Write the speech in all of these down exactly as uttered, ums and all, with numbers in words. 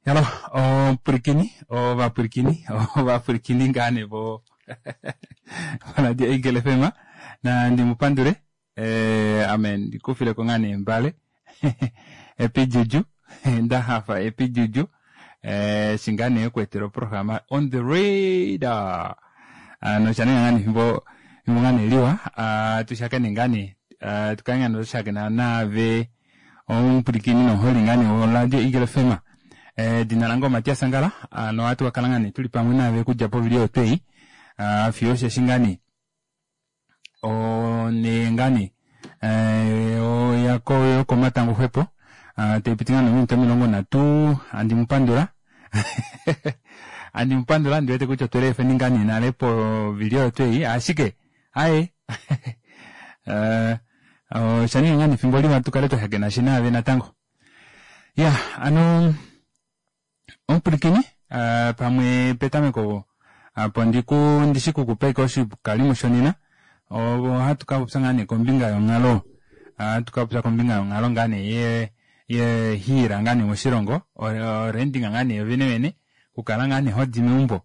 Hello, omupwilikini, ovapwilikini, ovapwilikini ngaa nee vo Radio Eagle F M, na ndi mu pandule eh, ame ndikufileko ngaa nee mbale epijuju nda hafa epijuju eh, shi ngaa nee okuetela oprograma On The Radar. Ano osha ninga ngaa nee efimbo efimbo ngaa nee liwa ah, tushakene ngaa nee ah, tukale ngaa nee tushakena naave omupwilikini nomuholi ngaa nee woRadio Eagle F M. Edina lange oMatias Angala, ano ohatu ka kala ngaa nee tuli pamwe naave okudja povili oyo twei ah, fiyo osheshi ngaa nee one ngaa nee eh, yokomatango xwepo ah, taipiti ngaa nominute omilongo nhatu. Andi mupandula, andi mupandula, ndiwete kutya otwele efeni ngaa nee nale povili oyo twei, ashike aye eh, osha ninga ngaa nee efimbo liwa tukale twashakena shi naave natango. Ya, ano omupwilikini uh, pamwe petameko apo ndiku ndishi kukupa ike oshikalimo shonena, ohatu ka popya ngaa nee kombinga yonghalo, ohatu ka popya kombinga yonghalo ngaa nee ye ye hiila ngaa nee moshilongo, orenting ngaa nee yovene vene, okukala ngaa nee hodi meumbo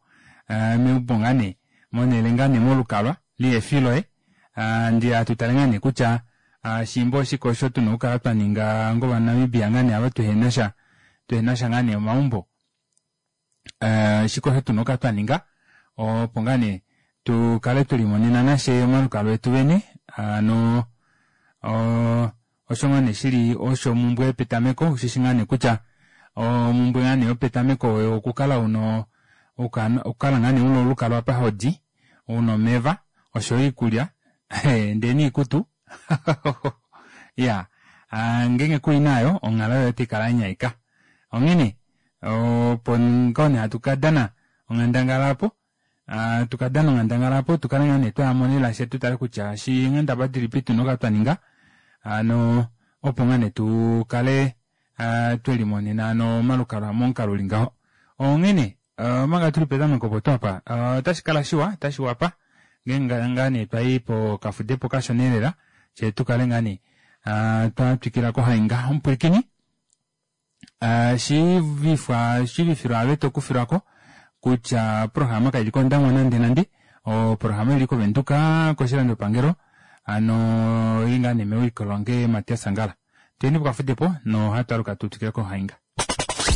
uh, meumbo ngaa nee monele ngaa nee molukalwa lihefi loye. uh, ndi hatu tale ngaa nee kutya uh, shimbo oshike osho tuna okukala twa ninga ngovanamibia ngaa nee ava tuhenasha tuhenasha ngaa nee omaumbo, uh, shike osho tuna okukala twa ninga opo ngaa nee tukale tulimonena nashe omalukalwa etu vene. Ano osho ngaa nee shili osho omumbwe yopetameko, ushishi ngaa nee kutya omumbwe ngaa nee yopetameko oyo okukala uno okukala ngaa nee una olukalwa apa hodi, una omeva oshoyo iikulya ndee niikutu ya ngenge kuina ayo onghalo yoye otaikala yanyaika. Onghene opo ngoo nee hatu kadana onghandangala apo tukadana onghandangala apo tukale ngaa nee twayamo lela she tutale kutya shi nghendaba dilipi tuna okukala twaninga ano opo ngaa nee tukale twelimonena ano omalukalwa momukalo uli ngaho. Onghene omanga tuli petameko opo twapa otashi kala shiwa, otashi wapa ngeenge ngaa nee twayi pokafudepo kashona elela she tukale ngaa nee twatwikila kohainga. Omupwilikini shiivifwa shiivifilwa ave tokufilwako kutya oprograma kaili kOndangwa nande nande, oprograma ili koVenduka koshilandopangelo, ano ili ngaa nee mewiliko lange Matias Angala. Tuyeni pokafudepo nohatu aluka tutwikile kohainga.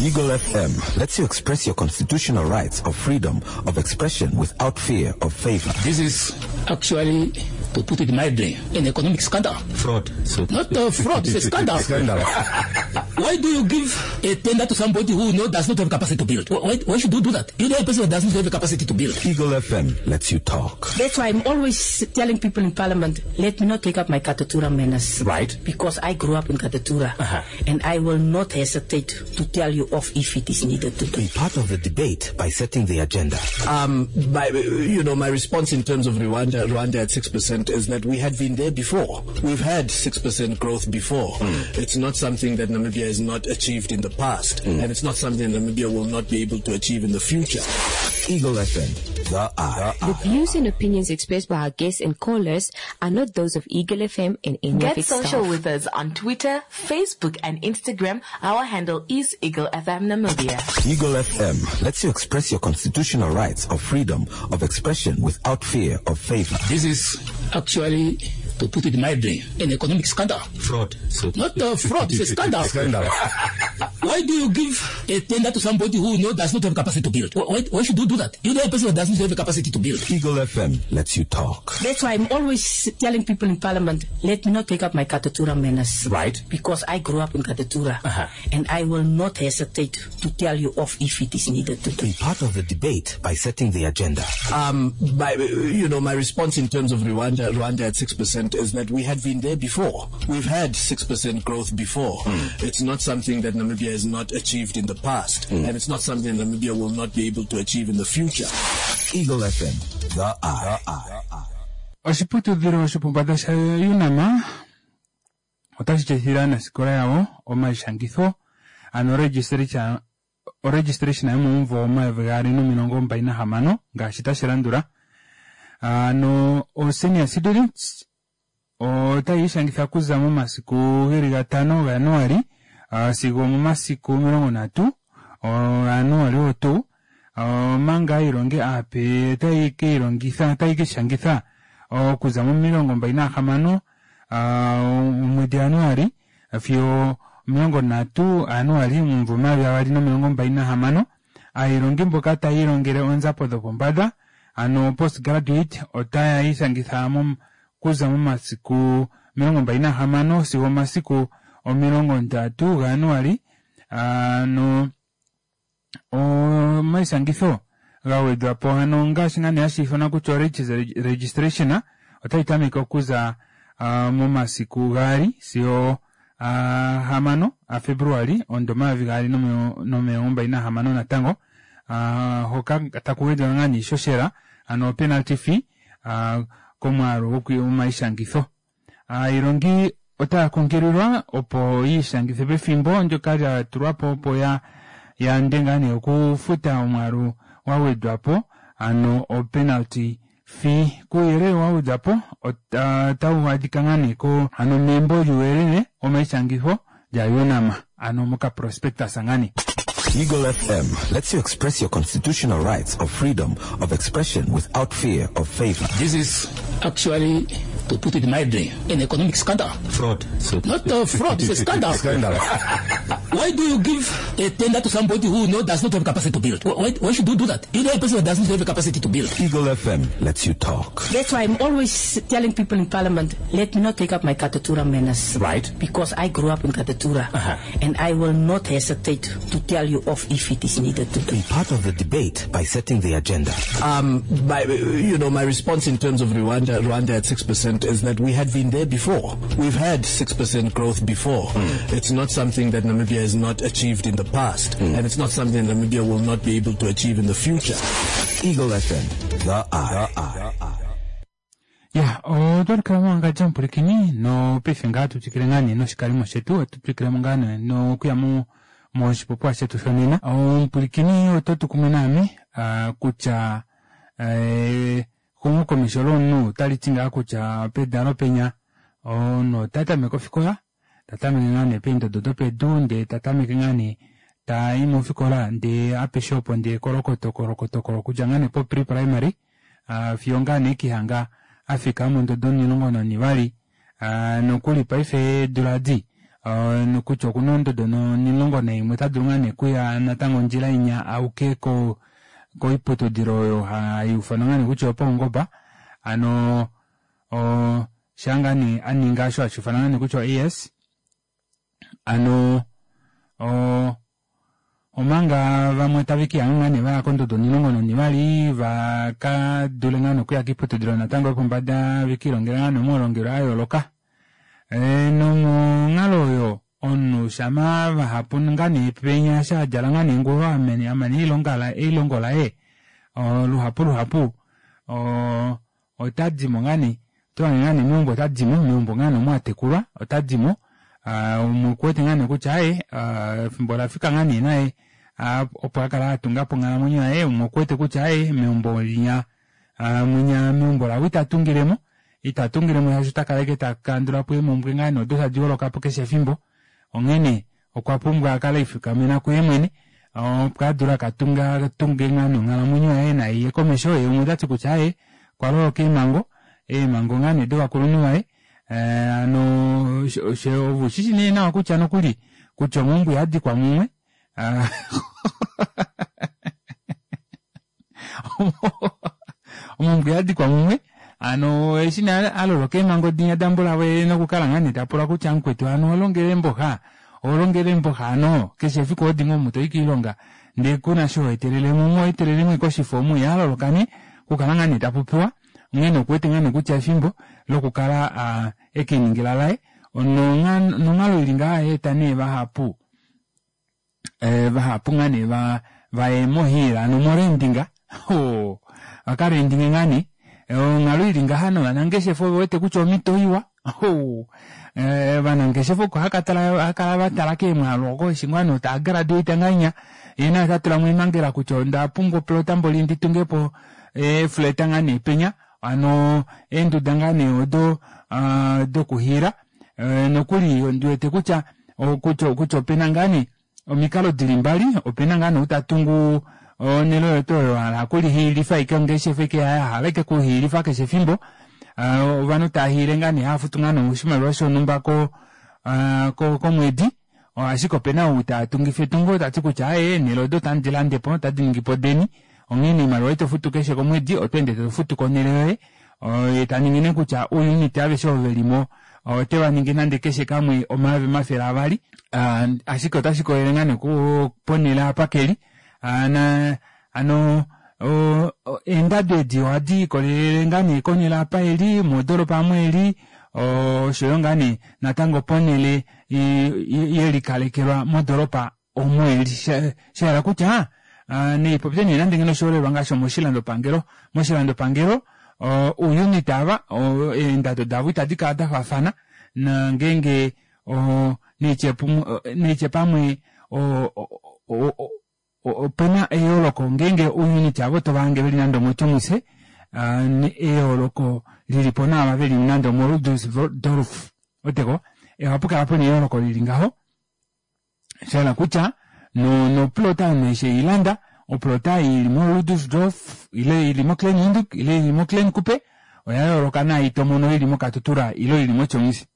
Eagle F M lets you express your constitutional rights of freedom of expression without fear of favor. This is actually, to put it mildly, an economic scandal. Fraud. So Not a fraud, it's a scandal. Scandal. Why do you give a tender to somebody who knows does not have capacity to build? Why, why should you do that? You know a person who does not have the capacity to build. Eagle F M lets you talk. That's why I'm always telling people in Parliament, let me not take up my Katutura manners. Right. Because I grew up in Katutura. Uh-huh. And I will not hesitate to tell you off if it is needed to do. Be part of the debate by setting the agenda. Um, my, you know, my response in terms of Rwanda, Rwanda at six percent is that we had been there before. We've had six percent growth before. Mm. It's not something that Namibia has not achieved in the past, mm. and it's not something Namibia will not be able to achieve in the future. Eagle F M, the eye. The views and opinions expressed by our guests and callers are not those of Eagle F M and any Get of its social staff. With us on Twitter, Facebook, and Instagram. Our handle is Eagle F M Namibia. Eagle F M lets you express your constitutional rights of freedom of expression without fear of favor. This is actually, to put it mildly, an economic scandal. Fraud. So Not a fraud, it's a scandal. Scandal. Why do you give a tender to somebody who knows does not have capacity to build? Why, why should you do that? You know a person who does not have the capacity to build. Eagle F M lets you talk. That's why I'm always telling people in Parliament, let me not take up my Katutura manners. Right. Because I grew up in Katutura. Uh-huh. And I will not hesitate to tell you off if it is needed to do. Be part of the debate by setting the agenda. Um, my, you know, my response in terms of Rwanda, Rwanda at six percent is that we had been there before. We've had six percent growth before. Mm. It's not something that Namibia has not achieved in the past, mm. and it's not something Namibia will not be able to achieve in the future. Eagle F M, the eye. The eye. Oshiputudhilo shopombanda sha UNAM otashi tseyithile aanasikola yawo omaishangitho, ano registration oregistration yomomumvo omayovi gaali nomilongo mbali nahamano ngaashi tashi landula. Ano o senior students otayi ishangitha okuza momasiku geli gatano gaJanuari sigo omomasiku omilongo ndatu ngaa aailongi aape otayi kiilongitha otayi kiishangitha okuza momilongo mbali nahamano omwedi Januali fiyo omilongo ndatu Januali omumvo omayovi gaali nomilongo mbali nahamano. Aailongi mboka taya ilongele oonzapo dhopombada ano post graduate otaya ishangitha okuza momasiku omilongo mbali nahamano sigo omasiku omilongo ndatu gaJanuali ano omaishangitho gawedhwapo hano ngaashi ngaa nee hashi ithanwa kutya o registration otayi tameke okuza momasiku gaali sigo hamano aFebruali omudo omayovi gaali nomilongo mbali nahamano natango hoka taku gwedhwa ngaa niishoshela ano penalty fee komwaalu gomaishangitho. Aailongi otaya kunkililwa opo yiishangithe pefimbo ndyoka lya tulwapo opo ya yande ngaa nee okufuta omwaalu wa gwedhwapo ano o penalty fee. Kuuyelele wa gwedhwapo otawu adhika ngaa nee ko ano membo lyuuyelele womaishangitho lya UNAM ano moka prospectus ngaa nee. Eagle F M lets you express your constitutional rights of freedom of expression without fear of favor. This is actually, to put it mildly, an economic scandal. Fraud. So Not a fraud, it's a scandal. Scandal. Why do you give a tender to somebody who no, does not have capacity to build? Why, why should you do that? You know a person who does not have the capacity to build. Eagle F M lets you talk. That's why I'm always telling people in Parliament, let me not take up my Katutura manners. Right. Because I grew up in Katutura. Uh-huh. And I will not hesitate to tell you off if it is needed to do. Be part of the debate by setting the agenda. Um, my, you know, my response in terms of Rwanda, Rwanda at six percent is that we had been there before. We've had six percent growth before. Mm. It's not something that Namibia has not achieved in the past, mm. and it's not something that Namibia will not be able to achieve in the future. Eagle F M, the eye. The eye. Ya, otwali mwanga jampulikini no paife ngaa tutwikile ngaa nee noshikalimo shetu, otutwikilemo ngaa nee nokuya mo moshipopiwa shetu shonena. Omupulikini oto tu kumwe naame kutya exumokomesho lomunhu otali ti ngaa kutya pedalo penya omunhu ota tameke ofikola, ta tameke ngaa nee peendodo dopedu ndee ta tameke ngaa nee tai mofikola ndee apeshe opo ndee kolokoto kolokoto kolo kudja ngaa nee po pre-primary fiyo ngaa nee kihanga afika mondodo omulongo nonivali nokuli paife eedula di nokutya okuna ondodo omulongo naimwe ota dulu ngaa nee okuya natango ondjila inya auke ko koiputudilo oyo hai ufanwa ngaa nee kutya opaungomba ano o shaa ngaa nee aninga osho hashi ufanwa ngaa nee kutya A S ano o omanga vamwe tave kihanga ngaa nee vaya kondodo omulongo nonivali vaka dule ngaa nee okuya kiiputudilo natango yopombada vekiilongela ngaa nee omaulongelwe a yooloka. E, nomonghalo oyo omunhu shama vahapu ngaa nee penya sha adjala ngaa nee ngulo amene amane eilonga la eilongo laye luhapu luhapu o ota dimo ngaa nee otohange ngaa nee meumbo ota dimo meumbo ngaa nee omo atekulwa ota dimo omukwete ngaa nee kutya aye efimbo lafika ngaa nee naye opo akala atungapo onghalamwenyo yaye omukwete kutya aye meumbo linya mwinya meumbo lawo itatungilemo itatungilemo shaashi ota kala ashike takandulapo eemhumbwe ngaa nee odo tadi holokapo keshe efimbo onghene okwa pumbwa akale efikamena kuye mwene opo adule akatunga tunge ngaa nee onghalamwenyo yaye naiye komesho ye umwe otati kutya aye okwa loloka eemhango eemhango ngaa nee dovakulunhu vaye ano ovushi nee nawa kutya nokuli kutya omumbwe yadikwa mumwe omumbwe yadikwa mumwe ano eshi nee aloloka eemhango dinya dambulawe nokukala ngaa nee tapula kutya mukwetu ano olongele mboha olongele mboha ano keshe efiku odimo omu toyi kiilonga ndee kuna sho etelelemo omu etelelemo koshifo omu yaloloka nee okukala ngaa nee tapopiwa onghene okuwete ngaa nee kutya efimbo lokukala ekeningila laye nonghalo ili ngaa yeeta nee vahapu vahapu ngaa nee vaye mohiila ano morendinga vakarendinge ngaa nee onghalo ili ngaha novanangeshefa ovewete kutya omhito iwa vanangeshefa oko hakatala vatala keemwaalu oko eshi ngoo nee taagraduate ngahenya yee naye otatulamo eemhangela kutya onda pumbwa oplota mboli nditungepo eefleta ngaa nee penya ano eenduda ngaa nee odo dokuhiila nokuli ondiwete kutya kutya opena ngaa nee omikalo dili mbali opena ngaa nee utatungu Onhele oyo tuu oyo hala okulihiilifa ashike ongeshefa ashike yahala ashike okuhiilifa keshe efimbo. Ovanhu tava hiile ngaa nee hava futu ngaa nee oshimaliwa shonhumba ko komwedi, ashike opena ou tatungifa etungo tati kutya aaye eenele odo otandi dilandepo otadi ningipo deni, onghene oimaliwa ei tofutu keshe komwedi oto ende tofutu konele yoye, yee taningi nee kutya ouunit aveshe ovo velimo otevaningi nande keshe kamwe omayovi omafele avali, ashike otashikoolele ngaa nee ponele apa keli. Hano eendado edi ohadi likolele ngaa nee konele apa eli modoropa aamo eli oshoyo ngaa nee natango ponele yelikalekelwa modoropa omo eli shahala kutya naipopye nee nande ngeno oshiholelwa ngaashi omoshilandopangelo, moshilandopangelo ouunit aava eendado davo ita dikala dafaafana nongenge naitye pamwe opena eyooloko ngeenge ouunit aava otovange veli nande omotjomuise eyooloko lilipo naava veli nande omo Ludersdorf ouweteko ohapukala pena eyooloko lili ngaho shahala kutya noplota omunhu eshi eilanda oplota ili mo Ludersdorf ile ili mo Klein Windhoek ile ili mo Klein Kuppe oyayooloka naai tomono ili mo Katutura ile ili motjomuise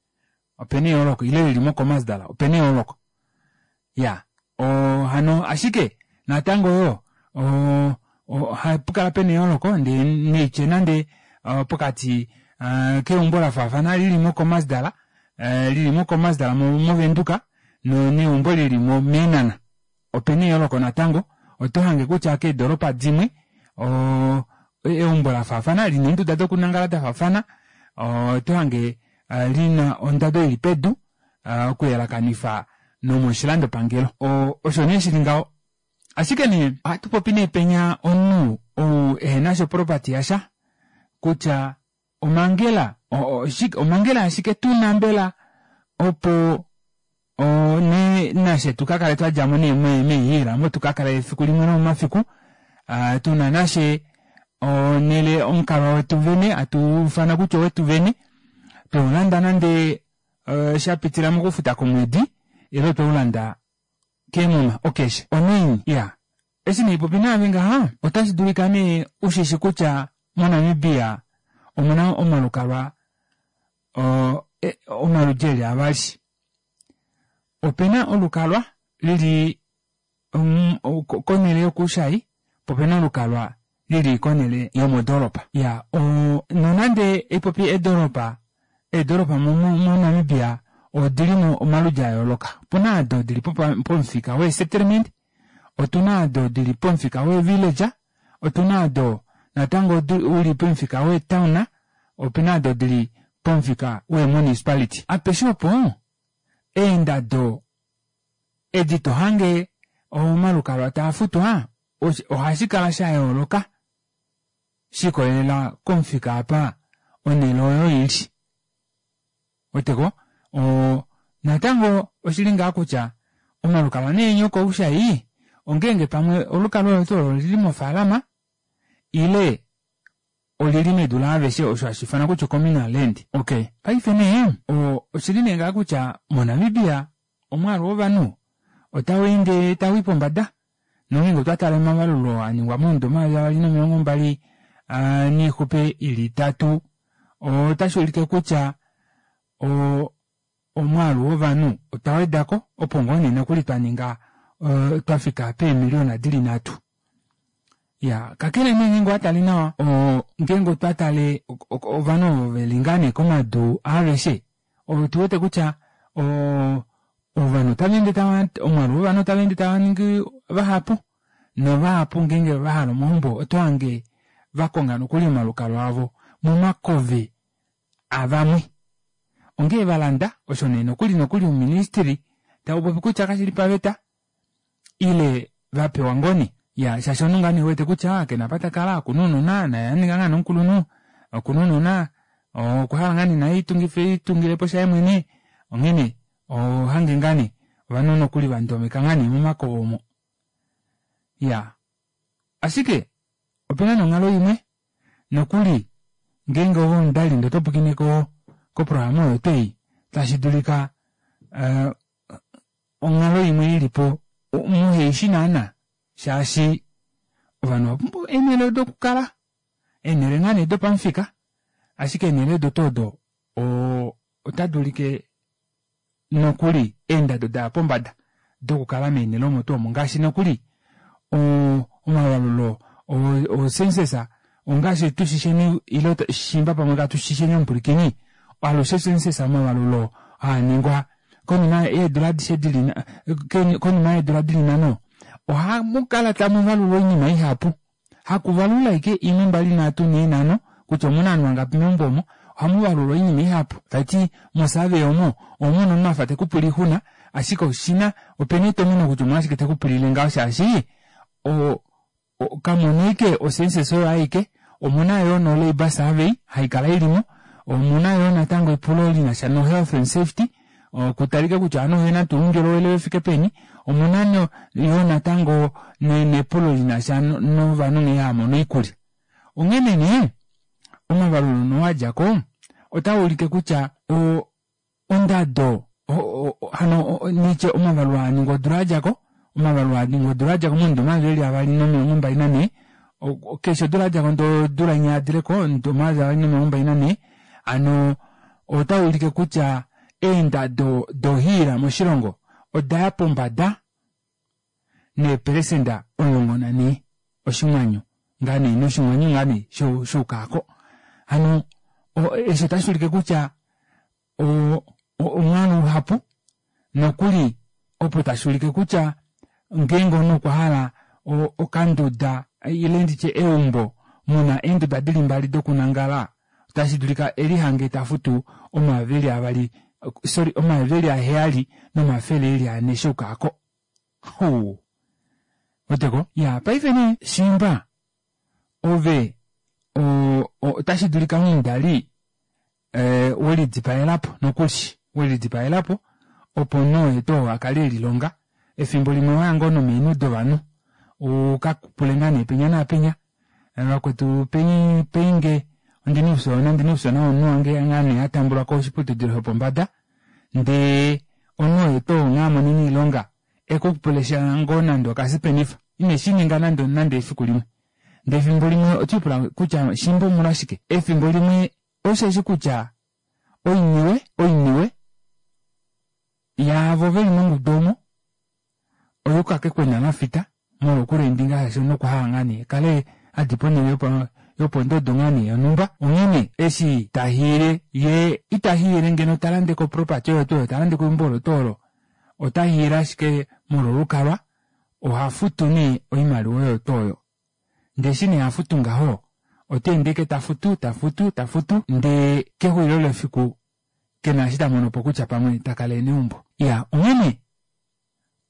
opena eyooloko ile ili mo Khomasdal opena eyooloko iyaa hano ashike natango yoo ohapukala pena eyooloko ndee naitye nande pokati keumbo lafaafana lili mo Khomasdal lili mo Khomasdal movenduka neumbo lili meenhana opena eyooloko natango otohange kutya keedoropa dimwe oo eumbo lafaafana lina eenduda dokunangala dafaafana otohange lina ondado ili pedu okuyelakanifa nomoshilandopangelo osho nee shili ngaho. Ashike nee ohatupopi nee penya omunhu ou ehenasha oproperty yasha kutya omangela omangela ashike tuna mbela opo nee nafye tukakale twadjamo nee meehiila omo tukakale efiku limwe lomomafiku tuna nafye onele omukalwa wetu vene hatuufana kutya owetu vene tweulanda nande shapitila mokufuta komwedi ile tweulanda keemuma ocash onaini iyaa eshi nee haipopi naave ngaha otashi dulika nee ushishi kutya moNamibia omuna omalukalwa omaludi eli avali. Opena olukalwa lili konele yokuushai poo opena olukalwa lili konele yomodoropa. Iyaa nonande haipopi eedoropa, eedoropa moNamibia odilimo omaludi ayooloka. Opuna aado dili pomufika wee settlement, otuna aado dili pomufika wee village, otuna aado natango uli pomufika wee town, opena aado dili pomufika wee municipality. Apeshe opo eendado edi tohange omalukalwa taafutwa ohashikala shayooloka shikolelela komufika apa onele oyo ili. Ouweteko natango oshili ngaa kutya omalukalwa nee enya okoushai ongenge pamwe olukalwa olo tuu olo olili mofaalama ile olili medu laaveshe osho hashiifanwa kutya o communal land. Okey paife nee oshili nee ngaha kutya moNamibia omwaalu wovanhu otaweende tawii pombada nongeenge otwa tale omavalulo aningwa momudo omayovi avali nomilongo mbali noixupe ili itatu otashuulike kutya omwaalu wovanhu otwa wedako opo ngoo nee nokuli twaninga twafika peemiliona dili nhatu. Iyaa kakele nee ngeenge owatale nawa ngeenge otwa tale ovanhu ovo veli ngaa nee komadu aaveshe otuwete kutya ovanhu otavaende tava omwaalu wovanhu otaweende tavaningi vahapu novahapu ngeenge vahala omaumbo otohange vakonga nokuli omalukalwa avo momakove avamwe ongee valanda osho nee nokuli nokuli ouministry taupopi kutya kashili paveta ile vapewa ngoo nee. Iyaa shaashi omunhu ngaa nee ewete kutya kena apa takala okuna ounona naye aninga ngaa nee omukulunhu okuna ounona okwahala ngaa nee naye elitungilepo shaye mwene onghene ohohange ngaa nee ovanhu nokuli vandomeka ngaa nee momakove omo. Iyaa ashike opena nee onghalo imwe nokuli ngeenge ove omudali ndee otopwiikine koprograma oyo tuu ei tashi dulika onghalo imwe ilipo muheishi naana shaashi Ovanhu ovapumbwa eenhele dokukala, eenhele ngaa nee dopamufika, ashike eenhele odo tuu odo otadi ulike nokuli eendado daya pombada dokukala meenhele omo tuu omo ngaashi nokuli omavalulo ocensus ongaashi tushisheni ile shiimba pamwe katu shisheni omupwilikini, alushe census omavalulo haaningwa konima yeedula adishe dili konima yeedula dili nhano ohamukala tamuvalulwa oinima ihapu. Hakuvalula ashike imwe mbali nhatu nhee nhano kutya omuna ovanhu vangapi meumbo omo, ohamuvalulwa oinima ihapu. Tashiti mosurvey omo omumona omunhu afa tekupula oixuna, ashike oshina opena etomeno kutya omolwashike tekupulile ngaho shaashi kamuna ashike ocensus oyo aike, omuna yoo no labour survey haikala ilimo, omuna yoo natango epulo linasha no health and safety, okutalika kutya ovanhu ovena tuu oundjolowele ufike peni, omuna yoo natango nepulo linasha novanhu nghee haamono oikulya. Onghene nee omavalulo nee adjako otaulike kutya ondado hano nitye omavalulo aaningwa odula yadjako, omavalulo aaningwa odula yadjako momudo omayovi eli avali nomilongo mbali nanhee, keshe odula yadjako ndee odula inya yadileko omudo omayovi avali nomilongo mbali nanhee, hano otaulike kutya eendado dohiila moshilongo odaya pombada neepelesenda omulongo nanhee oshinghwanyu ngaa nee noshinghwanyu ngaa nee shuukako. Hano eshi otashuulike kutya omwaalu uhapu nokuli opo tashuulike kutya ngeenge omunhu okwahala okanduda ile nditye eumbo muna eenduda dili mbali dokunangala otashidulika elihange tafutu omayovi eli avali sorry omayovi eli aheyali nomafele eli ane shuukako. Huu ouweteko? Iyaa paife nee shiimba ove otashidulika omudali welidipaelapo nokuli welidipaelapo opo omunhu oye tuu oo akale elilonga efimbo limwe owaya ngoo nomeenhu dovanhu ukapule ngoo nee penya naapenya vakwetu peinge ondina oufyoona ondina oufyoona womunhu wange ngaa nee atambulwa koshiputudilo shopombada ndee omunhu oye tuu oo nghee amonene oilonga ekupulesha ngoo nande okasipenifa ineshininga nande nande efiku limwe ndee efimbo limwe otwiipula kutya shimba omolwashike efimbo limwe osheshi kutya oiniwe oiniwe yaavo veli mongudu omo oyuuka kekwena lafita molwo okulendinga shaashi omunhu okwahala ngaa nee akale hadi ponele yopondodo ngaa nee yonhumba. Onghene eshi tahiile yee itahiile ngeno talande ko property oyo tuu oyo talande ko eumbo olo tuu olo, otahiile ashike molwo olukalwa ohafutu nee oimaliwa oyo tuu oyo. Ndee eshi nee hafutu ngaho oteende ashike tafutu tafutu tafutu ndee kexulilo lefiku kena eshi tamonopo kutya pamwe takala ena eumbo. Iyaa onghene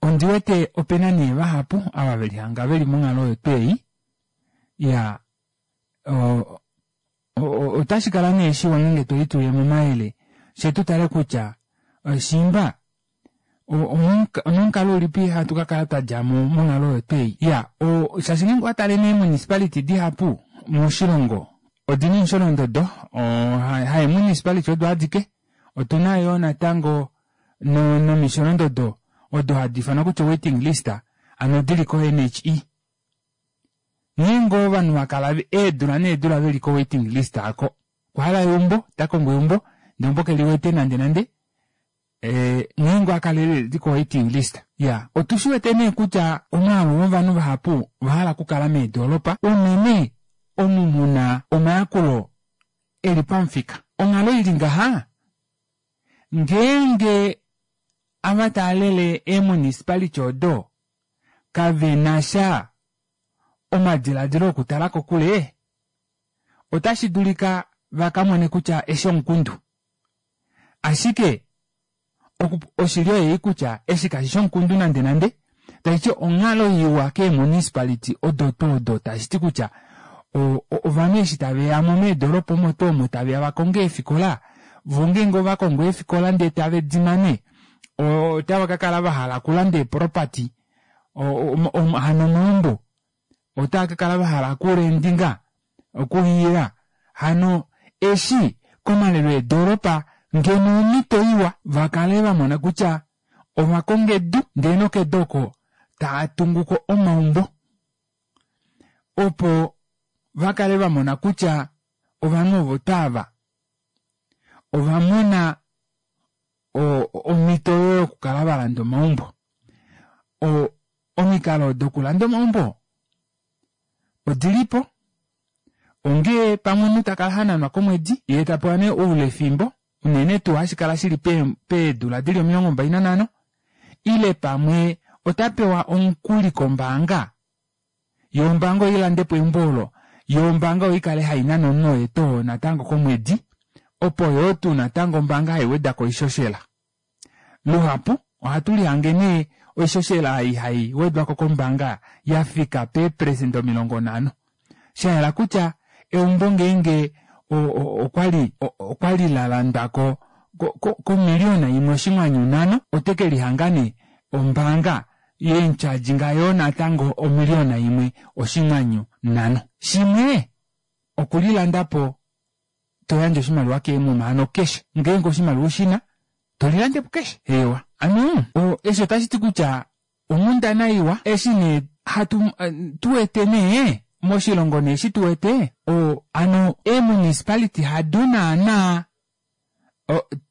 ondiwete opena nee vahapu ava velihanga veli monghalo oyo tuu ei iyaa otashikala nee shiwa ngeenge twelitulilemo omayele fyee tutale kutya shiimba onomukalo ulipi hatu kakala twadjamo monghalo oyo tuu ei. Iyaa shaashi ngeenge owatale nee municipality dihapu moshilongo odina omusholondodo haye municipality odo adike otuna yoo natango nomisholondodo odo hadi ifanwa kutya waiting list hano dili ko N H E. Ngeenge ovanhu vakala eedula needula veli ko waiting list aako okwahala eumbo takongo eumbo ndee eumbo keliwete nande nande ngeenge owakalele li ko waiting list. Iyaa otushiwete nee kutya omwaalu wovanhu vahapu ovahala okukala meedoropa unene omu muna omayakulo eli pamufika. Onghalo ili ngaha ngeenge ava taalele eemunicipality odo kavenasha omadilaadilo okutala kokule otashi dulika vakamone kutya eshi omukundu. Ashike oshili oyei kutya eshi kashishi omukundu nande nande, tashiti onghalo iwa keemunicipality odo tuu odo tashiti kutya ovanhu eshi taveyamo meedoropa omo tuu omo taveya vakonge eefikola voo ngeenge ovakongo eefikola ndee tave dimane otava kakala vahala okulanda eeproperty hano omaumbo otava kakala vahala okulendinga okuhiila hano eshi komalelo eedoropa ngeno omito iwa vakale vamona kutya ovakonga edu ndee nokedu oko taatunguko omaumbo. Opo va kale vamona kutya ovanhu ovo twaava ovamona omito yokukala valanda omaumbo. Oo omikalo dokulanda omaumbo odilipo ongee pamwe omunhu takala hananwa komwedi yee tapewa nee oulefimbo unene tuu hashikala shili peedula dili omilongo mbali nanhano ile pamwe otapewa omukuli kombaanga yoo ombaanga oilandepo eumbo oolo yoo ombaanga oikale hainane omunhu oye tuu oo natango komwedi opo yoo tuu natango ombaanga haiwedako oishoshela. Luhapu ohatu lihange nee oishoshela ei haiwedwako kombaanga yafika peeperecent omilongo nhano shayela kutya eumbo ngeenge okwali okwali lalandwako komilliona imwe oshinghwanyu nhano otekelihanga nee ombaanga yemutyadjinga yoo natango omilliona imwe oshinghwanyu nhano. Shimwe okulilandapo toyandje oshimaliwa keemuma hano keshe ngeenge oshimaliwa ushina tolilandepo keshe eewa hano eshi otashiti kutya onghundana iwa eshi nee hatu tuwete nee moshilongo nee eshi tuwete oo hano eemunicipality hado naana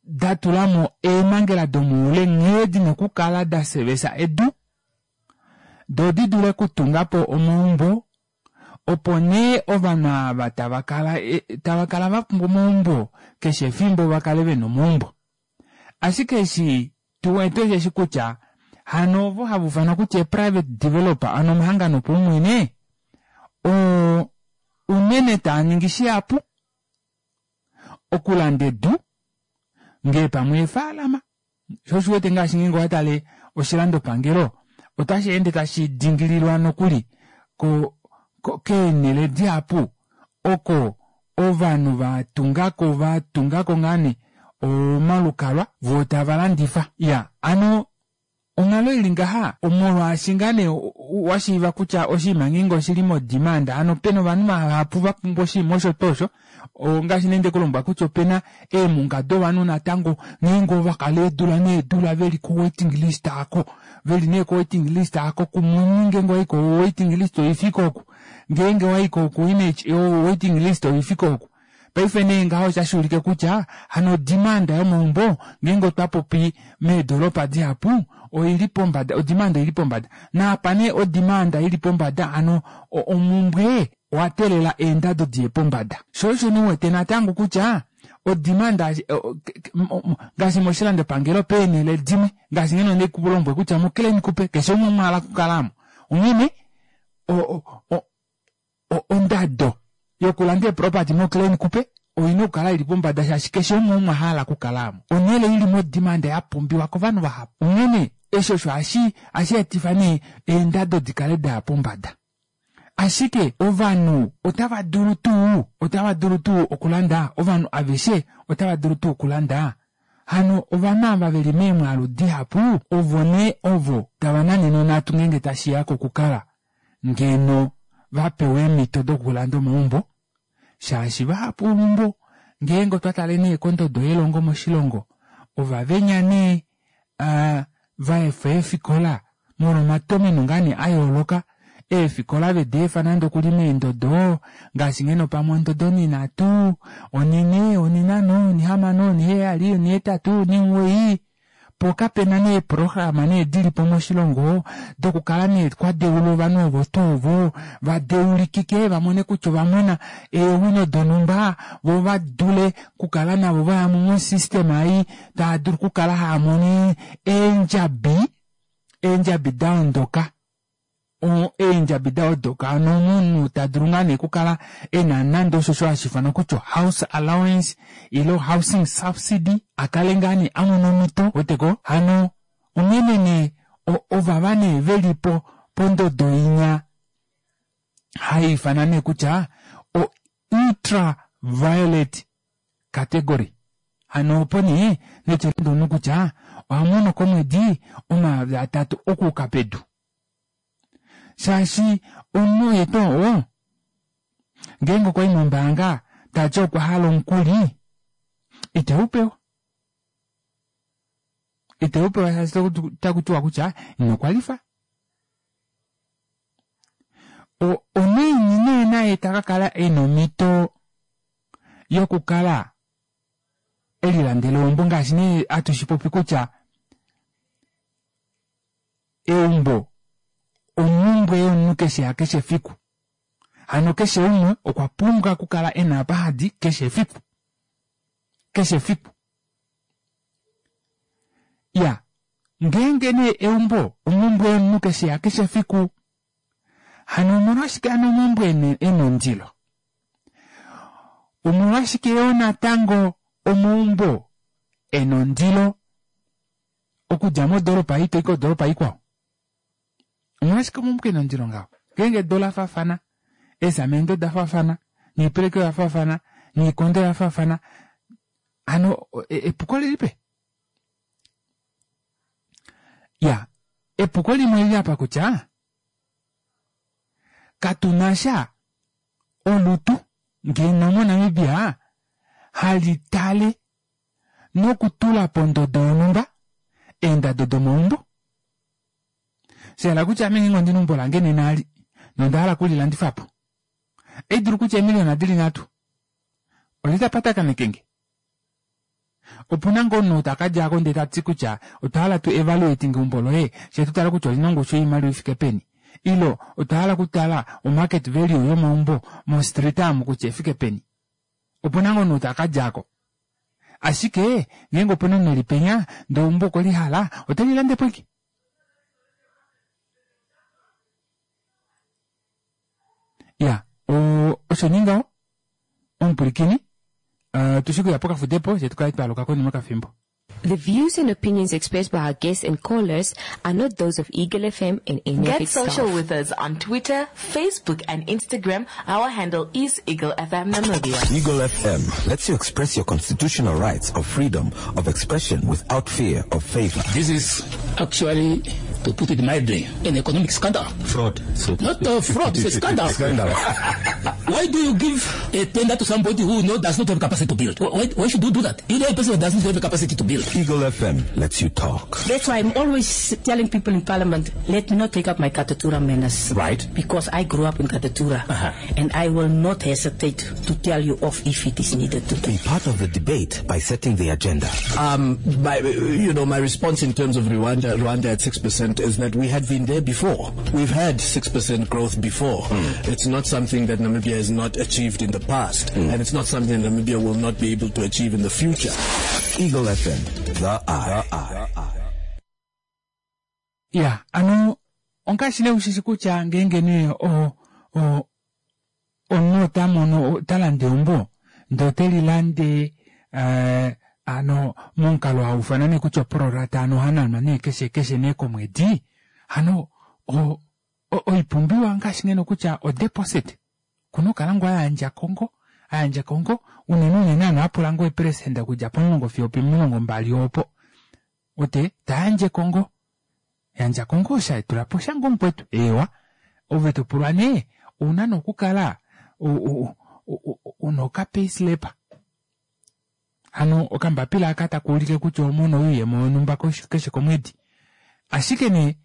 datulamo eemangela domoule nghee dina okukala dasevesa edu doo didule okutungapo omaumbo opo nee ovanhu ava tavakala tavakala vapumbwa omaumbo keshe efimbo vakale vena omaumbo. Ashike eshi tuwete osheshi kutya hano ovo hava ufanwa kutya private developer hano omahangano opaumwene oo unene taaningi shihapu okulanda edu ngee pamwe eefalama shoo osho uwete ngaashi ngeenge owatale oshilandopangelo ota sheende tashi dingililwa nokuli ko keenele dihapu oko ovanhu vatungako vatungako ngoo nee omalukalwa voo tavalandifa. Iyaa hano onghalo ili ngaha molwaashi ngaa nee washiiva kutya oshinima ngeenge oshili mo demand hano pena ovanhu vahapu vapumbwa oshinima osho tuu osho ongaashi nee ndekulombwela kutya opena eemunga dovanhu natango ngeenge ovakala eedula needula veli ko waiting list aako veli nee ko waiting list aako kumuni ngeenge owayi ko waiting list oifike oku ngeenge owayi ko waiting list oifike oku. Paife nee ngaho otashuulike kutya hano odimanda yomaumbo ngeenge otwapopi meedoropa dihapu oili pombada odimanda oili pombada naapa nee odimanda ili pombada hano omumbwe owateelela eendado diye pombada shoo osho nee uwete natango kutya odimanda ngaashi moshilandopangelo peenele dimwe ngaashi ngeno ndikulombwele kutya mo Klein Kuppe keshe umwe omo ahala okukala aamo onghene ondado yokulanda eeproperty mo Klein Kuppe oina okukala ili pombada shaashi keshe umwe omo ahala okukala aamo. Onhele ili modimanda yapumbiwa kovanhu vahapu onghene eshi osho hashi etifa nee eendado dikale daya pombada. Ashike ovanhu otava dulu tuu otava dulu tuu okulanda ovanhu aveshe otava dulu tuu okulanda hano ovanhu ava veli meemwaalu dihapu ovo nee ovo tava nanene onhatu ngeenge tashiya kokukala ngeno vapewa eemito dokulanda omaumbo shaashi vahapu olumbo ngeenge otwa tale nee kondodo yelongo moshilongo ovavenya nee vaefa eefikola molwa omatomeno ngaa nee ayooloka eefikola vedeefa nande okuli meendodo ngaashi ngeno pamwe ondodo onhinhatu, onhinhe, onhinhano, onhihamano, onhiheyali, onhihetatu, onhimugoyi poo kapena nee eeprograma nee dilipo moshilongo dokukala nee kwadeulwa ovanhu ovo tuu ovo vadeulikike vamone kutya ovamona eewino donumba voo vadule okukala navo vayamo mo system ei taadulu okukala haamono eendjabi eendjabi daondoka eendjabi daondoka hano omunhu tadulu ngaa nee okukala ena nande osho osho hashiifanwa kutya house allowance ile housing subsidy akale ngaa nee amona omito ouweteko hano onghene nee ovava nee velipo pondodo inya haiifanwa nee kutya o ultra violet category hano opo nee neti omunhu kutya ohamono komwedi omayovi atatu okuuka pedu shaashi omunhu oye tuu oo ngeenge okwayi mombaanga tati okwa hala omukuli iteupewa iteupewa shaashi otakutiwa kutya ino kwalify onaiini nee ta ka kala ena omhito yokukala elilandela eumbo ngaashi nee atushipopi kutya eumbo omumbwe yomunhu keshe yakeshe efiku. Hano keshe umwe okwa pumbwa okukala ena apa hadi keshe efiku. Keshe efiku. Ya, ngeenge nee eumbo omumbwe yomunhu keshe yakeshe efiku, hano omolwashike hano omaumbo ena ondilo? Omolwashike yoo natango omaumbo ena ondilo okudja modoropa ei toyi kodoropa ikwao? Omolwashike omaumbo ena ondilo ngaho? Ngeenge edu ola faafana, eesamende oda faafana, noipeleki oya faafana, noikondo oya faafana, hano epuko lilipi? Ya, epuko limwe olili apa kutya katunasha olutu ngeno moNamibia hali tale nokutula pondodo yonhumba eendado domaumbo. Shahala kutya ame ngeenge ondina eumbo lange nena ali nonda hala okulilandifapo, ohaidulu kutya eemiliyona dili nhatu olye tapatakaneke nge? Opuna ngoo omunhu takadjako ndee tati kutya otwa hala tu evaluating eumbo loye fyee tutale kutya olina ongushu yoimaliwa ifike peni, ile otwa hala okutala omarket value yomaumbo mostreet amu kutya efike peni. Opuna ngoo omunhu takadjako. Ashike ngeenge opuna omunhu elipenya ndee eumbo okwelihala otelilandepo ashike. Ya, osho nee ngaho omupwilikini tushi kuya pokafudepo fyee tukale twaaluka konima yokafimbo. The views and opinions expressed by our guests and callers are not those of Eagle F M and any of Get its social staff. with us on Twitter, Facebook and Instagram. Our handle is Eagle F M Namibia. Eagle F M lets you express your constitutional rights of freedom of expression without fear of favor. This is actually, to put it mildly, an economic scandal. Fraud. So Not a fraud, it's a scandal. Scandal. Why do you give a tender to somebody who no, does not have capacity to build? Why, why should you do that? You know a person who doesn't have the capacity to build. Eagle F M lets you talk. That's why I'm always telling people in Parliament, let me not take up my Katutura manners. Right. Because I grew up in Katutura. Uh-huh. And I will not hesitate to tell you off if it is needed to. Be part of the debate by setting the agenda. Um, my, you know, my response in terms of Rwanda, Rwanda at six percent is that we had been there before. We've had six percent growth before. Mm. It's not something that Namibia has not achieved in the past. Mm. And it's not something that Namibia will not be able to achieve in the future. Eagle F M, the eye. The eye. Yeah, ano, ongaashi nee ushishi kutya ngeenge nee o, o, omunhu ota mono, ota lande eumbo, ndee ote lilande, eh, ano momukalo haufana nee kutya oprorata ano ohananwa nee keshe keshe nee komwedi, hano o, o, oipumbiwa ngaashi ngeno kutya odeposit kuna okukala ngoo ayandja kongo, ayandja kongo unene unene ano apula ngoo eperesenda okudja pomulongo fiyo opomilongo mbali opo ote tayandje kongo, yandja kongo osha tula po sha ngoo mukwetu ewa ove topulwa nee ouna nokukala una okapayslip hano okambapila aka takuulike kutya omono ouyemo wonhumba keshe komwedi. Ashike nee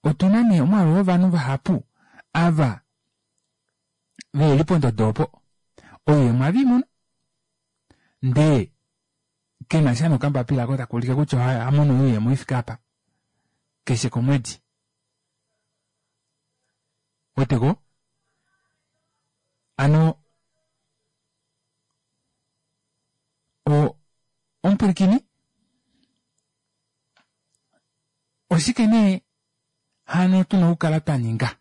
otuna nee omwaalu wovanhu vahapu ava veli pondodo opo ouyemo aveimono ndee kena sha nokambapila ako takuulike kutya amono ouyemo ifike apa keshe komwedi. Weteko? Ano o omupwilikini oshike nee hano tuna okukala twa ninga?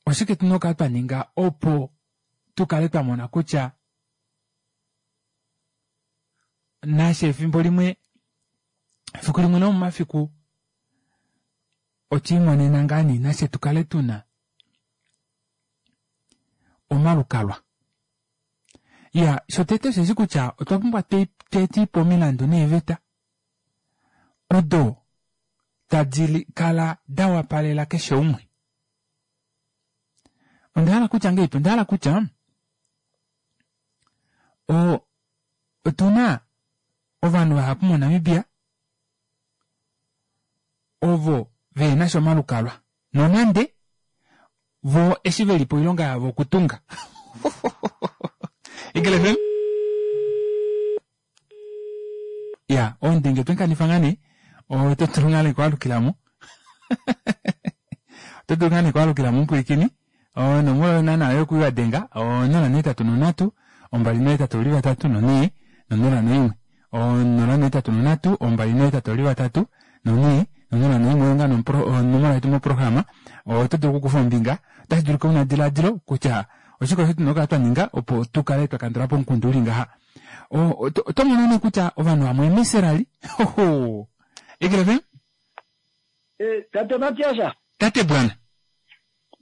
Oshike tuna okukala twa ninga opo tukale twa mona kutya nashe efimbo limwe efiku limwe lomomafiku otwiimonena ngaa nee nashe tukale tuna omalukalwa. Ya, shotete osheshi kutya otwa pumbwa tetipo omilandu neeveta odo tadi kala da wapalela keshe umwe. Onda hala kutya ngeipi? Onda hala kutya o otuna ovanhu vahapu moNamibia ovo vena sha omalukalwa nonande Vo eshi veli po oilonga yavo okutunga. Eagle F M? Ya, ondenge twenkanifa ngaa nee, oto dulu ngaa nee okwaalukilamo. Oto dulu ngaa nee okwaalukilamo omupwilikini. Onomola naana yokuiwa denga, onola nohetatu nonhatu, ombali nohetatu oli vatatu nonhee, nonola noimwe. Onola nohetatu nonhatu, ombali nohetatu oli vatatu, nonhee, nonola noimwe oyo ngaa onomola yetu moprograma. Oto dulu okukufa ombinga. Otashi dulika una ediladilo kutya oshike osho tuna okukala twa ninga opo tu kale twa kandula po omukundu uli ngaha. Oto mono nee kutya ovanhu vamwe emeserali. Eagle F M? Tate Matias. Tate bwana.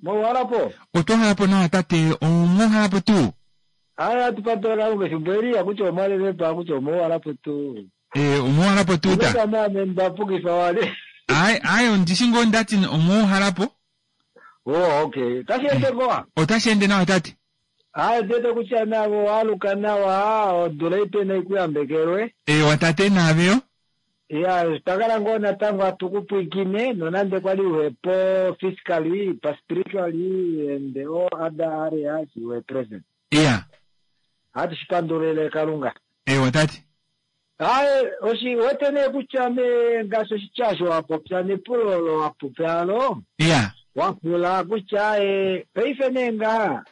Mouhalapo? Otwa halapo nawa tate, omwahalapo tuu? Aya tupatola kalunga efimbo eli akuti omwalelepa akuti omouhalapo tuu. Eh, omouhalapo tuu ta? Name ndapukifa wale. Ai, ai ondishi ngoo ndati omouhalapo. Oh, okay. Tashi ende ngoo? Otashi ende nawa tate. Ai, tete kutya navo waluka nawa, odula ipe naikuyambekelwe. Eh, watate naveyo? Ya, twakala ngoo natango hatukupwikine nonande kwali uhepo physically, spiritually and all other areas you were present. Yeah. Hatu shipandulile Kalunga. Eh, watate. Ai, oshi wete nee kutya me ngaashi oshityasho wapopya nepulo olo wapopya. Yeah. Wapula kutya eh paife nee ngaha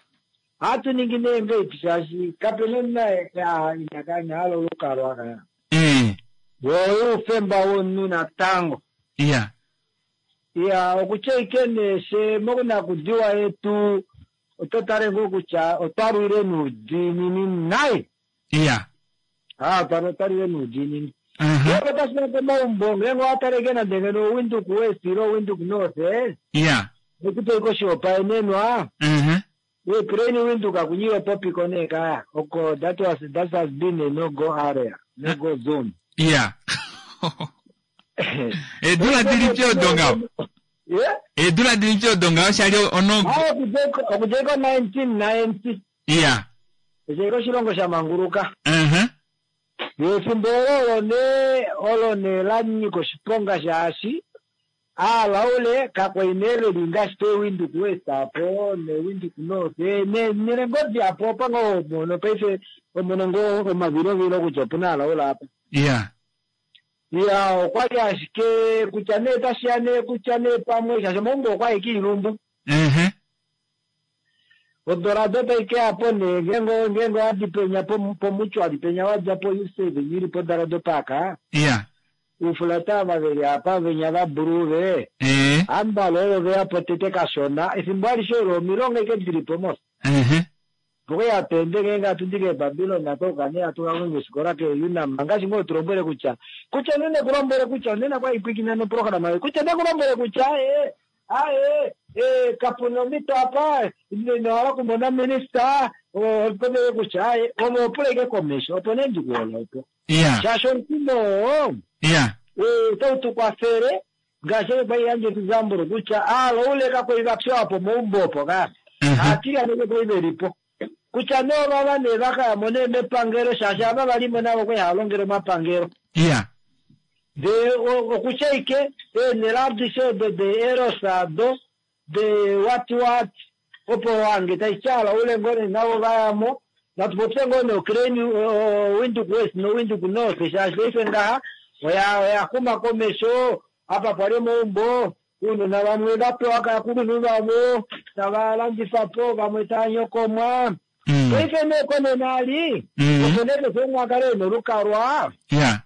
hatu ningi nee ngaipi shaashi kapena na inakanya alo lukalwa ka. Eh. Woyo ufemba wonu natango. Yeah. Ya, okutya ike nee mokunakudiwa yetu oto tale ngoo kutya otwalwile nuudiinini nayi. Yeah. Ah, otwalwile nuudiinini. Uh-huh. Ngenge otashi ya komaumbo, ngenge owataleke nande ngeno Windhoek West ile Windhoek North, eh? Yeah. Ekupe oshihopaenenwa. Uh-huh. Ukraine Windhoek akunyiwe popiko nee kaya. Oko, that was, that has been a no-go area, no-go zone. Yeah. Edula dilipi odonga? Yeah? Edula dilipi odonga oshali ono. Ah, okujeko nineteen ninety. Yeah. Ejeko oshilongo sha manguruka. Uh-huh. Efimbo olo ne olo ne la nyika oshiponga shaashi alaule kakwainele lingashi pe Windhoek West apo ne Windhoek North ne nelengodi apo pango mono paife omono ngo omavilovilo kutya opuna alaula apa. Yeah. Ya, okwali ashike kutya nee tashiya nee kutya nee pamwe shaashi omaumbo okwali kiilumbu. Uh-huh. Odorado taike apo nee ngengo ngengo adipenya pomuchwali penya wadja po U seven ili po Dorado Park. Yeah. Ufulata vaveli apa venya vabruve. Eh. Ambalo oyo veya po tete kashona efimbo alishe olo omilongo ike dilipo mos. Uh-huh. Poke yatende ngenga atundike Babylon atoka ne atuka kwenye ke Unam ngaashi ngoo tulombwele kutya kutya nene kulombwele kutya nena kwa ipwikina no program kutya ne kulombwele kutya eh aye eh kapuna omito apa newala kumona minister opone kutya aye omopuleke komesho opo ne ndikuola opo. Yeah. Shaashi omukumo Yeah. eh tautukwafele ngaashi kwa yanje tuzamburo kutya alo uleka kwa apo moumbo opo ka. Atira neke kwa iberipo. Kutya no baba ne bakaya mone mepangelo shaashi aba balimo nabo kwe halongelo mapangelo. Yeah. De okutya ike nelabdisho de de erosado de what what opo wange taichala ule ngone nabo bayamo natupopye ngone Ukraine Windhoek West no Windhoek North shaashi ife ngaha oya oya kuma komesho apa pali moumbo uno na vamwe vapewa kakulunhu vavo tavalandifapo vamwe tanyokomwa. Paife nee konena ali opo nee keshe umwe akale ena olukalwa. Yeah.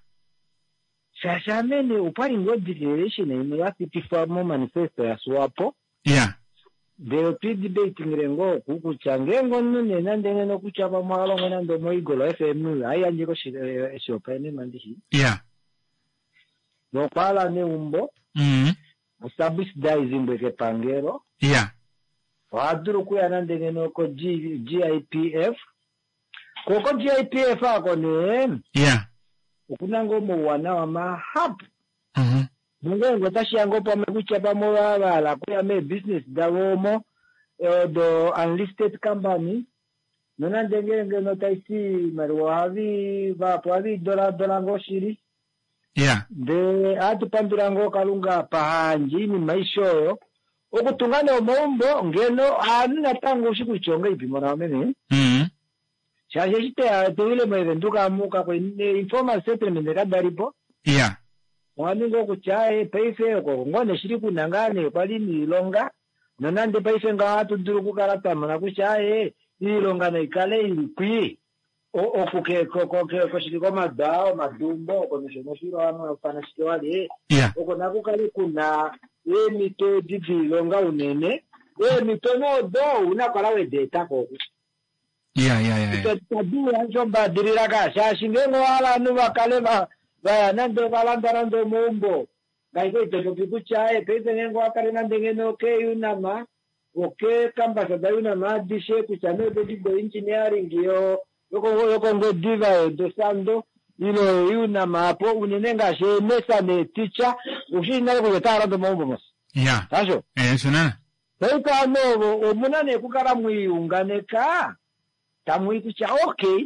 Shaashi amene opwali ngoo declaration imwe yapitifwa mo manifesto ya SWAPO. Yeah. Ndele otwidebatingile ngoo oku kutya ngeenge omunhu nee nande ngeno kutya pamwe alongo nande omoEagle F M aiyandje koshihopaenenwa ndishi. Yeah. Nokwala neumbo. Mm. Osubsidizingwe kepangelo. Yeah. Ohadulu okuya nande ngeno ko G I P F. Koko G I P F ako nee. Yeah. Okuna ngoo omauwanawa mahapu. Mhm. Nongeenge otashiya ngoo pamwe kutya pamwe vavala kuya mee-business davo omo do unlisted company nonande ngeenge notaiti iimaliwa ohavi vapo ohavi doladola ngoo shili. Yeah. Ndele ohatupandula ngoo Kalunga pahandje iinima aishe oyo Okutunga nee omaumbo ngeno aanhu natango ushi kutya ongeipi mona meme. Mm. Shaashi eshi teya tewile moVenduka amu kakwe informal settlement kadalipo. Iya. Owaninga okutya eh, paife oko ngoo neshili kuna ngaa nee kwali niilonga nonande paife ngaho ohatu dulu okukala twa mona kutya eh, iilonga naikale ili kwii oku ke- ko- ko- ke- koshili komada omadumbo oko nosho noshilo ano fanashike wali Iya. oko nakukale kuna eemhito edi diilonga unene eemhito noodo una kala wedeetako oku Iya, iya, iya. iya. tadula ombadilila ka shaashi ngeenge owahala ovanhu vakale va vaya nande valanda nande omaumbo ngaiko itopopi kutya e paife ngeenge owakale nande ngeno keUNAM okekambasa daUNAM adishe kutya nee odedi doengineering yo yokongwediva yodosando ilo UNAM apo unene ngaashi eenesa neeticha ushii nale kutya otaya landa omaumbo mos Iya. hasho Eh, osho nana. paife ano ovo omuna nee okukala mwiiunganeka tamui kutya okay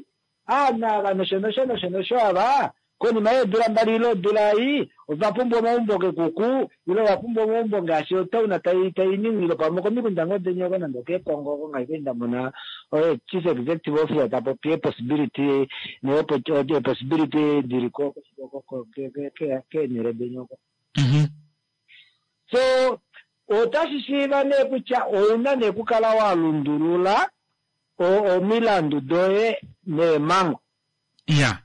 aana ava nosho nosho nosho nosho ava konima yeedula mbali ile odula ei ova pumbwa omaumbo kekuku ile ova pumbwa omaumbo ngaashi otauna tai tai ningile pamwe komikunda ngoo denyoko nande okekongo oko ngaashi nda mona oye chief executive officer ta popi epossibility neepossibility dili ko keenhele denyoko. Mhm. So otashi shiiva nee kutya ouna nee okukala wa lundulula o- omilandu doye neemhango. Iya.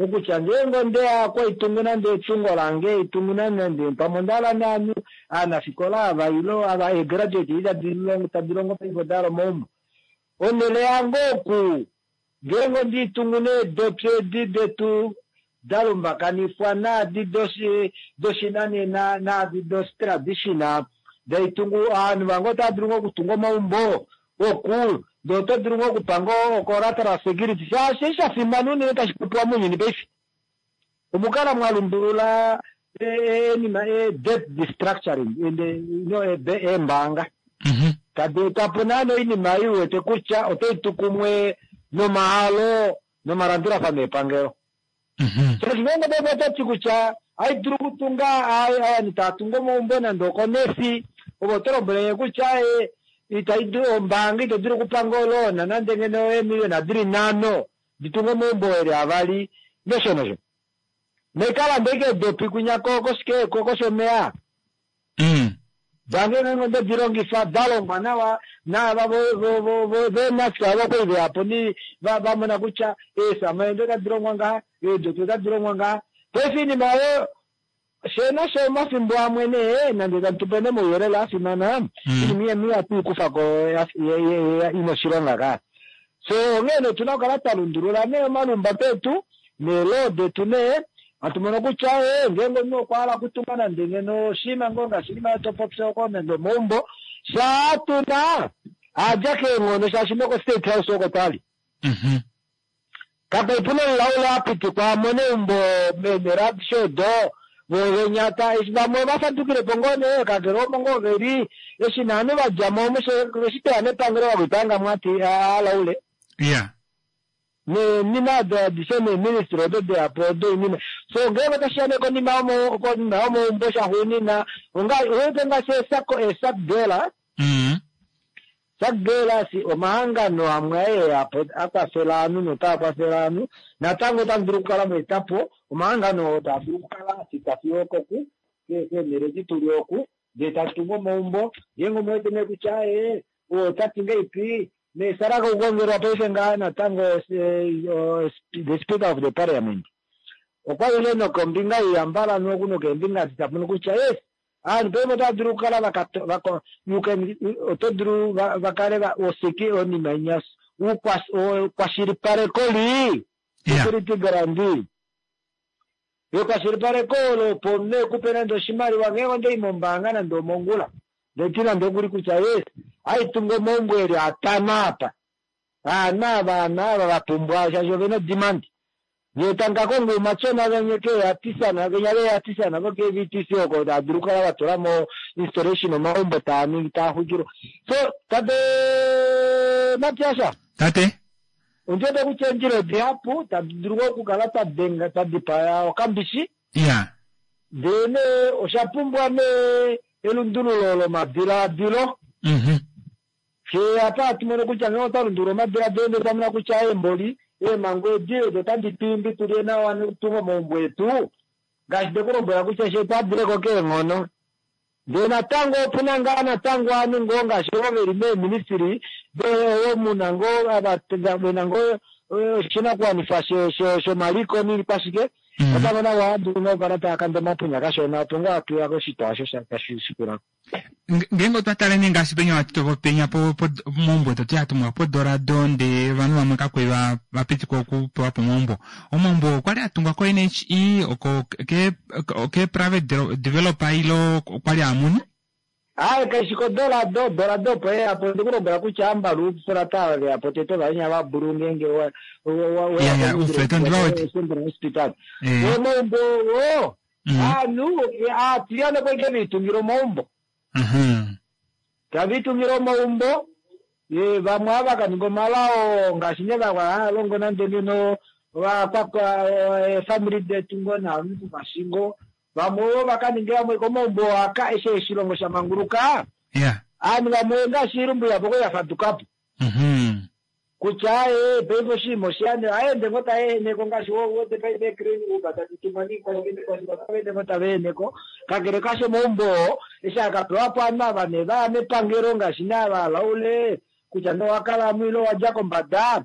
Okutya ngeenge ondeya kwaitungu nande etungo lange itungu nande pamwe ondahala naanhu aanafikola ava ilo ava eegraduate edi tadi longo tadi longo paife odahala omaumbo. Onhele yange oku ngeenge ondiitungu needopi edi detu da lumbakanifwa naadi doshi doshinanena naadi doshi-traditional daitungu ovanhu vange otava dulu ngoo okutunga omaumbo oku ndee oto dulu ngoo okupanga ocollateral security shaashi eshi sha fimana unene tashi popiwa mounyuni paife omukala mwa lundulula enima e-debt destructuring and you know eembaanga Mhm. tadi etapo naana oinima ei uwete kutya otai tu kumwe nomahalo nomalandulafano epangelo. Mhm. Shaashi ngeenge paife otati kutya aidulu okutunga ovanhu tava tungu omaumbo nande okonesi ovo oto lombwele kutya e itaidu ombaanga ito dulu okupanga oloona nande ngeno eemiliona dili nhano ditunge omaumbo eli avali nosho nosho nekalanda ike edopi kwinya koshike koshomeya Mm. dange ngeenge onde dilongifa dalongwa nawa naava veenafika avo veyapo ni vamona kutya eesamaende otadi longwa ngaha eedopi otadi longwa ngaha paife iinima oyo shena sho omafimbo amwe nee nande tatu ne mouyelele afimana Mm. inima iyemi yatuikufako ina oshilonga ka so onghee nee otuna okukala twa lundulula nee omalumba petu neeloo detu nee hatu mono kutya e ngeenge omunhu okwa hala okutunga nande ngeno oshinima ngoo ngaashi inima topopya oko nande omaumbo shaa tuna adja keenghono shaashi noko state house oko twali Mhm. kapaipuna omulaule apitikwa amone eumbo meenhele adishe odo vovenyata eshi vamwe vafadukilepo ngoo nee kakele omo ngoo veli eshi naanhu vadjamo eshi teya nepangelo vakuipanga mwati alaule Iya. neenima ado adishe neeministry odo deyapo odo inima so ngeenge otashiya nee konima yomo konima yomaumbo shaxuunina onga owete ngaashi esako esak dola Mm. sak dola si omahangano amwe ayeyapo akwafela ovanhu notaa kwafela ovanhu natango otamu dulu okukala mweetapo omahangano oo taa dulu okukala afika fiyo okoku keenhele edi tuli oku ndee tatungu omaumbo ngeenge omuwete nee kutya ee otati ngeipi neesala kukongelwa paife ngaa natango eh, o- the speaker of the parliament okwalile nokombinga iyambala noku nokeembinga ditamono kutya yes aanhu paife otava dulu okukala vakato- vako- you can oto dulu va- vakale va- oseki onima inya ukwashilipaleko li Iya. security guarantee ekwashilipaleko olo opo omunhu ekupe nande oshimaliwa ngeenge ondei mombaanga nande omongula ndeti nande okuli kutya yes aitunga omaumbo eli atano apa aana ava aana ava vapumbwa shaashi ovena demand nyee tangakonga umatyona venye keeyatisana venya veyatisana vo ke V T C oko tadulu okukala vatulamo installation omaumbo taaningi taaxwikilwa so tate Matiasha Tate. ondiwete kutya eendjila odihapu tadi dulu okukala twadenga twadipaya okambishi Iya. ndee nee osha pumbwa nee elundululo lomadilaadilo. Mhm. Fye apa hatu mono kutya ngee otwa lundulula omadilaadilo ndele twamona kutya eemboli eemhango edi odo tadi tu imbi tulye nawa nokutunga omaumbo etu ngaashi ndekulombwela kutya she twadileko keenghono. Ndee natango opuna ngaa natango ovanhu ngoo ngaashi ovo veli meeministry oo muna ngoo ava vena ngoo oshinakuwanifwa shomaliko niikwashike natango navo ohadulu ngoo okukala tava omapunya kashona opo ngoo hatuya koshitwa osho tashi shikulako. Ngeenge otwa tale nee ngaashi penya penya momaumbo etu yatungwa podorado ndee ovanhu vamwe kakwe vapitikwa okupewa po omaumbo. Omaumbo okwali atungwa ko N H E oko ke ke private developer ilo okwali amuni? Aye kaishi kodorado, dorado opo yeyapo ndikulombwela kutya ambalu fulata veyapo tete ovainya vabulu ngeenge Central Hospital. Omaumbo oo aanhu aatilyane kwali veitungila omaumbo. Tava itungile omaumbo vamwe ava kaninga omalao ngaashi nee hava longo nande ngeno eefamily detu ngoo naanhu vashingo vamwe ovo vakaninga vamwe komaumbo aka eshi oshilongo shamanguluka. Aanhu vamwe ngaashi iilumbu yapo kwali yafadukapo kutya aye paife oshinima oshiyane ohaende ngoo taeeneko ngaashi wete paife ecrane uba tadi tumwa niikwashike otavaende ngoo tavaeneko kakele kasho omaumbo oo eshi akapewapo ovanhu ava nee vaya mepangelo ngaashi nee ava laule kutya nee owakalamo ile owadja kombada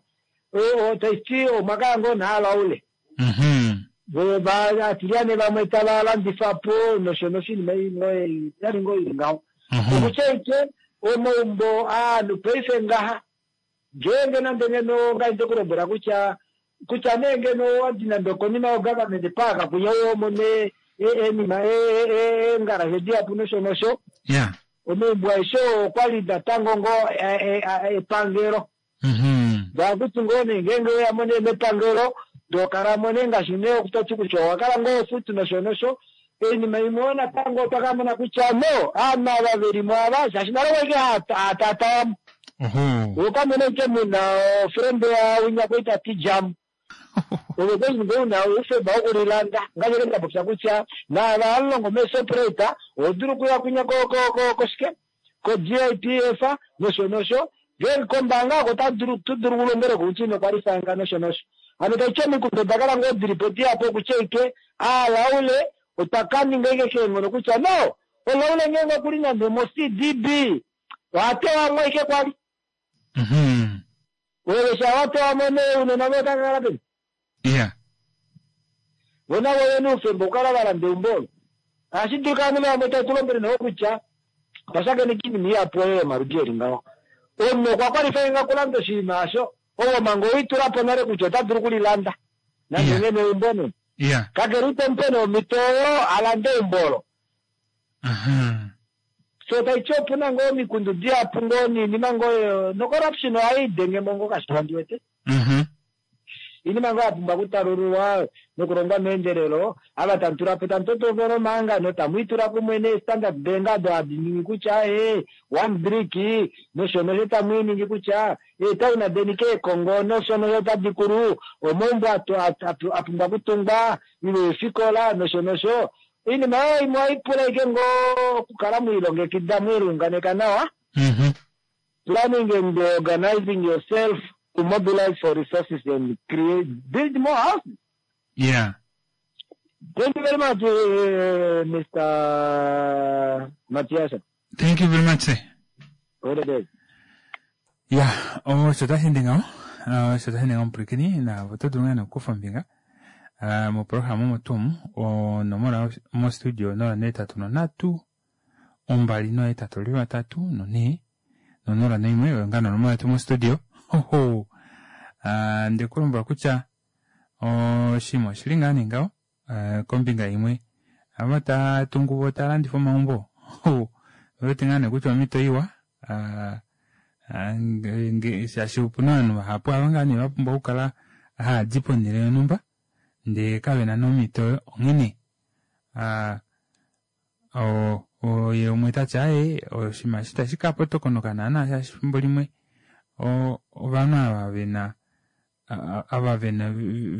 taiti omwakala ngoo naalaule atilyane vamwe tava landifapo nosho nosho iinima yali ngoo ili ngaho. Okutya ike omaumbo aanhu paife ngaha ngeenge nande ngeno ngai ndekulombwela kutya kutya nee ngeno owadi nande okonima yogovernment park kunya womone enima eengarashe dihapu nosho nosho omaumbo aeshe okwali natango ngoo epangelo ndaakuti ngoo nee ngeenge weyamo nee mepangelo ndokalamo nee ngaashi nee okutoti kutya owakala ngoo ofutu nosho nosho oinima imwe oyo natango otwa kamona kutya no aanhu ava velimo ava shaashi nale waike haatatayamo okamona ike muna ofrende yawinya kwai tati jamu ove kwai ngoo una oufemba wokulilanda ngaashi ndapopya kutya naava alongo meeShoprite ohodulu okuya kunya koshike ko G I P F nosho nosho ngeenge kombaanga oko tudulu kulongele kutya inokwalifanga nosho nosho hano taiti omikundu odakala ngoo dilipo dihapu okutya ike aalaule otwa kaninga ike keenghono kutya no olaule ngeenge okuli nande mo C D B ohatewamo ike kwali ove sha watewamo nee unona voye otakakala peni vona voye oufemba okukala valanda eumbo olo ohashi dulika ovanhu vamwe taitulombwele nawo kutya twashakeneka iinima ihapu oyo yomaludi eli ngaho omunhu okwa kwalify kulanda oshinima asho ovo manga owitulapo nale kutya ota dulu okulilanda nande ngeno eumbo ne kakele itomupe nee omhito oyo alande eumbo olo so taiti opuna ngoo omikundu dihapu ngoo niinima ngoo nocorruption ohayi dengemo ngoo kashona ndiwete iinima ngoo yapumbwa okutalululwa nokulongwa meendelelo ava tamutulapo tamutotopo omahangano tamwiitula kumwe nee-Standard Bank ado hadi ningi kutya e one brick nosho nosho tamwiiningi kutya eetauna deni keekongo nosho nosho tadi kulu omaumbo apumbwa okutungwa ile eefikola nosho nosho iinima oyo imwe ohaipula ike ngoo okukala mwiilongekida mwiilunganeka nawa planning and organizing yourself to mobilize for resources and create build more houses. Yeah. Thank you very much, uh, Mister Matias. Thank you very much, sir. All the best. Ya, osho tashi ndi ngaho osho tashi ndi ngaho omupwilikini naavo oto dulu ngaa nokukufa ombinga moprograma omo tuu onomola mostudio nola neetatu nonhatu ombali nohetatu vatatu nonhee nonola noimwe oyo ngaa nonomola yetu mostudio hoho ndikulombwela kutya oshinima oshili ngaa nee ngaho kombinga imwe ava tatungu vo talandifa omaumbo owete ngaa nee kutya omhito iwa shaashi opuna ovanhu vahapu ava ngaa nee vapumbwa okukala haadi ponhele yonhumba ndee kavena nomhito oyo onghene ye umwe tati aaye oshinima eshi itashi kapotokonoka naana shaashi efimbo limwe ovanhu ava vena ava vena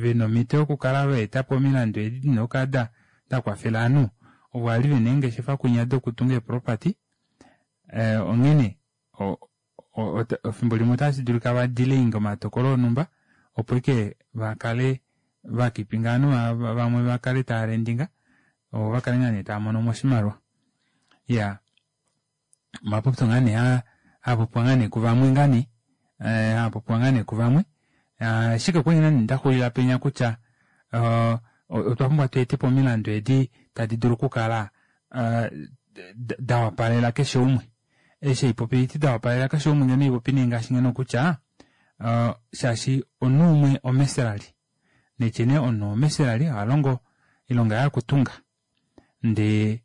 vena omhito yokukala vaetapo omilandu edi dina okukala dakwafela ovanhu Ovo ali vena eengeshefa kwinya dokutunga eeproperty eh, onghene efimbo limwe otashi dulika vadelayinge omatokolo onhumba opo ike vakale vakipinga ovanhu vamwe vakale taalendinga ovo vakale ngaa nee taamono oshimaliwa. Iyaa omapopyo ngaa nee aapopiwa ngaa nee kuvamwe ngaa nee aapopiwa ngaa nee kuvamwe ashike okwali ngaa nee ndaxulila penya kutya otwa pumbwa tweetepo omilandu edi tadi dulu okukala dawapalela keshe umwe. Eshi haipopi haiti dawapalela keshe umwe ngeno haipopi nee ngaashi ngeno kutya shaashi omunhu umwe omeselali netye nee omunhu omeselali ohalongo oilonga yaye okutunga ndee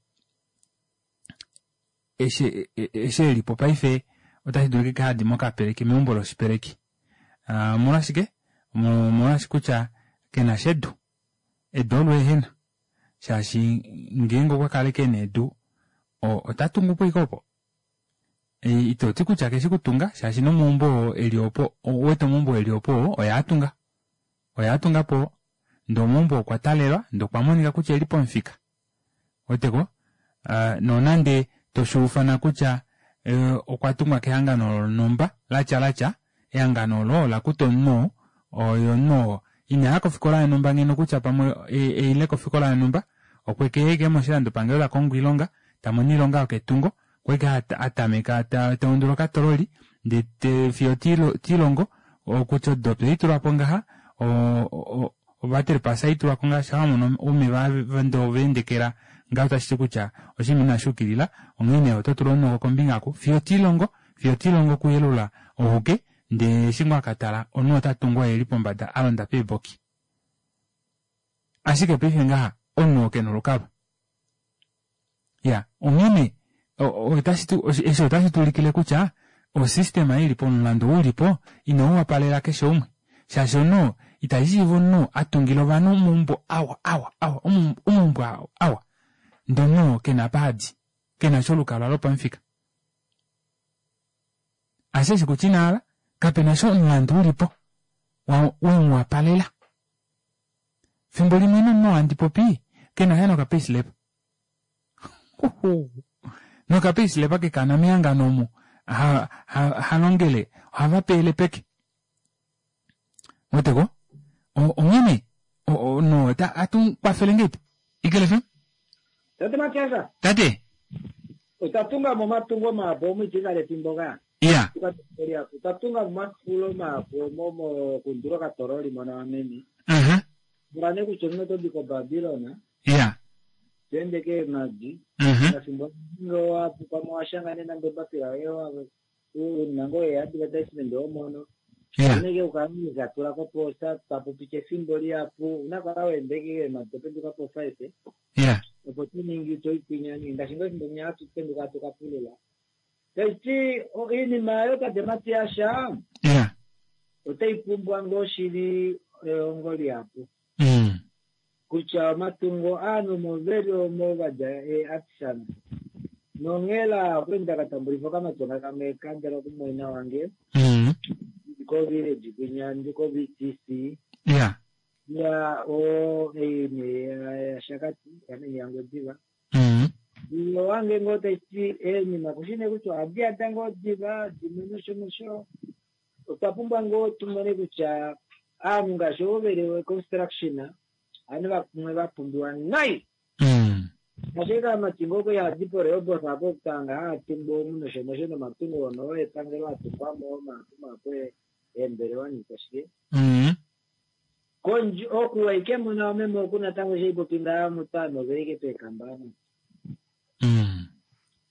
eshi eshi elipo paife otashi dulika hadi mokapeleki meumbo loshipeleki. Omolwashike? Omolwashi kutya kenasha edu. Edu olo ehena shaashi ngeenge okwa kala ashike ena edu otatungupo ashike opo. Itoti kutya keshi kutunga shaashi nomaumbo oo eli opo ouwete omaumbo eli opo oye atunga. Oye atungapo ndee omaumbo okwa talelwa ndee okwa monika kutya oeli pomufika. Ouweteko nonande toshuufana kutya okwa tungwa kehangano lonhumba latya latya ehangano olo olakuta omunhu oo ye omunhu oo inaya kofikola yonhumba ngeno kutya pamwe eile kofikola yonhumba okwekeya ashike moshilandopangelo takongo oilonga tamono oilonga yoketungo okwali ashike atameka taundula okatololi ndee fiyo tiilongo kutya odopi ohaitulwapo ngaha ovatrepas ohaitulwako ngaha shaa wamono oumeva ndee ovaendekela ngaho otashiti kutya oshinima inashuukilila onghee ototula omunoko kombinga oku fiyo tiilongo fiyo tiilongo okuyelula ohuke ndee eshi ngoo akatala omunhu otatungu oye eli pombada alonda peeboki. Ashike paife ngaha omunhu oo kena olukalwa. Iya onghene eshi otashi tuulikile kutya osystema ilipo omulandu ou ulipo inauwapalela keshe umwe shaashi omunhu itashishiiva omunhu atungila ovanhu omaumbo awa awa awa omaumbo awa ndee omunhu oo kena apa hadi kenasha olukalwa lopamufika. Asheshi kutya inahala kapenasha omulandu ulipo wemuwapalela. Fimbo limwe nomunhu oo handi popi kenasha nokapayslip. Nokapayslip kekana mehangano omu halongele ohava peyele peke. Ouweteko onghene omunhu ohatu kwafele ngahelipi Eagle F M? Tate Matias. Tate. Otwa tunga momatungo mahapu omo efimbo ka. Iya. Otwa tunga momafulo mahapu omo mokundula okatoroli mona meni. Mhm. Pula nee kutya omunhu oto di koBabylon. Iya. To ende keemadi. Mhm. Mafimbo amwe pamwe owashanga nee nande ombapila yoye una ngoo e-advertisement omono. Iya. Uneke ukala tula koposta tapu piti efimbo lihapu una kala weende keemadi topenduka po five. Iya. Opo toningi toikwinya ngaashi ngoo efimbo linya hatu penduka hatu kapulula. Taiti oinima yayo tate Matias Iya. otai pumbwa ngoo shili ehongo lihapu. Mm. Kutya omatungo aanhu omo veli omo vadja eeartisan. Nonghela okwali ndakatambulifa okamatyona kamwe kandela kumumwaina wange. Mm. Ndi ko village kwinya ndi ko V T C. Iya. Ya o ei yaShakati yaNgwediva. Mm. Wange ngoo taiti eenima kushi nee kutya ohadi yada ngoo diva dimwe nosho nosho. Otwa pumbwa ngoo tumone kutya aanhu ngaashi ovo veli construction aanhu vamwe vapumbiwa nai. Mm. Ashike kamati ngoo kwali hadi poRehoboth apo okutanga haatungu omu nosho nosho nomatungo ono epangelo atungwamo mahapu mahapu eembelewa niikwashike. Mm. Kondje oku waike mona omeme oku natango shaipopi ngaa mutano veike peekambana. Mm.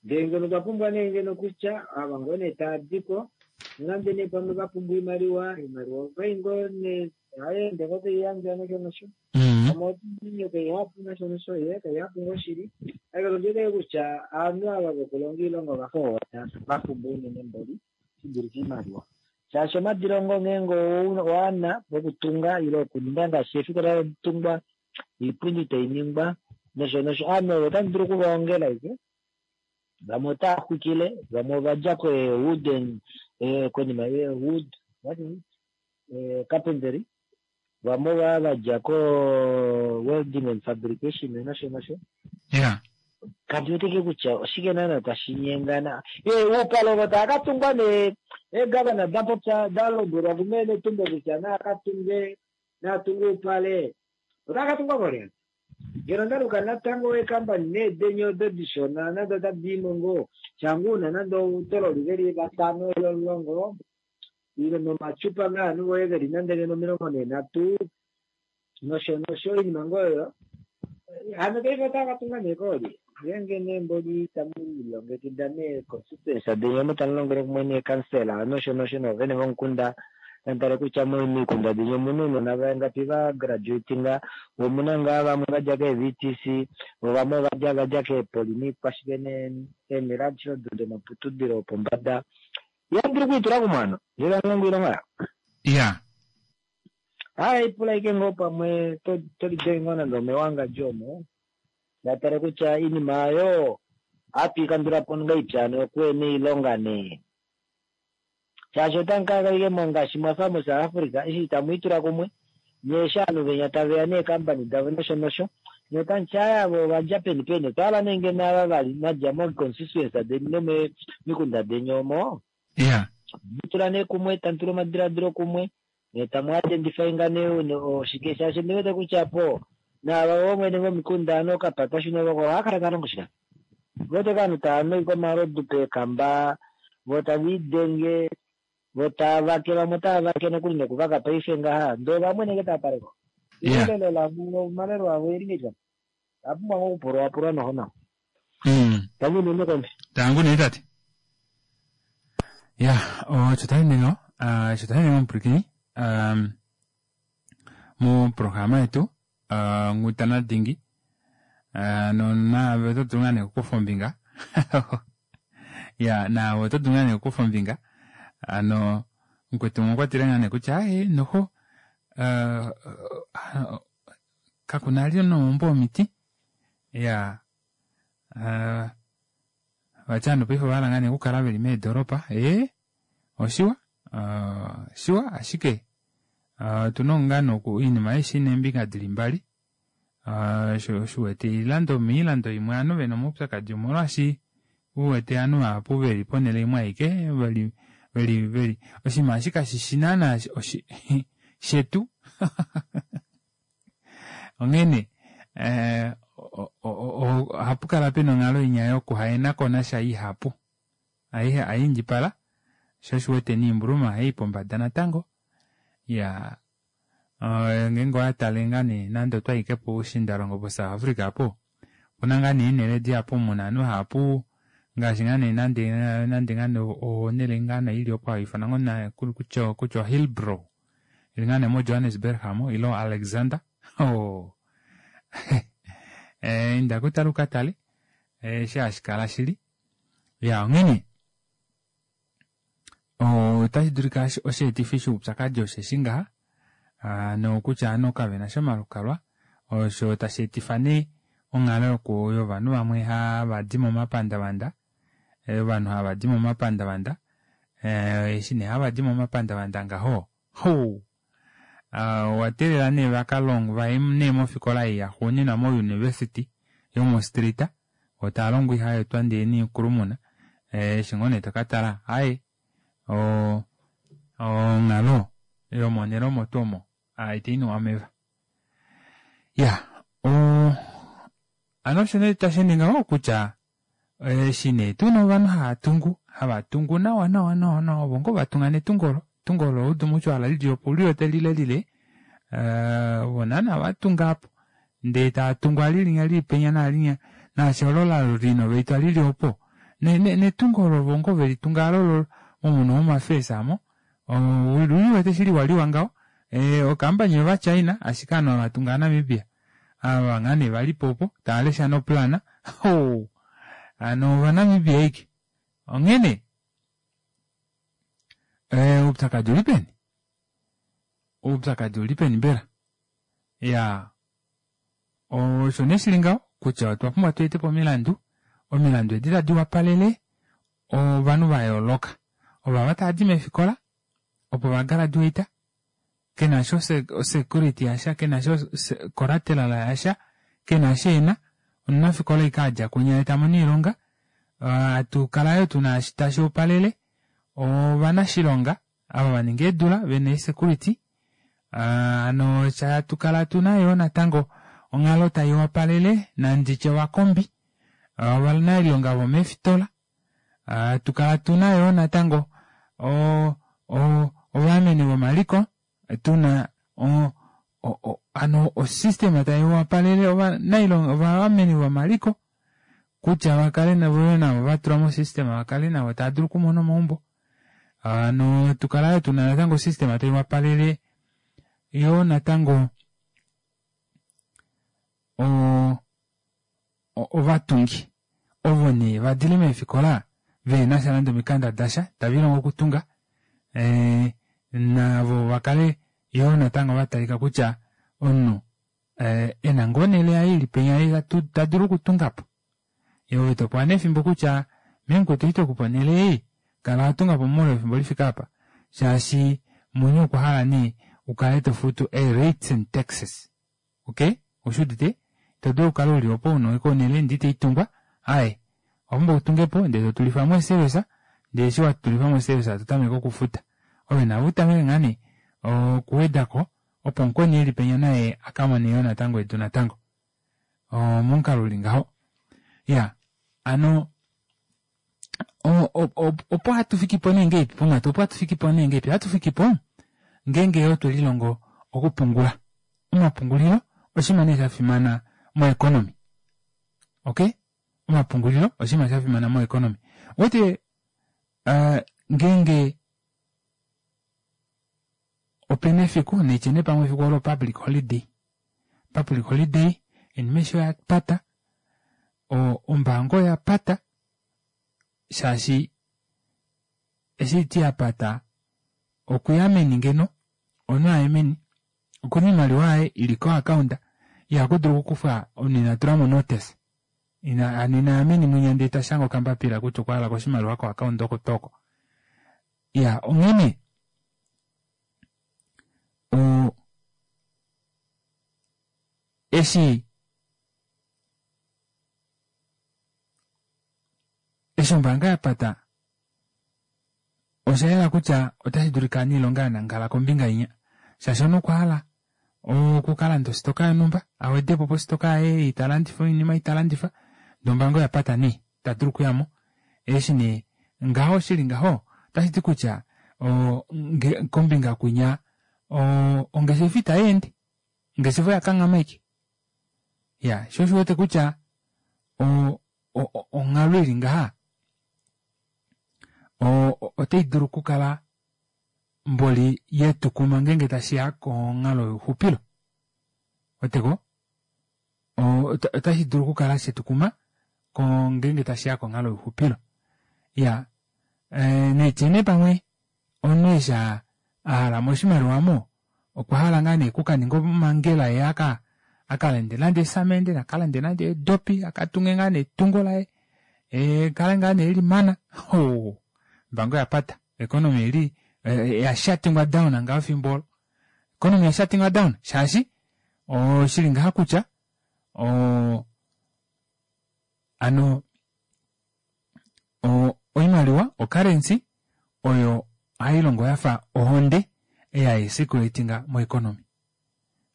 Ndee ngeno otwa pumbwa nee ngeno kutya ava ngoo nee taadiko nonande nee pamwe vapumbwa oimaliwa oimaliwa okai ngoo nee ohayeende ngoo taiyandjwa nosho nosho. Mm. Pamwe kaihapu nosho nosho ye kaihapu ngoo shili. Ashike ondiwete kutya aanhu ava vokulonga oilonga ovafa ovo vapumbwa unene mboli shidulife oimaliwa. Shaashi omadilongo ngeenge owana okutunga ile okuninga ngaashi eefikola taditungwa oipundi tainingwa nosho nosho aanhu ovo otamu dulu okuvaongela ashike. Vamwe otava xwikile vamwe ovadja ko wooden konima ye wood what is it carpentry vamwe ova vadja ko welding and fabrication nosho nosho. Iya. Kandi weteke kutya oshike naana tashi nyengana. Ee, uupale ovo tava ka tungwa nee eegavana da popya da lombwelwa kumene tumbo kutya naa ka tunge naa tunge uupale otava ka tungwa kolya ngeno ondaluka natango eekambani needenye odo dishona nande otadi imo ngoo shangu una nande outololi veli vatano ile omulongo ile nomacupa ngaa ovanhu voye veli nande ngeno omilongo nhee nosho nosho oinima ngoo oyo hano paife otava ka tunga nee koolye ngeenge nee mboli tamu lilongekida nee constituency deni omo tamu longele kumwe neekansela nosho nosho noovene vomukunda tamutale kutya momikunda deni omuna ounona vangapi va graduatinga omuna ngaa vamwe vadja kee-V T C vo vamwe ovadja vadja keepoli niikwashike eenhele adishe odo domaputudilo opombada ihamudulu okwiitula kumwe ano ngee tamulongo oilonga yawo. Ya. Hayi pula ike ngoo pamwe tolidenge ngoo nande omewangadjo omo vatale kutya iinima oyo ohatu ikandula po ngahelipi hano okuhena oilonga nee shaashi otamu kala ike ngaashi mwafa moSouth Africa eshi itamu itula kumwe nyee eshi ovanhu venya taveya neekambani davo nosho nosho nyee otamuti aaye avo ovadja peni peni otwa hala nee ngeno ava vali madja moconstituency deni nomomikunda deni omo ya mutula nee kumwe tamu tula omadiladilo kumwe nee tamu identifyinga nee oshike shaashi ndiwete kutya po naava voomwene vomikunda ano okapatashune voko ohava kala tava longo shike wete ovanhu tava nu omalodu peekamba vo tava idenge vo tava vake vamwe otava vake nokuli nokuvaka paife ngaha ndee vamwe nenge tava paleko Ya. elelo lavo omalelo avo eli ngahelipi apumbwa ngoo okupulwapulwa noho nawa mm. tangu unene kombe. Tangu nee tate ya osho tayi ngaho osho tayi ngaho omupwilikini um, moprograma yetu uh, Nghutana Dingi uh, nonaave oto dulu ngaa nee okukufa ombinga ya naave oto dulu ngaa nee okukufa ombinga ano mukwetu umwe okwa tile ngaa nee kutya aye noho uh, uh, kakuna li nomaumbo omiti ya uh, vati ovanhu paife ovahala ngaa nee okukala veli meedoropa ee oshiwa uh, shiwa ashike uh, otuna ngaa noku oinima aishe ina eembinga dili mbali uh, sho shiwete oilando moilando imwe ovanhu vena omaupyakadi omolwaashi uwete ovanhu vahapu veli ponele imwe aike veli veli veli oshinima eshi kashishi naana oshi shetu onghene eh, ohapu kala pena onghalo inya yokuhaenakonasha ihapu ayiindjipala sho oshiwete niimbuluma ohayi pombada natango ya ngeenge owatale ngaa nee nande otwayi ike puushiindalongo po South Africa apo opuna ngaa nee eenele dihapu muna ovanhu vahapu ngaashi ngaa nee nande nande ngaa nee onele ngaa nee ili opo haifanwa ngoo kutya kutya Hillbrow ili ngaa nee mo Johannesburg amo ile Alexander oh inda kutala ukatale eshi hashikala shili ya onghene otashi dulika osheetifi shoupyakadi osheshi ngaha nokutya ovanhu kavenasha omalukalwa osho tashi etifa nee onghalo yovanhu vamwe havadi momapandavanda ovanhu havadi momapandavanda eshi nee havadi momapandavanda ngaho hou owa teelela nee vakalongwe vaye nee mofikola ei yaxuuninwa mo university yomo street vo tavalongwa ihaetwa ndee niikulumuna eshi ngoo nee tokatala aaye onghalo yomonhele omo tuu omo itainwa omeva ya hano osho nee tashi ngaho kutya eshi nee tuna ovanhu hava tungu hava tungu nawa nawa nawa nawa ovo ngoo vatunga netungo olo etungo olo Old Mutual lili opo uliwete lilelile ovo naana vatunga apo ndee tava alilinya lili penya naalinya naashi olo la renovatwa lili opo netungo olo ovo ngoo velitunga alo momuno womafeesa amo uliwete shili liwa ngaho okambani yova China ashike ovanhu havatunga Namibia ava ngaa nee valipo opo tava noplana hano ovanamibia ashike onghene oupyakadi uli peni oupyakadi uli peni mbela ya osho nee shili ngaho kutya otwa pumbwa tu etepo omilandu omilandu edi tadi wapalele ovanhu vayooloka ovava tavadi meefikola opo vagraduate kenasha osecurity yasha kenasha collateral yasha kenasha ena Omunafikola ike adja kunya ta mono oilonga. Hatu kala yoo tuna tashi opalele ovanashilonga ava vaninga eedula vena eesecurity. Hano hatu kala tuna yoo natango onghalo tai wapalele nanditye ovakombi, ovanailonga vomeefitola. Hatu kala tuna yoo natango ovaameni vomaliko, tuna hano osystema tai wapalele ovanailonga ovaameni vomaliko kutya vakale navo navo vatulwa mosystema vakale navo taadulu okumona omaumbo. Hano tukala yoo tuna natango osystema tai wapalele yoo natango ovatungi ovo nee vadile meefikola vehenasha nande omikanda dasha tavilongo okutunga, navo vakale yoo natango vatalika kutya omunhu ena ngoo onele yaye ili penya tadulu okutungapo. Ove topewa nee efimbo kutya memukwetu eshi twekupa onele ei kala watungapo moule wefimbo lifike apa, shaashi muni okwa hala nee ukale tofutu ee-rates and taxes. Ok, ushuudite? Ito dulu okukala uli opo una ike onele ndee itaitungwa, aaye owapumbwa utungepo ndee totulifamo eeservice, ndee eshi watulifamo eeservice totameke okufuta. Ove navo utameke ngaa nee okuwedako opo mukweni eli penya naye akamone yoo natango edu natango. Omomukalo uli ngaho. Iya, hano opo hatu fikipo nee ngahelipi ponghatu, opo hatu fikipo nee ngahelipi, ohatu fikipo ngeenge yoo twelilongo okupungula. Omapungulilo oshinima nee shafimana moeconomy. Ok, omapungulilo oshinima shafimana moeconomy. Ouwete ngeenge opena efiku naitye nee pamwe efiku olo public holiday, public holiday oinima aishe oyapata, ombaanga oyapata shaashi eshi haiti yapata okuya meni ngeno omunhu aye meni okuna oimaliwa yaye ili ko account ihakudulu okukufwa omunhu ina tulamo notice, hano inaya meni mwinya ndee tashange okambapila kutya okwahalako oshimaliwa ko account oko tuu oko. Iya, onghene eshi eshi ombaanga yapata osha yela kutya otashi dulika omuniilonga anangala kombinga inya, shaashi omunhu okwa hala okukalanda ositoka yonhumba awedepo positoka yaye ei talandifa oinima ei talandifa ndee ombaanga oyapata nee itadulu okuyamo. Eshi nee ngaho shili ngaho otashiti kutya kombinga kwinya ongeshefa itayeende, ongeshefa oyakanghama ashike. Iya, shoo osho uwete kutya onghalo ili ngaha otai dulu okukala mboli yetukuma ngeenge tashiya konghalo youxupilo. Ouweteko? Otashi dulu okukala shetukuma ngeenge tashiya konghalo youxupilo. Iya, naitye nee pamwe omunhu eshi ahalamo oshimaliwa aamo okwa hala ngaa nee okukaninga omangela ye aka akalande nande eesamende nakalande nande eedopi akatunge ngaa nee etungo laye kale ngaa nee elimana. Ombaanga oyapata, economy oili yashatingwa down ngaho efimbo olo. Economy oyashatingwa down shaashi oshili ngaha kutya hano oimaliwa ocurrency oyo hailongo yafa ohonde ei haicirculatinga moeconomy.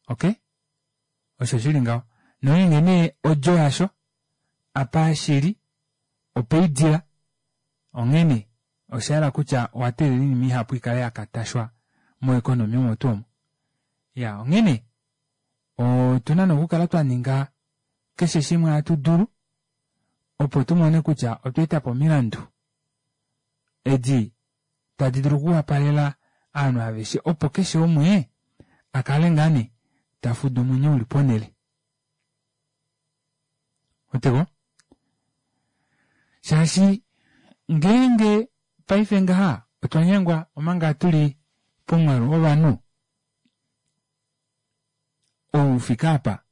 Ok, osho shili ngaho. Nongeenge nee odjo yasho apa shili opeidila, onghene oshayela kutya owateelela oinima ihapu ikale yakatashwa moeconomy omo tuu omo. Iya, onghene otuna nee okukala twaninga keshe shimwe hatu dulu opo tumone kutya otwa etapo omilandu edi tadi dulu okuwapalela ovanhu aveshe opo keshe umwe akale ngaa nee tafuda omwenyo uli ponele. Ouweteko? Shaashi ngeenge paife ngaha otwa nyengwa omanga tuli pomwaalu wovanhu ou ufike apa,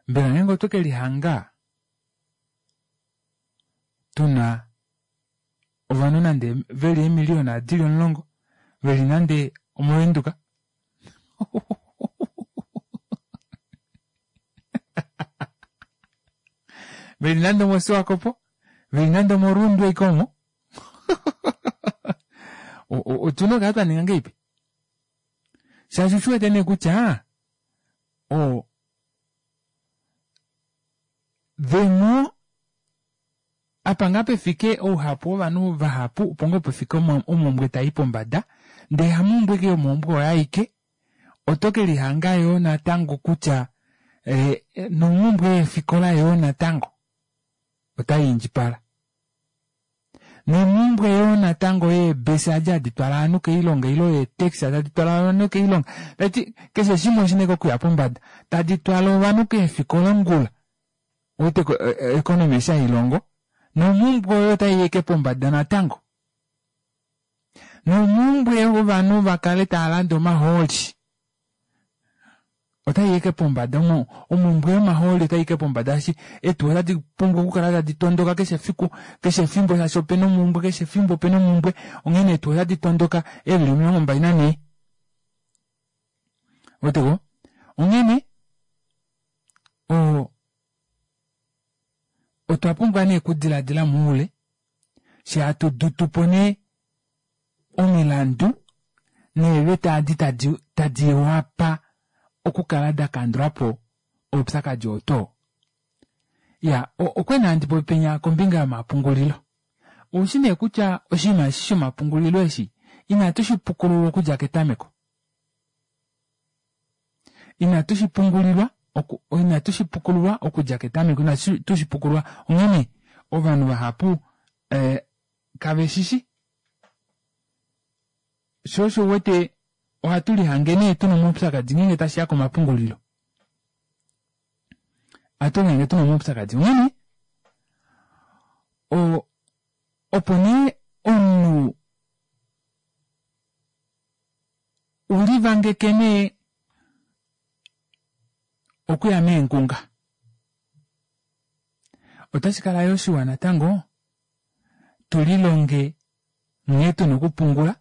mbela ngeenge otwe kelihanga tuna ovanhu nande veli eemiliyona dili omulongo veli nande omovenduka Veli nande omOshiwakopo, veli nande omOrundu ashike omo. Otuna okukala twaninga ngahelipi? Shaashi oshiwete nee kutya o the more apa ngaa pefike ouhapu wovanhu vahapu opo ngoo pefike omumbwe tai pombada ndee hamumbwe ashike yomumbwe oyo aike oto kelihanga yoo natango kutya eh, nomumbwe yeefikola yoo natango otaiindjipala nomumbwe yoo natango yeebesa adi hadi twala ovanhu koilonga ile eetaxi tadi twala ovanhu koilonga tati keshe shimwe oshina ashike okuya pombada tadi twala ovanhu keefikola ongula ouwete economy eshi hailongo nomumbwe oyo otaiyi ashike pombada natango nomumbwe yovanhu vakale taalande omahooli otaiyi ashike pombada omumbwe yomahooli otaiyi ashike pombada shaashi eetuwa otadi pumbwa okukala tadi tondoka keshe efiku keshe efimbo shaashi opena omumbwe keshe efimbo opena omumbwe onghene eetuwa otadi tondoka eevili omilongo mbali nanhee ouweteko onghene oo otwa pumbwa nee okudilaadila moule fyee hatu dutupo nee omilandu neeveta edi tadi tadi wapa okukala dakandulapo oupyakadi oo twoo. Iyaa okwali nee handi popi penya kombinga yomapungulilo oushi nee kutya oshinima eshi shomapungulilo eshi inatu shipukululwa okudja ketameko inatu shipungulilwa inatu shipukululwa okudja ketameko inatu shipukululwa onghene ovanhu vahapu eh, kaveshishi shoo osho uwete ohatu lihange nee tuna omaupyakadi ngeenge tashiya komapungulilo ohatu lihange tuna omaupyakadi onghene o opo nee omunhu ulivangeke nee okuya meengunga otashi kala yoo shiwa natango tulilonge nghee tuna okupungula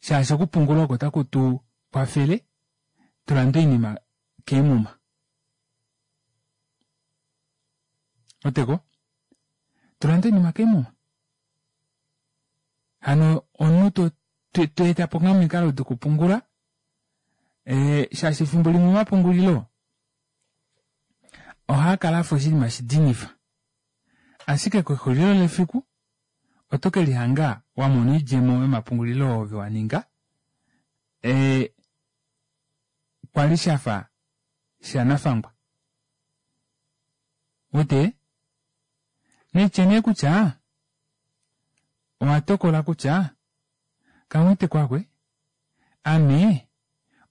shaashi okupungula oko taku tu kwafele tulande oinima keemuma oteko tulande oinima keemuma hano omunhu to tweetapo ngaa omikalo dokupungula ee shaashi efimbo limwe omapungulilo ohaakala afa oshinima shidinifa ashike kexulilo lefiku oto kelihanga wamona oidjemo yomapungulilo oo ove waninga ee kwali shafa shanafangwa wete naitye nee kutya owatokola kutya kamwete kwakwe ame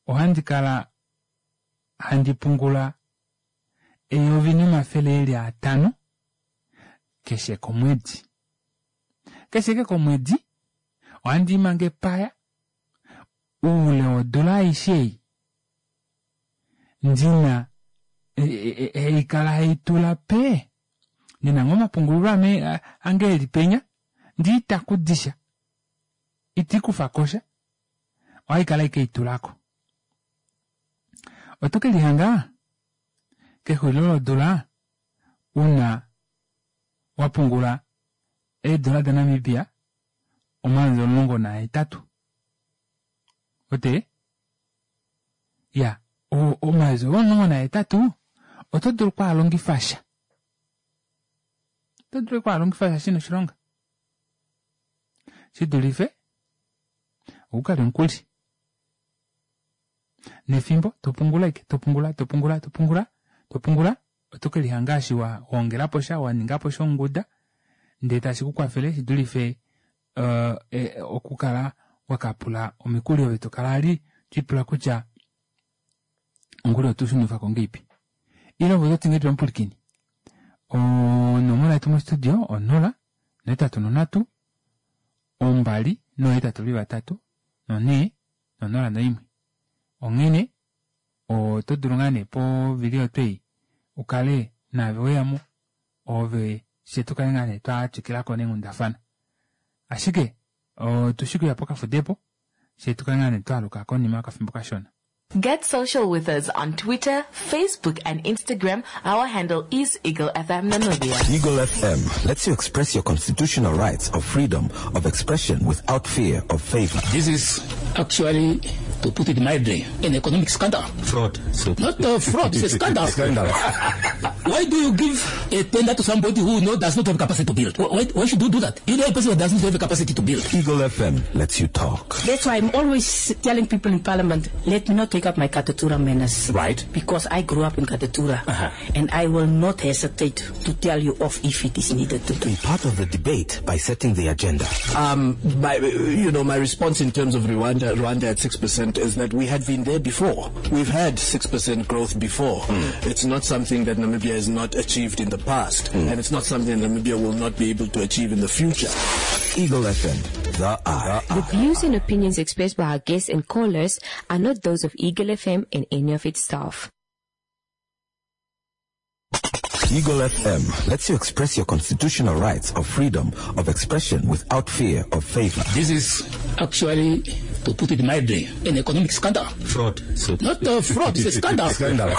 ohandi kala handi pungula eyovi nomafele eli atano keshe komwedi keshe ke komwedi ohandi mange epaya oule wodula aishe ei ndina haikala haitula pee ndina ngoo omapungulilo ame ange eli penya ndee itakudisha itiikufakosha ohaikala ashike haitulako oto kelihanga kexulilo lodula una wapungula eedola daNamibia omayovi omulongo nahetatu ote ya omayovi omulongo nahetatu oto dulu okwaalongifa sha oto dulu okwaalongifa sha shina oshilonga shidulife okukalya omukuli nefimbo topungula ashike topungula topungula topungula topungula oto kelihanga eshi waongelapo sha waningapo shonguda ndee tashi kukwafele shidulife uh, e, okukala wakapula omikuli ove tokala ali twipula kutya omukuli otushunifako ngeipi ile ove ototi ngahelipi omupwilikini onomola yetu mostudio onola nohetatu nonhatu ombali nohetatu veli vatatu nonhee nonola noimwe onghene oto dulu ngaa nee povili oyo twei ukale naave weyamo ove fye tukale ngaa nee twatwikilako neenghundafana ashike otushi okuya pokafudepo fyee tukale ngaa nee twaaluka konima yokafimbo kashona. Get social with us on Twitter, Facebook, and Instagram. Our handle is Eagle F M Namibia. Eagle F M lets you express your constitutional rights of freedom of expression without fear of favor. This is actually, to put it mildly, an economic scandal. Fraud. So Not a fraud, it's a scandal. Scandal. Why do you give a tender to somebody who no, does not have capacity to build? Why, why should you do that? You know a person who does not have the capacity to build. Eagle F M lets you talk. That's why I'm always telling people in Parliament, let me not take up my Katutura manners. Right. Because I grew up in Katutura. Uh-huh. And I will not hesitate to tell you off if it is needed to. Be part of the debate by setting the agenda. Um, my, you know, my response in terms of Rwanda, Rwanda at six percent is that we had been there before. We've had six percent growth before. Mm. It's not something that Namibia has not achieved in the past, mm. and it's not something that Namibia will not be able to achieve in the future. Eagle F M, the eye. The views and opinions expressed by our guests and callers are not those of Eagle F M and any of its staff. Eagle F M lets you express your constitutional rights of freedom of expression without fear of favor. This is actually, to put it mildly, an economic scandal. Fraud. So Not a fraud, it's a scandal. Scandal.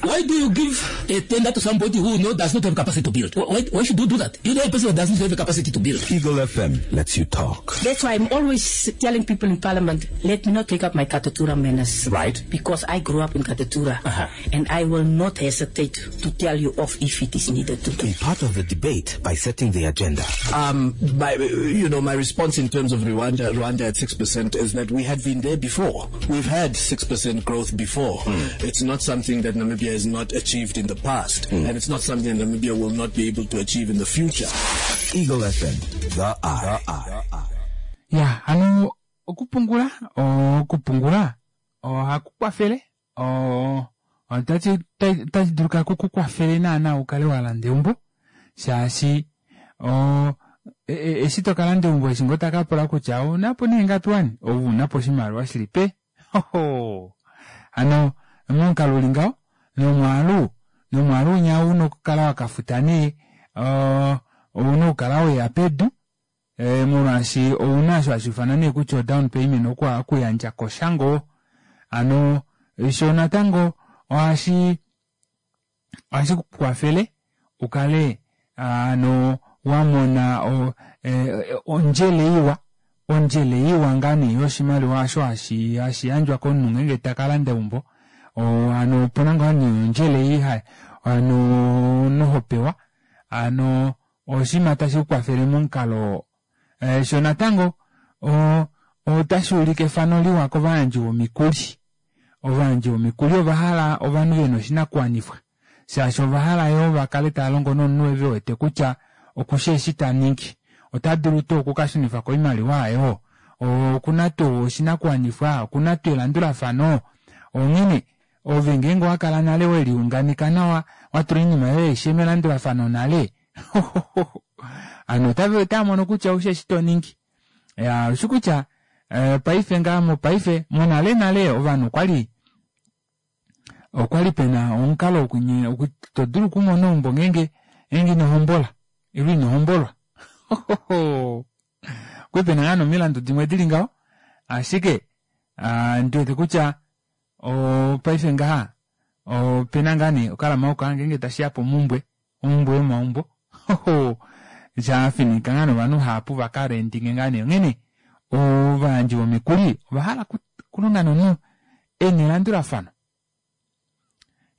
Why do you give a tender to somebody who no, does not have capacity to build? Why, why should you do that? You know a person who does not have the capacity to build. Eagle F M lets you talk. That's why I'm always telling people in Parliament, let me not take up my Katutura manners. Right. Because I grew up in Katutura. Uh-huh. And I will not hesitate to tell you off if it is needed to. Be part of the debate by setting the agenda. Um, my, you know, my response in terms of Rwanda, Rwanda at six percent is that we had been there before. We've had six percent growth before. Mm. It's not something that Namibia has not achieved in the past, mm. and it's not something that Namibia will not be able to achieve in the future. Eagle F M, the eye. The eye. Yeah, ano okupungula, okupungula, ohakukwafele, o otachi tachi duluka kukukwafele naana ukale walanda eumbo, shaashi o eshi tokalanda eumbo eshi ngo takapula kutya ounapo nee ngapi wani, ounapo oshimaliwa shili pe. Hoho. Ano momukalo uli ngaho nomwaalu nomwaalu unya una okukala wakafuta nee ouna okukala weya pedu e, molwaashi ouna osho hashi ifanwa nee kutya down payment okuyandja koshango. Ano sho natango ohashi ohashi kukwafele ukale ano wamona o, e, ondjele iwa ondjele iwa ngaa nee yoshimaliwa osho hashi hashi yandjwa komunhu ngenge takalanda eumbo. O ano opuna ngaa nee ondjele iha ano nohopewa ano oshima tashi kukwafele momukalo e, sho natango otashi ulike efano liwa kovayandji vomikuli. Ovayandji vomikuli ovahala ovanhu vena oshinakuwanifwa, shaashi ovahala yoo vakale tava longo nomunhu ve wete kutya okushi eshi ta ningi, ota dulu tuu okukashunifa ko oimaliwa ayo, okuna tuu oshinakuwanifwa, okuna tuu elandulafano. Onghene ove ngeenge owakala nale weliunganeka nawa, watula oinima yoye aishe melandulafano nale, ano otava mono kutya oushi eshi toningi. Ya oshi kutya paife ngaa mopaife monale nale ovanhu okwali okwali pena omukalo wokunye todulu okumona eumbo ngeenge ngeenge inohombola ile inohombolwa. Okwali pena ngaa nomilandu dimwe dili ngaho, ashike ndiwete kutya paife ngaha opena ngaa nee okalama oka ngeenge tashiya pomumbwe omumbwe yomaumbo shafinika ngaa novanhu hapu vakarendinge ngaa nee. Onghene ovayandji vomikuli ovahala kulonga nomunhu ena elandulafano.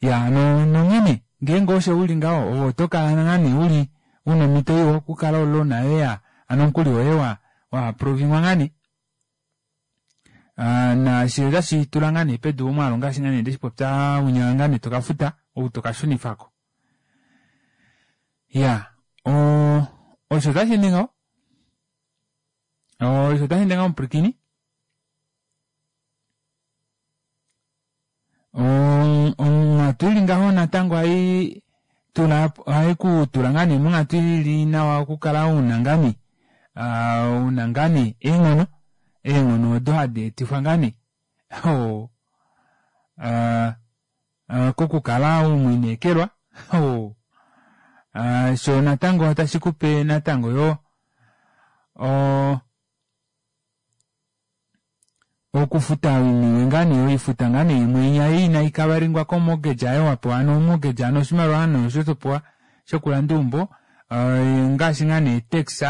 Ya nonghene ngeenge osho uli ngaho ove otokala ngaa nee uli una omhito iwa okukala olona yoye ano omukuli woye wa aprovingwa ngaa nee. Naashi otashi tula ngaa nee pedu omwaalu ngaashi ngaa nee ndeshipopya unya ngaa nee tokafuta ou tokashunifako. Ya osho otashi ende ngaho, osho otashi ende ngaho omupwilikini. Onghatu ili ngaho natango hai tula hai kutula ngaa nee monghatu ili nawa okukala una ngaa nee una ngaa nee eenghono eenghono odo hadi etifwa ngaa nee kokukala umwinekelwa. Sho natango otashi kupe natango yo Okufuta oiniwe ngaa nee oifuta ngaa nee imwe inya inaikavaringwa komortgage ayo wapewa ano mortgage ano oshimaliwa ano osho topewa shokulanda eumbo ngaashi ngaa nee tax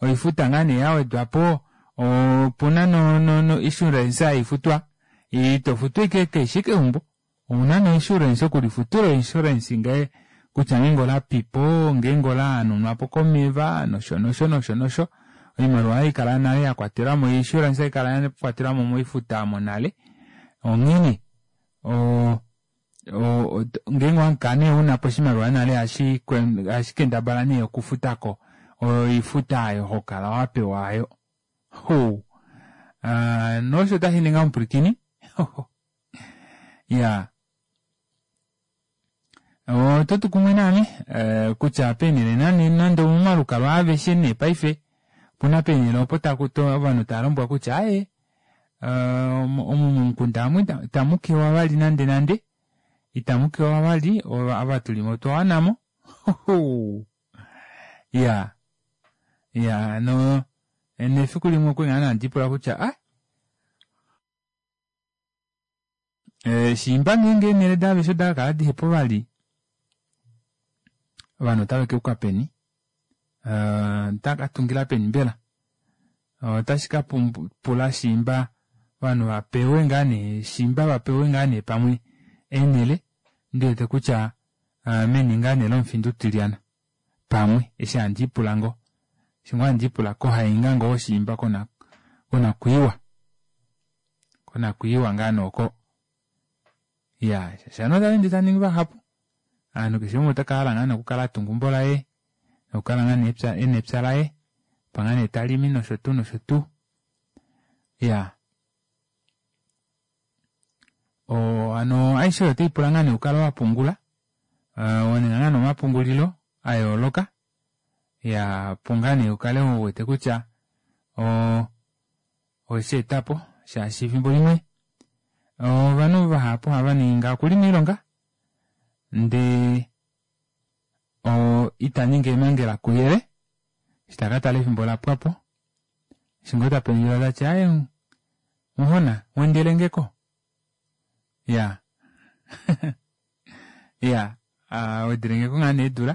oifuta ngaa nee yawedwapo opuna no, no, no insurance haifutwa itofutu ashike keshe keumbo ouna no insurance okulifutila insurance ngee kutya ngeenge olapipo ngeenge olahanunwapo komeva nosho nosho nosho nosho oimaliwa haikala nale yakwatelwamo insurance haikala yakwatelwamo moifuta omo nale onghene o ngeenge owakala nee unapo oshimaliwa nale ohashi kendabala nee okufutako oifuta aayo hokala wapewa aayo. Ho nosho tashi ninga omupwilikini iyaa ototu kumwe naame kutya peenele nande omomalukalwa aveshe nee paife opuna peenele opo ovanhu tavalombwelwa kutya aaye omu momukunda amu itamukewa vali nande nande itamukewa vali ava tulimo otwa wanamo iyaa iyaa no nefiku limwe okwali ngoo handipula kutya ah shiimba ngeenge eenele daaveshe odakakala dihepo vali ovanhu otava keuka peni otava katungila peni mbela otashi kapula shiimba ovanhu vapewe ngaa nee shiimba vapewe ngaa nee pamwe eenele ndiwete kutya meni ngaa nee lomufinda utilyana pamwe eshi handiipula ngoo eshi ngoo handiipula kohainga ngoo shiimba konakwiiwa konakwiiwa ngaa nooko iyaa shaashi ovanhu otava ende tavaningi vahapu ovanhu keshe umwe otaka hala ngaa nee okukala atunga eumbo laye nokukala ngaa nee ena epya laye opo ngaa nee talimi noshotuu noshotuu iyaa oo hano aishe oyo otaipula ngaa nee ukale wapungula waninga ngaa nee omapungulilo ayooloka iyaa opo ngaa nee ukale uwete kutya oo owesheetapo shaashi efimbo limwe ovanhu vahapu ohavaningi ngaha okuli moilonga ndee itaningi eemangela kuyele eshi takatala efimbo olapwapo eshi ngoo tapendjula tati aaye muhona wendelengeko iyaa iyaa wedelengeko ngaa nee eedula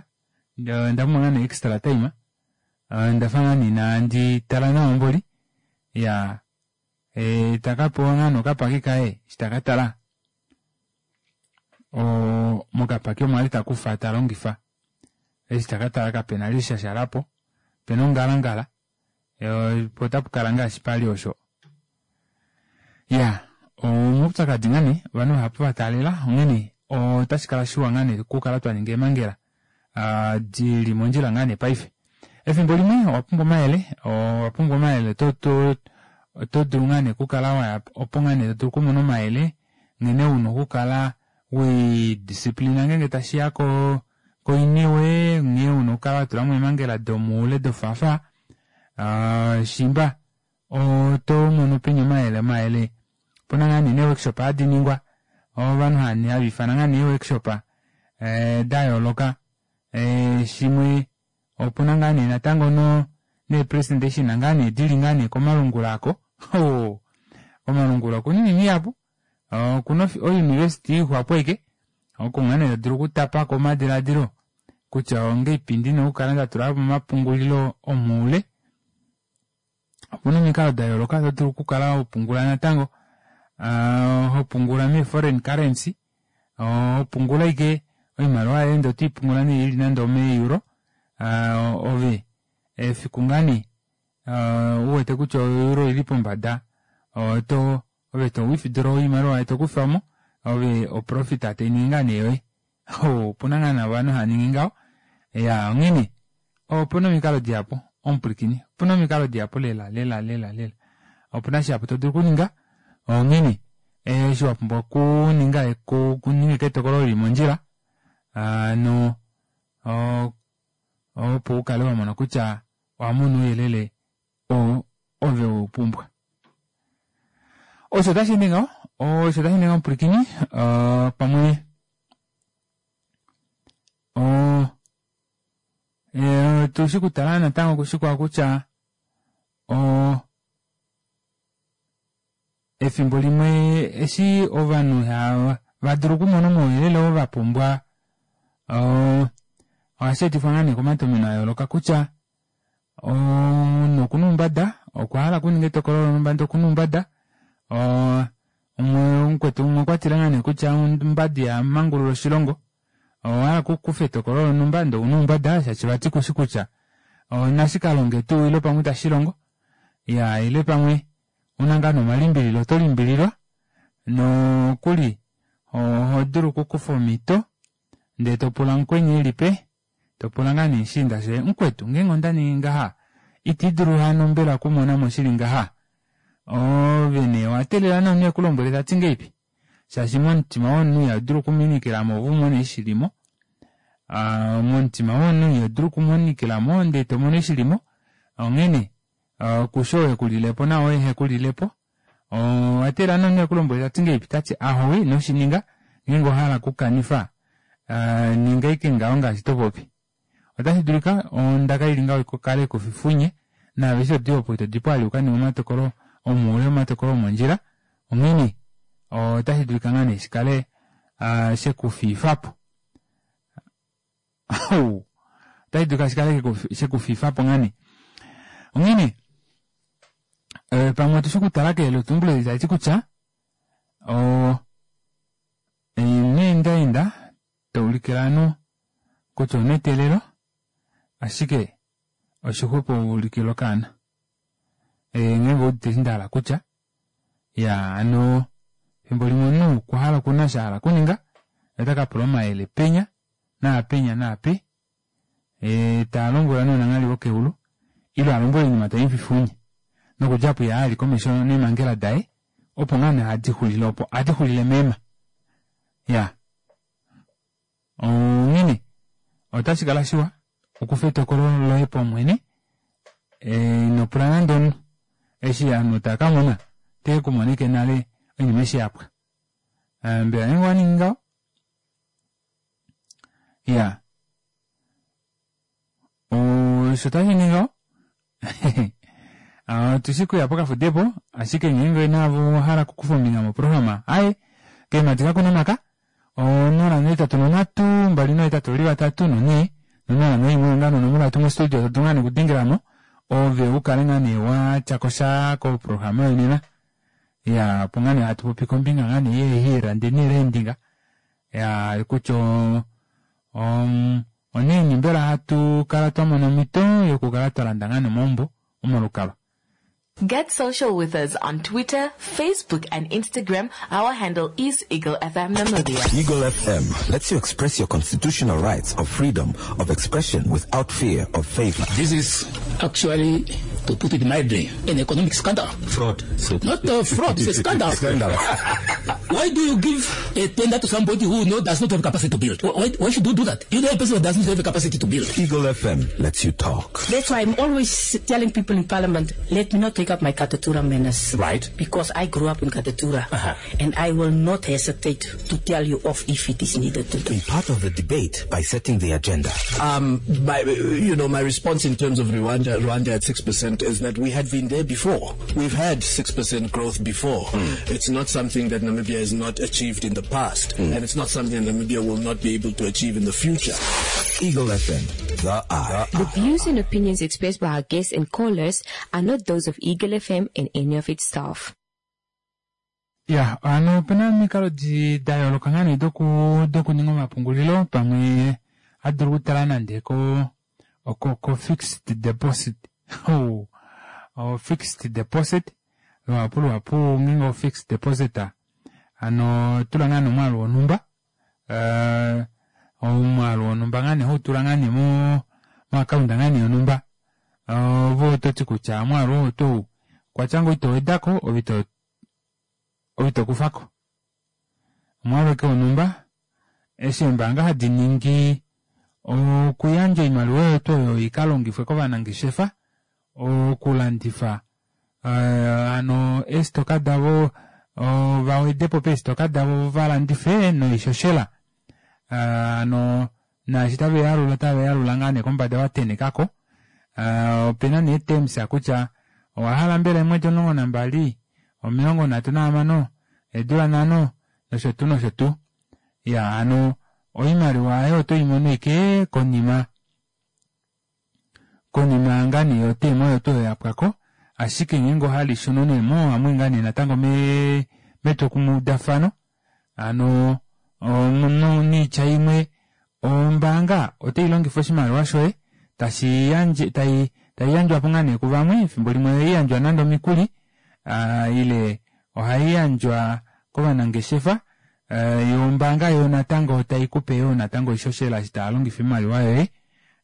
ondapumbwa ngaa nee extra time ondafa ngoo nee inandi tala nawa mboli iyaa takapewa ngaa nee okapaki kaye eshi takatala oo mokapaki omo ali takufa talongifa eshi takatala kapena vali eshi shashalapo opena ongalangala poo otapukala ngaashi pali osho iyaa omaupyakadi ngaa nee ovanhu vahapu vataalela onghene otashikala shiwa ngaa nee okukala twaninga eemangela dili mondjila ngaa nee paife efimbo limwe owapumbwa omayele owapumbwa omayele oto dulu ngaa nee okukala waya opo ngaa nee todulu okumona omayele nghene una okukala welidisciplina ngeenge tashiya koiniwe nghee una okukala watulamo eemangela domoule dofaafaa shiimba otomono peni omayele omayele opuna ngaa nee nee workshop hadi ningwa ovanhu haviifana ngaa nee ee workshop dayooloka shimwe opuna ngaa nee natango nee presentation ngaa nee dili ngaa nee komalungula aako oo komalungula okuna oinima ihapu okuna o university ixwapo ashike oko ngaa nee todulu okutapako omadilaadilo kutya ongahelipi ndina okukala ndatulapo omapungulilo omoule opuna omikalo dayooloka todulu okukala hopungula natango hopungula mee foreign currency hopungula ashike oimaliwa yoye ndee otoipungula nee ili nande omee euro ove efiku ngaa nee uwete kutya o euro oili pombada oto ove to withdraw oimaliwa tokufamo ove oprofit tainingi ngaa nee yoye opuna ngaa nee ovanhu haaningi ngaho iyaa onghene opuna omikalo dihapu omupwilikini opuna omikalo dihapu lela lela lela lela opuna shihapu todulu okuninga onghene eshi wapumbwa okuninga okuninga ashike etokolo lili mondjila hano opo ukale wamona kutya owamona ouyelele oo ove weupumbwa osho tasheende ngaho osho tasheende ngaho omupwilikini pamwe oo otushi okutala natango kushikwao kutya oo Efimbo limwe eshi ovanhu ihava dulu okumona omauyelele oo vapumbwa ohashi etifwa ngaa nee komatomeno ayooloka kutya omunhu okuna oumbada okwa hala okuninga etokolo lonhumba ndee okuna oumbada mukwetu umwe okwatile ngaa nee kutya omumbada ihamangulula oshilongo owahala okukufa etokolo lonhumba ndee ouna oumbada shaashi vati kushi kutya nashikalonge tuu ile pamwe itashilongo iyaa ile pamwe ouna ngaa nee omalimbililo oto limbililwa nokuli ohodulu okukufa omito ndee topula mukweni elipe topula ngaa nee mushiinda shoye mukwetu ngeenge ondaningi ngaha itiidulu hano mbela okumonamo shili ngaha ove nee owateelela nee omunhu ekulombwele tati ngahelipi shaashi momutima womunhu ihadulu okuminikilamo ove umone eshi shilimo aa momutima womunhu ihodulu okumonikilamo ndee tomono eshi shilimo onghene kushi ou ekulilepo naao ehekulilepo owateelela nee omunhu ekulombwele tati ngahelipi tati ahowe inoshininga ngeenge owahala okukanifa ninga ashike ngaho ngaashi topopi otashi dulika ondaka ili ngaho ikale ikufifunye naave eshi todi opo ito dipo vali ukaninge omatokolo omoule omatokolo omondjila onghene otashi dulika ngaa nee shikale shekufiifapo otashi dulika shikale shekufiifapo ngaa nee onghene pamwe otushi okutala keyeletumbulo eli taliti kutya ino endaenda toulikile ovanhu kutya ouna eteelelo ashike oshixwepo ulikile okaana ngeenge owuudite eshi ndahala kutya iyaa hano efimbo limwe omunhu okwahala okuna osho ahala okuninga otakapula omayele penya naapenya naape talombwelwa nee ounanghali vokeulu ile alombwelwe oinima taimufifunye nokudja aapo ihayi komesho neemangela daye opo ngaa nee hadi xulile opo ohadi xulile meema iyaa onghene otashikala shiwa ukufe etokolo loye paumwene inopula nande omunhu eshi ovanhu taakamona otekumona ashike nale oinima eshi yapwa mbela ngeenge owaningi ngaho iyaa osho tashiningi ngaho otushi kuya pokafudepo ashike ngeenge naave owahala okukufa ombinga moprograma aaye keemadi kakuna omaka onola nohetatu nonhatu mbali nohetatu veli vatatu nonhee nonola noimwe ongano onomola yetu mostudio todulu ngaa nee okudengelamo ove ukale ngaa nee watyakosha koprograma yonena iya opo ngaa nee hatu popi kombinga ngaa nee yeehirandi neerendinga ya kutya onaini mbela hatu kala twamona omhito yokukala twalanda ngaa nee omaumbo omalukalwa. Get social with us on Twitter, Facebook, and Instagram. Our handle is Eagle F M Namibia. Eagle F M lets you express your constitutional rights of freedom of expression without fear of favor. This is actually, to put it mildly, an economic scandal. Fraud. So Not a fraud, it's a scandal. Scandal. Why do you give a tender to somebody who no, does not have capacity to build? Why, why should you do that? You know a person who does not have the capacity to build. Eagle F M lets you talk. That's why I'm always telling people in Parliament, let me not take up my Katutura manners. Right. Because I grew up in Katutura. Uh-huh. And I will not hesitate to tell you off if it is needed to do. Be part of the debate by setting the agenda. Um, my, you know, my response in terms of Rwanda, Rwanda at six percent is that we had been there before. We've had six percent growth before. Mm. It's not something that Namibia has not achieved in the past. Mm. And it's not something that Namibia will not be able to achieve in the future. Eagle F M, the eye. The views and opinions expressed by our guests and callers are not those of Eagle F M and any of its staff. Ya, ano opena omikalo da yooloka ngaa nee doku dokuninga omapungulilo pamwe adulu okutala nande ko ko ko fixed deposit. Oh, oh, fixed deposit luhapu luhapu ngeenge o fixed deposit ano tula ngaa nee omwaalu wonhumba uh, omwaalu wonhumba ngaa nee hautula ngaa nee mo moaccount ngaa nee yonhumba ove ototi kutya omwaalu oo otou kwatya ngoo ito wedako ove ito ove ito kufako omwaalu eke wonhumba eshi eembaanga hadi ningi okuyandja oimaliwa yetu oyo ikalongifwe kovanangeshefa okulandifa uh, ano eestoka davo vawedepo peestoka davo valandife noishoshela uh, ano naashi taveyalula taveyalula ngaa nee kombada vatenekako uh, opena nee terms kutya owahala mbela eemwedi omulongo nambali Omilongo nhatu nahamano, eedula nhano nosho tuu nosho tuu. Iya hano oimaliwa aayo oto imono ashike konima konima ngaa nee yoteema oyo tuu oyo yapwako, ashike ngeenge owahala ishunwe nee moo ohamwii ngaa nee natango mee metwokumwe udafano hano noitya imwe ombaanga otailongifa oshimaliwa shoye tashiyandje tai taiyandjwapo ngaa nee kuvamwe efimbo limwe ohaiyandjwa nande omikuli aa ile ohaiyandjwa kovanangeshefa yoo ombaanga yoo natango taikupe yoo natango oishoshela eshi taalongifa oimaliwa yoye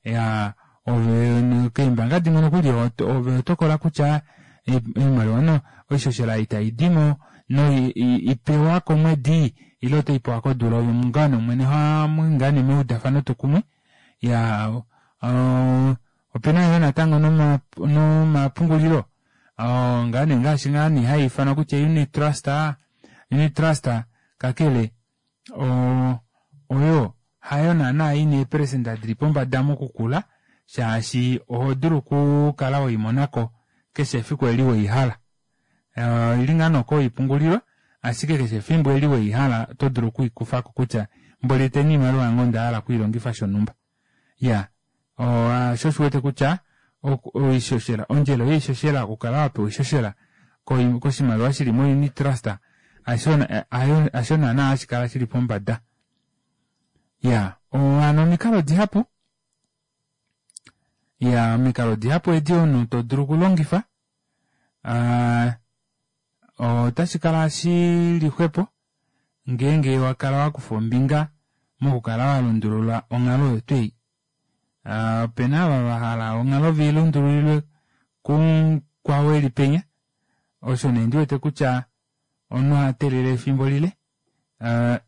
iyaa ove keembanga dimwe nokuli ove hotokola kutya oimaliwa oishoshela ei taidimo ipewa komwedi ile otoipewa kodula ove ngaa nee mwene hamwii ngaa nee meudafano twokumwe iyaa oo opena yoo natango nomapungulilo oo ngaane ngaashi ngaane haifanwa kutya unit trust, unit trust kakele oo oyo hayo naana ina eeprecenter dili pombada mokukula shaashi ohodulu okukala weimonako keshe efiku eli weihala oili ngaa nee oko haipungulilwa ashike keshe efimbo eli weihala oto dulu okwiikufako kutya mboli eteni oimaliwa yange ondahala okwiilongifa shonumba. Iyaa shoo osho uwete kutya oishoshela ondjelo yoishoshela okukala wapewa oishoshela koshimaliwa shili mo unit trust hasho naana hashikala shili pombada. Iyaa hano omikalo dihapu iyaa omikalo dihapu edi omunhu todulu okulongifa aa otashikala shili xwepo ngeenge wakala wakufa ombinga mokukala walundulula onghalo oyo tuu ei. Opena ava vahala onghalo veilundululilwe kumukwao eli penya osho nee ndiwete kutya omunhu ohateelele efimbo lile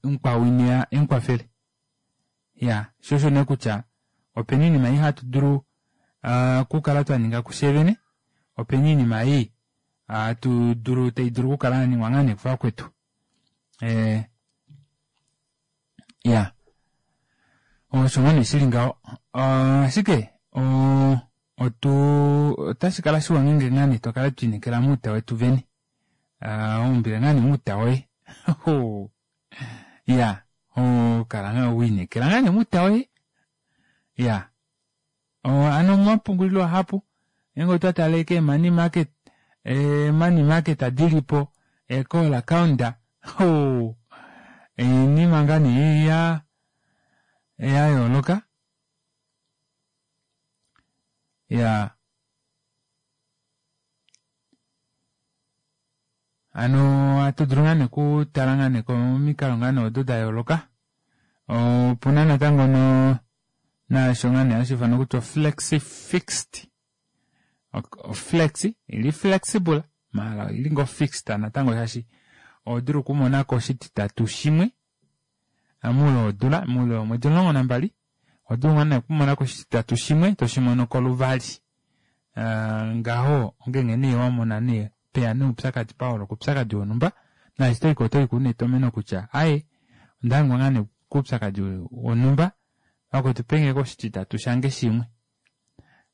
mukwao ineya emukwafele. Iyaa shoo osho nee kutya opena oinima ei hatu dulu okukala twaninga kufye vene opena oinima ei hatudulu taidulu okukala yaningwa ngaa nee kuvakwetu ee iyaa osho ngoo nee shili ngaho ashike oo otuu otashikala shiwa ngeenge ngaa nee twakala twiinekela mouta wetu vene waumbile ngaa nee mouta woye iyaa okala wiinekela ngaa nee mouta woye iyaa hano omapungulilo ohapu ngeenge otwa tale kee money market ee money market dilipo ee call account oo oinima ngaa nee yaa yayooloka iyaa hano ohatudulu ngaa nee okutala ngaa nee komikalo ngaa nee odo dayooloka opuna natango noo naasho ngaa nee hashiifanwa kutya o flexi fixed oflexi oili flexible maala oili ngoo fixed natango shaashi ohodulu okumonako oshititatu shimwe moule wodula moule womwedi omulongo nambali ohodulu ngoo nee okumonako oshititatu shimwe toshimonoko luvali ngaho ongenge nee wamona nee peya nee oupyakadi paholoka oupyakadi wonhumba naashi toyiko otoyiko una etomeno kutya aaye ondahangwa ngaa nee koupyakadi wonhumba vakwetu pengeko oshititatu shange shimwe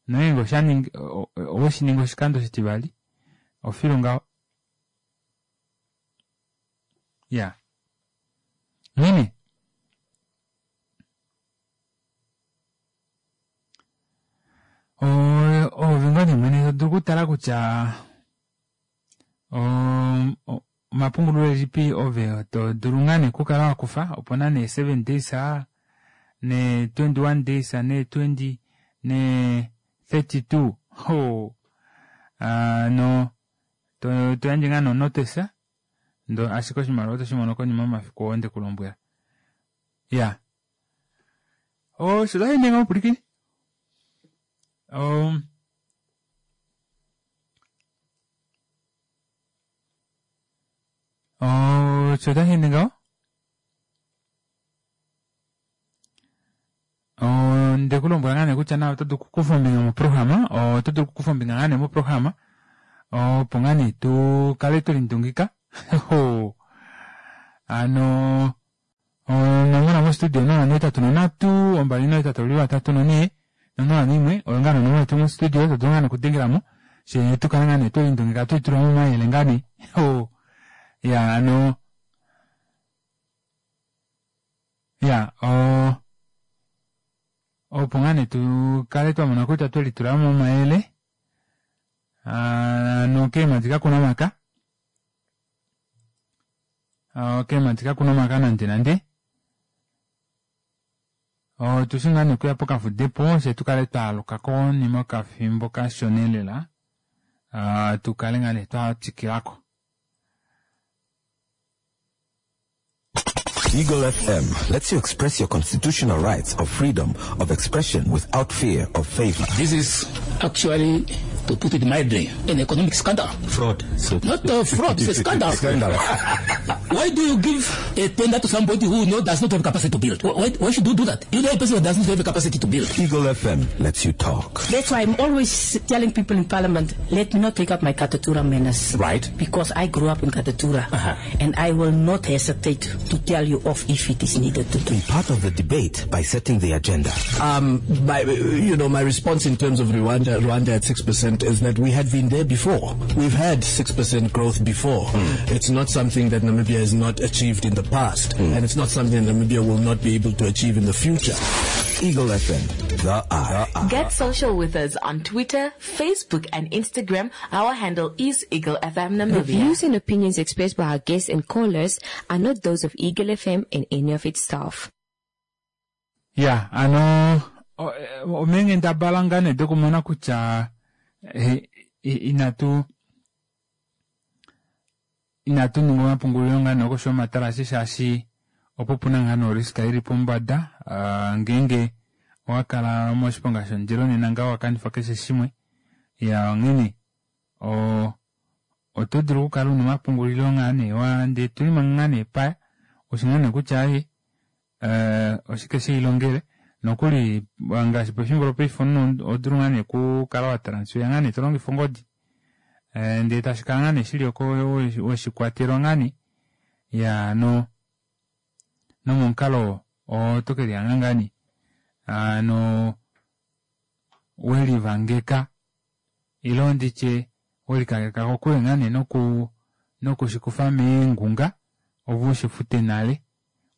nongeenge oshaningi oweshiningi oshikando oshitivali ofilu ngaho iyaa onghene ove ngoo nee mwene todulu okutala kutya omapungulilo elipi ove todulu ngaa nee okukala wakufa opena nee seven days nee twenty one days nee twenty nee thirty two hoo hano toyandje ngaa nee onotice ndee ashike oshimaliwa otoshimono konima yomafiku oo ndekulombwela. Iyaa osho otasheende ngaho mupwilikini osho otasheende ngaho ondekulombwela ngaa nee kutya naave oto dulu okukufa ombinga moprograma oto dulu okukufa ombinga ngaa nee moprograma opo ngaa nee tukale twelindungika hano onomola mostudio onola nohetatu nonhatu ombali nohetatu ovatatu nonhee nonola noimwe oyo ngaa nee onomola yetu mostudio todulu ngaa nee okudengelamo fyee tukale ngaa nee twelindungika twelitulamo omayele ngaa nee Ya ano ya o opo ngaa nee tukale twamona kutya twelitulamo omayele ano keemadi kakuna omaka keemadi kakuna omaka nande nande otushi ngaa nee okuya pokafudepo fyee tukale twaaluka konima yokafimbo kashona elela tukale ngaa nee twatwikilako. Eagle F M lets you express your constitutional rights of freedom of expression without fear of favor. This is actually, to put it mildly, an economic scandal. Fraud. So Not a fraud, it's a scandal. Scandal. Why do you give a tender to somebody who no, does not have capacity to build? Why, why should you do that? You know a person who does not have the capacity to build. Eagle F M lets you talk. That's why I'm always telling people in Parliament, let me not take up my Katutura manners. Right. Because I grew up in Katutura. Uh-huh. And I will not hesitate to tell you off if it is needed to do. Be part of the debate by setting the agenda. Um, my, you know, my response in terms of Rwanda, Rwanda at six percent is that we had been there before. We've had six percent growth before. Mm. It's not something that Namibia has not achieved in the past, mm. and it's not something that Namibia will not be able to achieve in the future. Eagle F M, the eye. Get social with us on Twitter, Facebook, and Instagram. Our handle is Eagle F M Namibia. The views and opinions expressed by our guests and callers are not those of Eagle F M and any of its staff. Yeah, ano omenghendabala ngaa nee dokumona kutya inatu inatu ninga omapungulilo ngaa nee okoshi yomatalasi shaashi opo puna ngaa nee oriska ili pombada ngeenge owakala moshiponga shomundilo nena ngaho wakanifa keshe shimwe. Ya onghene o oto dulu okukala una omapungulilo ngaa nee wa ndee tulima ngaa nee paya ushi ngaa nee kutya aye oshike sheilongele nokuli ngaashi pefimbo lopaife omunhu odulu ngaa nee okukala wa transfer ngaa nee tolongifa ongodi ndee tashikala ngaa nee shili oko weshikwatelwa ngaa nee ya no nomomukalo oto kelihanga ngaa nee ano welivangeka ilo nditye welikaleka kokule ngaa nee noku nokushikufa meengunga ovo ushifute nale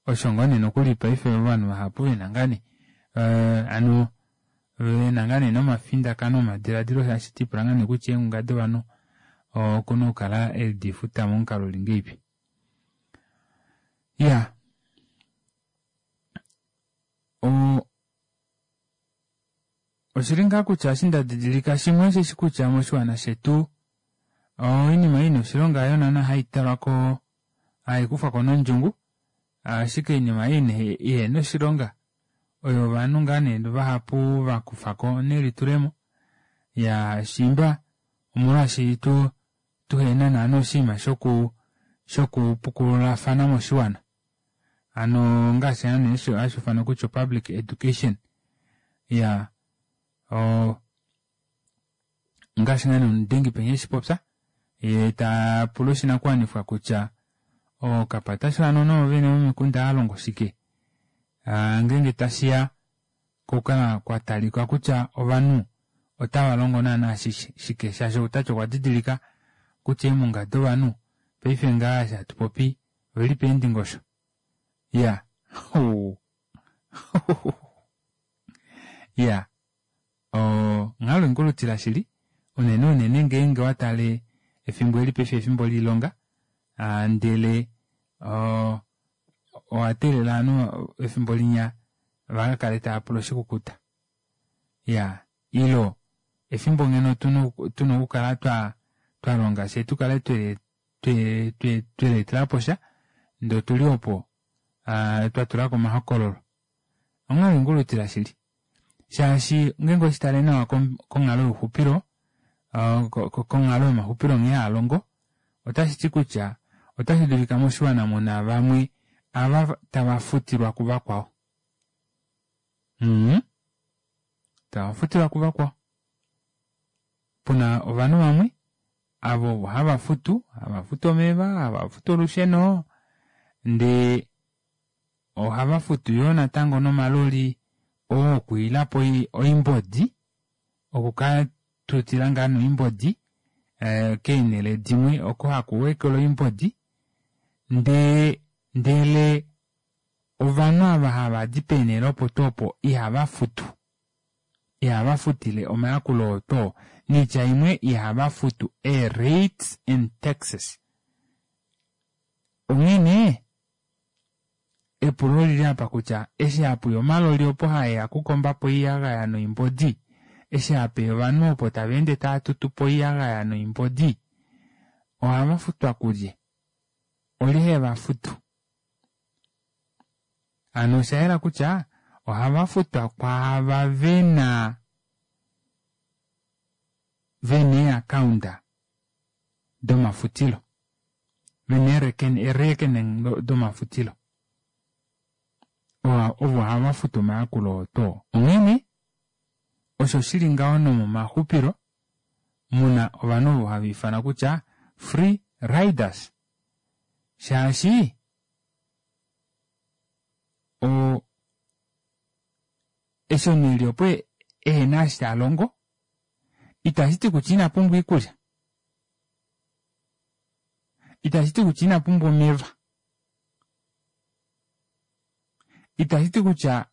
osho ngoo nee nokuli paife ovanhu vahapu vena ngaa nee ano vena ngaa nee nomafindakano omadiladilo shaashi tipula ngaa nee kutya eengunga dovanhu okuna okukala edifuta momukalo uli ngeipi. Ya o oshili ngaa kutya eshi nda didilika shimwe osheshi kutya moshiwana shetu oinima ina oshilonga hayo naana haitalwako haikufwako nondjungu, ashike oinima ei ihena oshilonga oyo ovanhu ngaa nee vahapu vakufako nelitulemo. Ya shimba omolwaashi tu tuhena naana oshinima shoku shokupukululafana moshiwana, ano ngaashi nee hashi ifanwa kutya public education. Ya o ngaashi ngaa nee omudengi penya eshipopya ye tapula oshinakuwanifwa kutya okapatasho hano noovene vomikunda alongo shike ngeenge tashiya kokukala kwatalika kutya ovanhu otava longo naana shike, shaashi outati okwa didilika kutya eemunga dovanhu paife ngaa eshi hatu popi oveli peendingosho. Ya ya onghalo ingulutila shili unene unene ngeenge watale efimbo eli paife efimbo liilonga ndele owateelela ovanhu efimbo linya vakakale tava pula oshikukuta. Ya ilo efimbo ngeno tuna okukala twa twalonga fye tukale tweleetelapo sha ndee otuli opo twatulako omahokololo. Onghalo ingulutila shili shaashi ngeenge oshitale nawa konghalo youxupilo konghalo yomaxupilo nghee haalongo otashi ti kutya otashi dulika moshiwana muna vamwe ava tava futilwa kuvakwao. Mm. Tava futilwa kuvakwao. Puna ovanhu vamwe avo hava futu, hava futu omeva, hava futu olusheno, ndee ohava futu yoo natango nomaloli oo okwiilapo oimbodi, okuka tutila ngaa noimbodi keenhele dimwe oko haku wekelwa oimbodi Ndee ndele ovanhu ava hava di peenhele opo tuu opo ihava futu. Ihava futile omayakulo oo tuu. Niitya imwe ihava futu ee-rates and taxes. Onghene epulo olili apa kutya eshi hapuya omaloli opo haeya okukombapo oiyagaya noimbodi, eshi hapeya ovanhu opo tava ende tava tutupo oiyagaya noimbodi, ohava futwa kulye? Olye heva futu? Hano osha yela kutya ohava futwa kwaava vena vena eeakaunda domafutilo, vena eerekening domafutilo. Ovo hava futu omayakulo oo tuu. Onghene osho shili ngaho nomomaxupilo muna ovanhu ovo hava ifanwa kutya free riders. Shaashi o eshi omunhu eli opo ehena eshi talongo itashi ti kutya ina pumbwa oikulya, itashi ti kutya ina pumbwa omeva, itashi ti kutya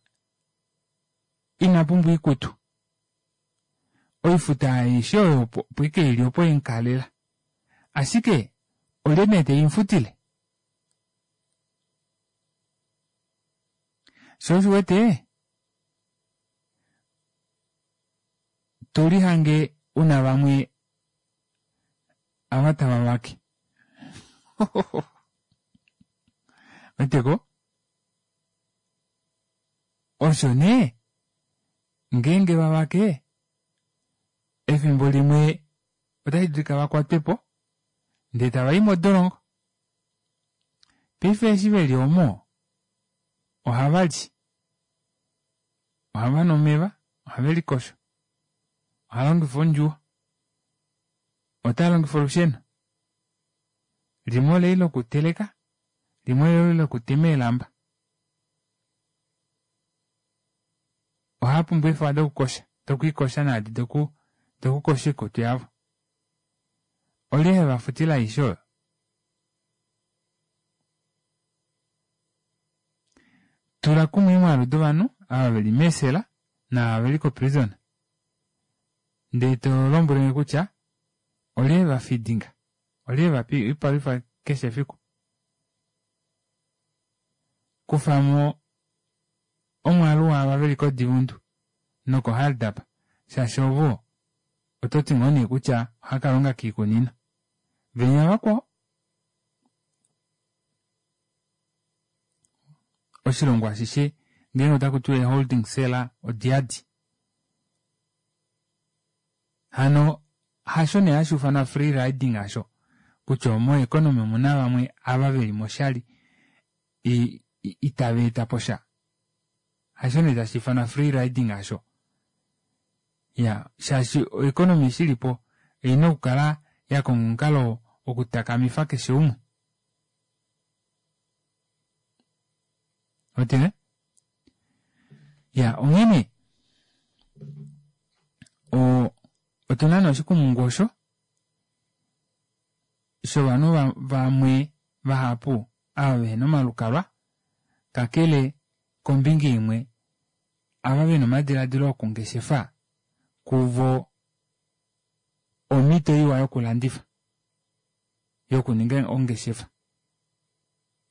ina pumbwa oikutu. Oifuta aishe oyo opo ike ili opo yemukalela. Ashike olye nee teimufutile? Sho osho uwete to lihange una vamwe ava tava vake. Weteko? Osho nee ngeenge va vake efimbo limwe otashi dulika va kwatwe po ndee tava i modolongo. Paife eshi veli omo ohava li, ohava nu omeva, ohave likosho, oha longifa ondjuwo, ota longifa olusheno, limwe oleli lokuteleka, limwe oleli lokutema eelamba. Ohava pumbwa eefewa dokukosha, dokwiikosha naadi doku dokukosha oikutu yavo. Olye heva futile aishe oyo? Tula kumwe eemwaalu dovanhu ava veli meesela naava veli koprison ndee to lombwelenge kutya olye heva feedinga, olye heva pa oipalwifa keshe efiku. Kufamo omwaalu waava veli koDivundu nokoHardap shaashi ovo oto ti ngoo nee kutya ohaka longa kiikunino. Venya vakwao oshilongo ashishe ngeenge otaku tiwa eeholding cell odiyadi. Hano hasho nee hashi ufanwa free riding asho kutya omo economy omuna vamwe ava veli moshali itava eta po sha. Hasho nee tashi ifanwa free riding asho. Ya, shaashi oeconomy eshi ilipo oina okukala ya konga omukalo wokutakamifa keshe umwe. Otene? Ya, onghene o otuna nee oshikumungu osho shovanhu vamwe vahapu ava vehena omalukalwa kakele kombinga imwe ava vena omadiladilo okungeshefa kuvo omhito iwa yokulandifa yokuninga ongeshefa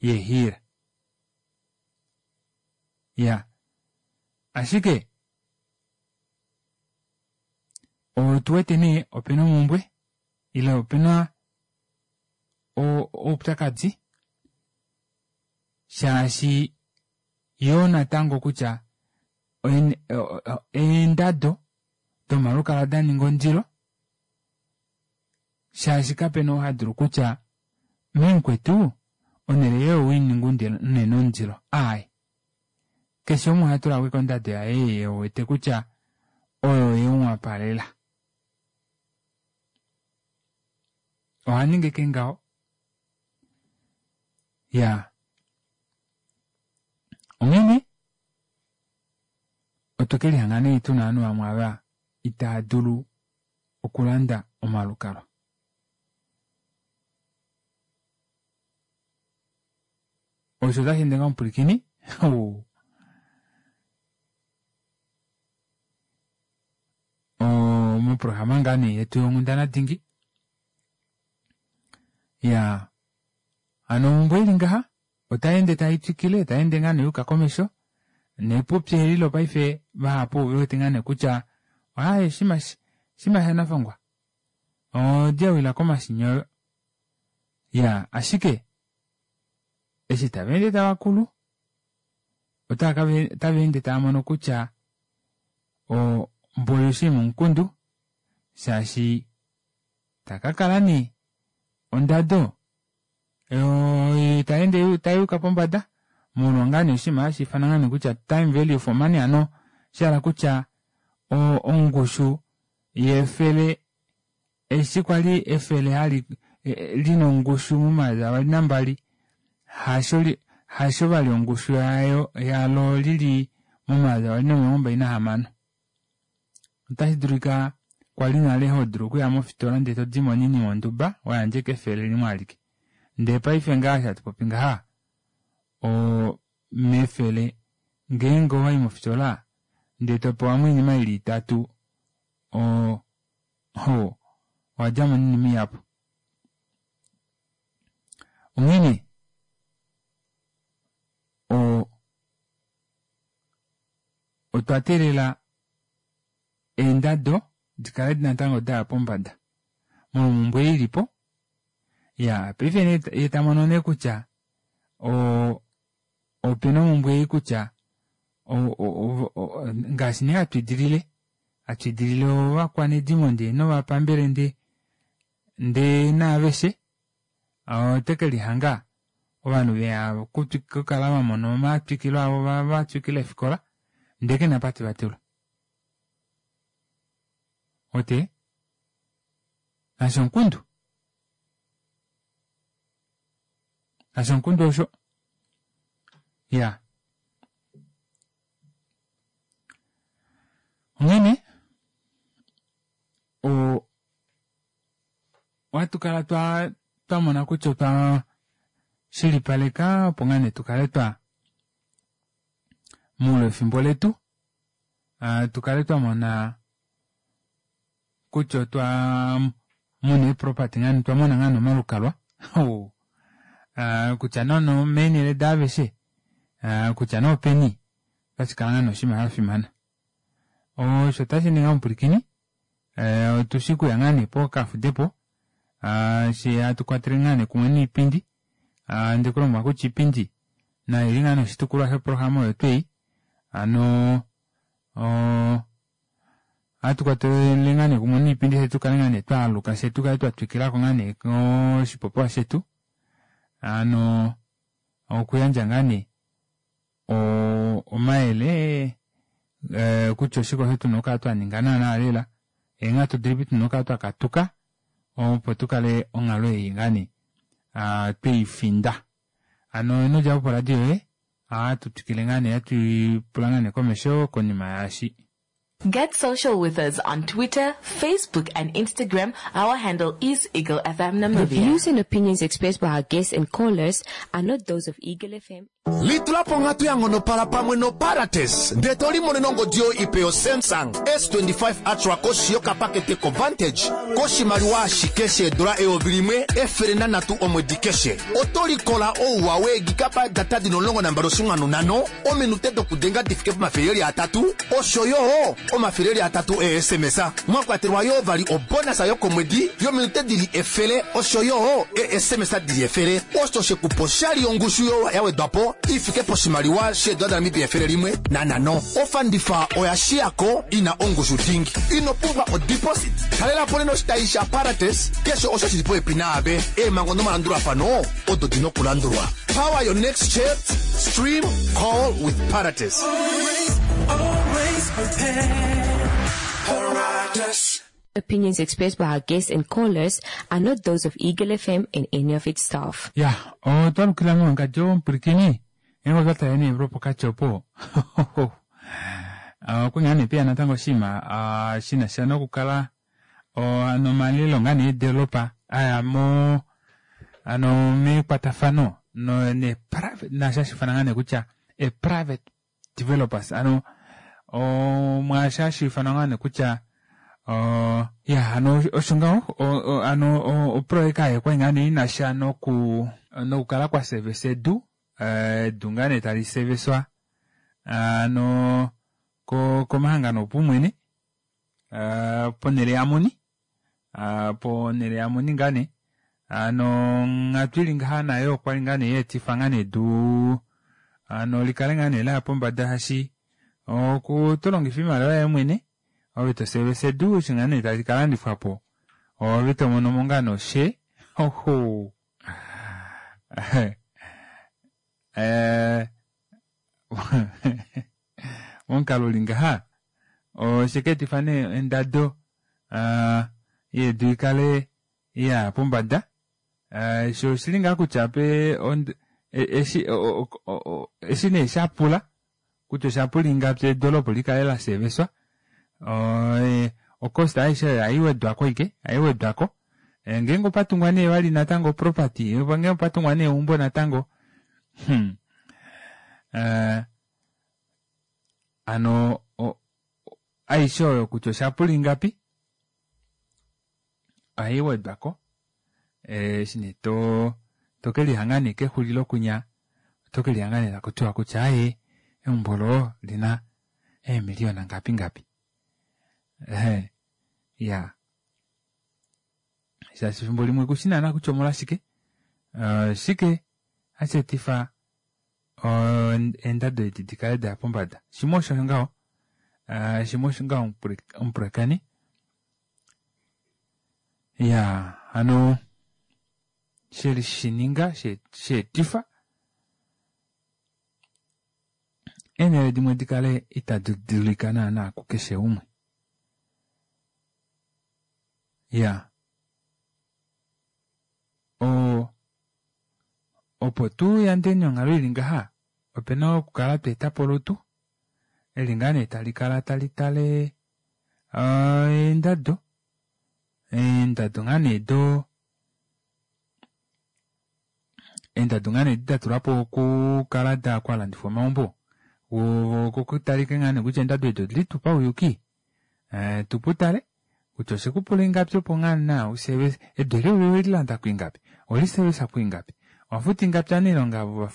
yeehiila. Ya, ashike otu wete nee opena omumbwe ile opena oupyakadi shaashi yoo natango kutya eendado domalukalwa da ninga ondilo shaashi kapena oo hadulu kutya memukwetu onhele yoye oweininga unene ondilo. Aaye, keshe umwe oha tula ko ondado yaye ye wete kutya oyo yemuwapalela. Oha ningi ke ngaho. Ya, onghene otwe ke lihanga nee tuna ovanhu vamwe ava itaa dulu okulanda omalukalwa. Osho otashi ende ngaa omupwilikini. Moprograma ngaa nee yetu yonghundana dingi. Ya hano omhumbwe ili ngaha otaende tai twikile taende ngaa nee yuka komesho nepupi eli lopaife vahapu ovewete ngaa nee kutya aaye oshinima shanafangwa odi yawila komashinyoyo. Ya ashike eshi tavaende tavakulu otavaende tavamono kutya mboli oshinima omukundu shaashi takakala nee ondado taende tayuka pombada molwa ngaa nee oshinima hashi ifanwa ngaa nee kutya time value for money hano shahala kutya ongushu yefele eshi kwali efele hali lina ongushu momayovi avali nambali hasho hasho vali ongushu yayo yalo lili momayovi avali nomilongo mbali nahamano. Otashi dulika kwali nale hodulu okuya mofitola ndee todimo oinima onduba wayandja ashike efele limwe alike. Ndee paife ngaha eshi hatu popi ngaha o mefele ngeenge owayi mofitola ndee topewamo oinima ili itatu o owadjamo noinima ihapu. Onghene o otwa teelela eendado dikale natango daya pombada molwomumbwe ilipo. Ya paife nee yee tamono nee kutya o opena omumbwe ei kutya ngaashi nee hatu idilile hatu idilile ovakwanedimo ndee novapambele ndee ndee naaveshe otekelihanga ovanhu veya okukala vamona omatwikilo avo vatwikila eefikola ndee kena apa tevatula. Ote nasho omukundu nasho omukundu osho ya onghene o ohatu kala twa twamona kutya otwa shilipaleka opo ngaa nee tukale twa moule wefimbo letu tukale twamona kutya otwa mona eeproperty ngaa otwa mona ngaa nee omalukalwa kutya nee omeenele daaveshe kutya nee openi otashi kala ngaa nee oshinima shafimana. Osho tashi ningi omupwilikini otushi kuya ngaa nee pokafudepo eshi hatu kwatele ngaa nee kumwe noipindi ndekulombwela kutya iipindi nayo oili ngaa nee oshitukulwa shoprograma oyo tuu ei hano ohatu kwatele ngaa nee kumwe noipindi fyee tukale ngaa nee twaaluka fyee tukale twatwikilako ngaa nee oshipopiwa shetu hano okuyandja ngaa nee omayele kutya oshike osho tuna okukala twaninga naana lela eenghatu dilipi tuna okukala twakatuka opo tukale onghalo ei ngaa nee tweifinda. Hano inodjapo poradio yoye ohatu twikile ngaa nee hatuipula ngaa nee komesho konima yaashi. Get social with us on Twitter, Facebook and Instagram. Our handle is Eagle F M The Namibia. views and opinions expressed by our guests and callers are not those of Eagle F M. Litulapo onghatu ya ngonopala pamwe noParates ndee to limonene ongodi yoye ipe yo Samsung S twenty-five Ultra koshi yokapakete ko Vantage koshimaliwa ashike sheedula eyovi limwe efele nanhatu omwedi keshe. Oto likola ouwa weegigabyte data dina omulongo nambali oshinwanu nhano, ominute dokudenga di fike pomafele eli atatu, osho yo omafele eli atatu e S M S. Mwa kwatelwa yoo vali obonasa yokomwedi yominute dili efele, osho yo e S M S dili efele. Osho shekupa oshali yongushu yo ya wedwa po ifike poshimaliwa sheedula daNamibia efele limwe nanhano. Ofandifa oya shiyako ina ongushu dingi. Ino pumbwa odeposit. Talela po nena oshitayi shaParates keshe osho shili popepi naave. Eemhango nomalandulafano odo dina okulandulwa. Power your next chat, stream, call with Parates. Always, always prepared. Parates. Opinions expressed by our guests and callers are not those of Eagle F M and any of its staff. Ya, otwa lukila mewangadjo omupwilikini. Ngeenge otwa tale nee lwopokati opo. Okwa ngaa nee peya natango oshinima shina sha nokukala nomalelo ngaa nee eedolopa aya mo ano mekwatafano no ne private naasho hashi ifanwa ngaa nee kutya e private developers ano mwaasho hashi ifanwa ngaa nee kutya ya hano osho ngaho hano oproyeka aayo okwali ngaa nee inasha noku nokukala kwa service edu edu ngaa nee tali servicewa ano komahangano opaumwene ponele yamuni ponele yamuni ngaa nee hano onghatu ili ngaha nayo okwali ngaa nee yaetifa ngaa nee edu hano likale ngaa nee laya pombada shaashi tolongifa oimaliwa yoye mwene ove toservice edu eshi ngaa nee tali kalandifwapo ove tomonomo ngaa nee oshare oho momukalo uli ngaha osheka etifa nee ondado yedu ikale yaya pombada shoo oshili ngaa kutya eshi eshi nee shapula kutya oshapula ingapi edu olo opo likale laserviswa ocost aishe oyo ohaiwedwako ashike ohaiwedwako ngeenge opatungwa nee vali natango oproperty ngeenge opatungwa nee eumbo natango hmm hano aishe oyo kutya oshapula ingapi ohaiwedwako eshi nee to tokelihanga nee kexulilo kunya oto kelihanga nee takutiwa kutya aaye eumbo olo olina eemiliyona ngapi ngapi iyaa shaashi efimbo limwe kushi naana kutya omolwashike oshike hashi etifa eendado edi dikale daya pombada shimwe osho ngaho shimwe osho ngaho omupulakeni iyaa hano shelishininga sheetifa eenhele dimwe dikale itadi dulika naana kukeshe umwe iya o opo tuyandeni onghalo ili ngaha opena okukala tweetapo olutu eli ngaa nee tali kala tali tale eendado eendado ngaa nee do eendado ngaa nee edi datulwapo okukala kwalandifwa omaumbo kokutalike ngaa nee kutya eendado edi odili tuu pauyuki tuputale kutya oshekupula ingapi opo ngaa naa uservice edu eli owelilanda kwiingapi oweliservice kwiingapi owafuta ingapi ovanailonga avo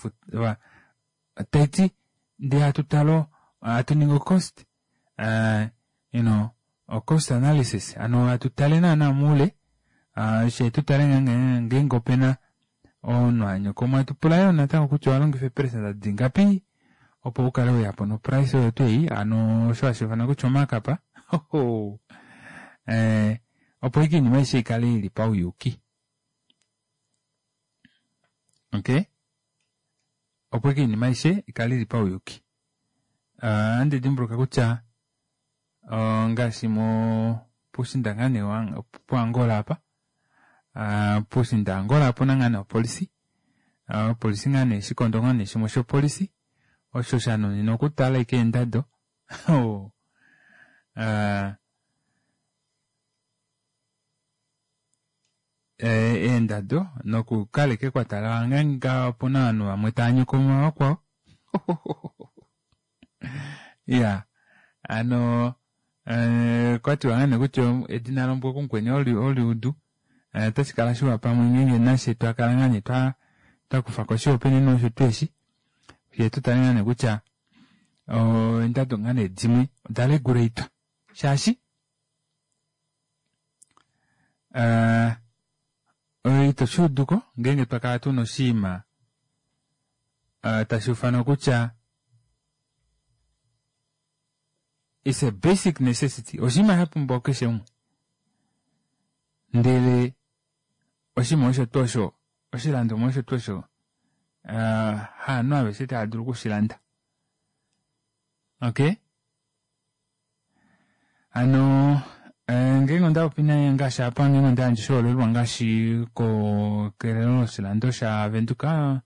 taiti ndee hatu tale hatu ningi ocost you know ocost analysis hano hatu tale naana moule shee tutale ngeenge opena omunhu anyokomwa hatupula yoo natango kutya owalongifa eeperecenta dingapi opo ukale weyapo noprice oyo tuu ei hano osho hashi ifanwa kutya omarkup opo ashike oinima aishe ikale ili pauyuki okay opo ashike oinima aishe ikale ili pauyuki ohandi dimbuluka kutya ngaashi mo puushinda ngaa nee puAngola apa puushinda Angola opuna ngaa nee opolisi opolisi ngaa nee oshikondo ngaa nee shimwe shopolisi osho shanuninwa okutala ashike eendado eendado nokukala ashike kwatala ngeenge opuna ovanhu vamwe tava nyokoma vakwao iya hano okwatiwa ngaa nee kutya edina lombwa kumukweni oliudu otashi kala shiwa pamwe ngeenge nafye twakala ngaa nee twakufako oshihopaenenwa osho tuu eshi fyee tutale ngaa nee kutya eendado ngaa nee dimwe oda regulatwa shaashi ito shuuduko ngeenge twakala tuna oshinima tashi ufanwa kutya it's a basic necessity oshinima shapumbiwa kukeshe umwe ndele oshinima osho tuu osho oshilandomwa osho tuu osho haanhu aveshe tava dulu okushilanda okay hano ngeenge ondapopi ngaashi apa ngeenge ondayandja oshiholelwa ngaashi kelelo loshilando shavenduka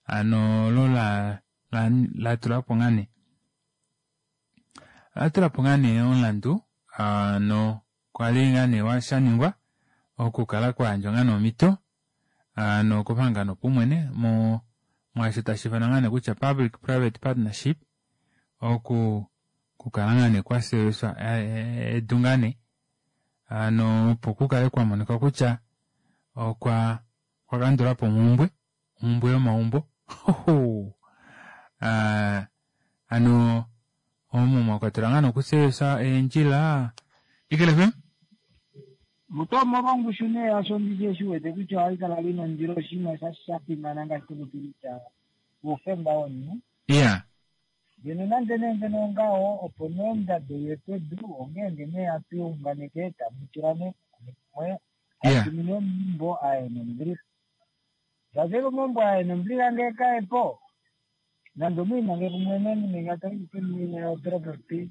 hano olo latulapo ngaa nee olatulapo ngaa nee omulandu hano kwali ngaa nee shaningwa okukala kwayandjwa ngaa nee omhito Ano kopahangano paumwene mo mwaasho tashi ifanwa ngaa nee kutya public private partnership oku kukala ngaa nee kwasewiswa edu ngaa nee ano opo kukale kwamonika kutya okwa kwakandulapo omhumbwe omhumbwe yomaumbo uh, ano omo mwakwatelwa ngaa nokusewesa eendjila. Eagle F M? Mutomo vongushu nee asho ndiche shiwete kutya ohali kala lina ondilo oshinima sha fimana ngaashi tokutulitha uufemba womunhu. Yeah. Ngeno nande nee ngeno ongaho opo nee ondado yepedu ongeenge nee hatu unganeke tamu tula nee kumwe atumine omaumbo aye nombiliha. Shaashi omaumbo aye nombiliha ngee kaepo nande omwiimange kumwe neni P P P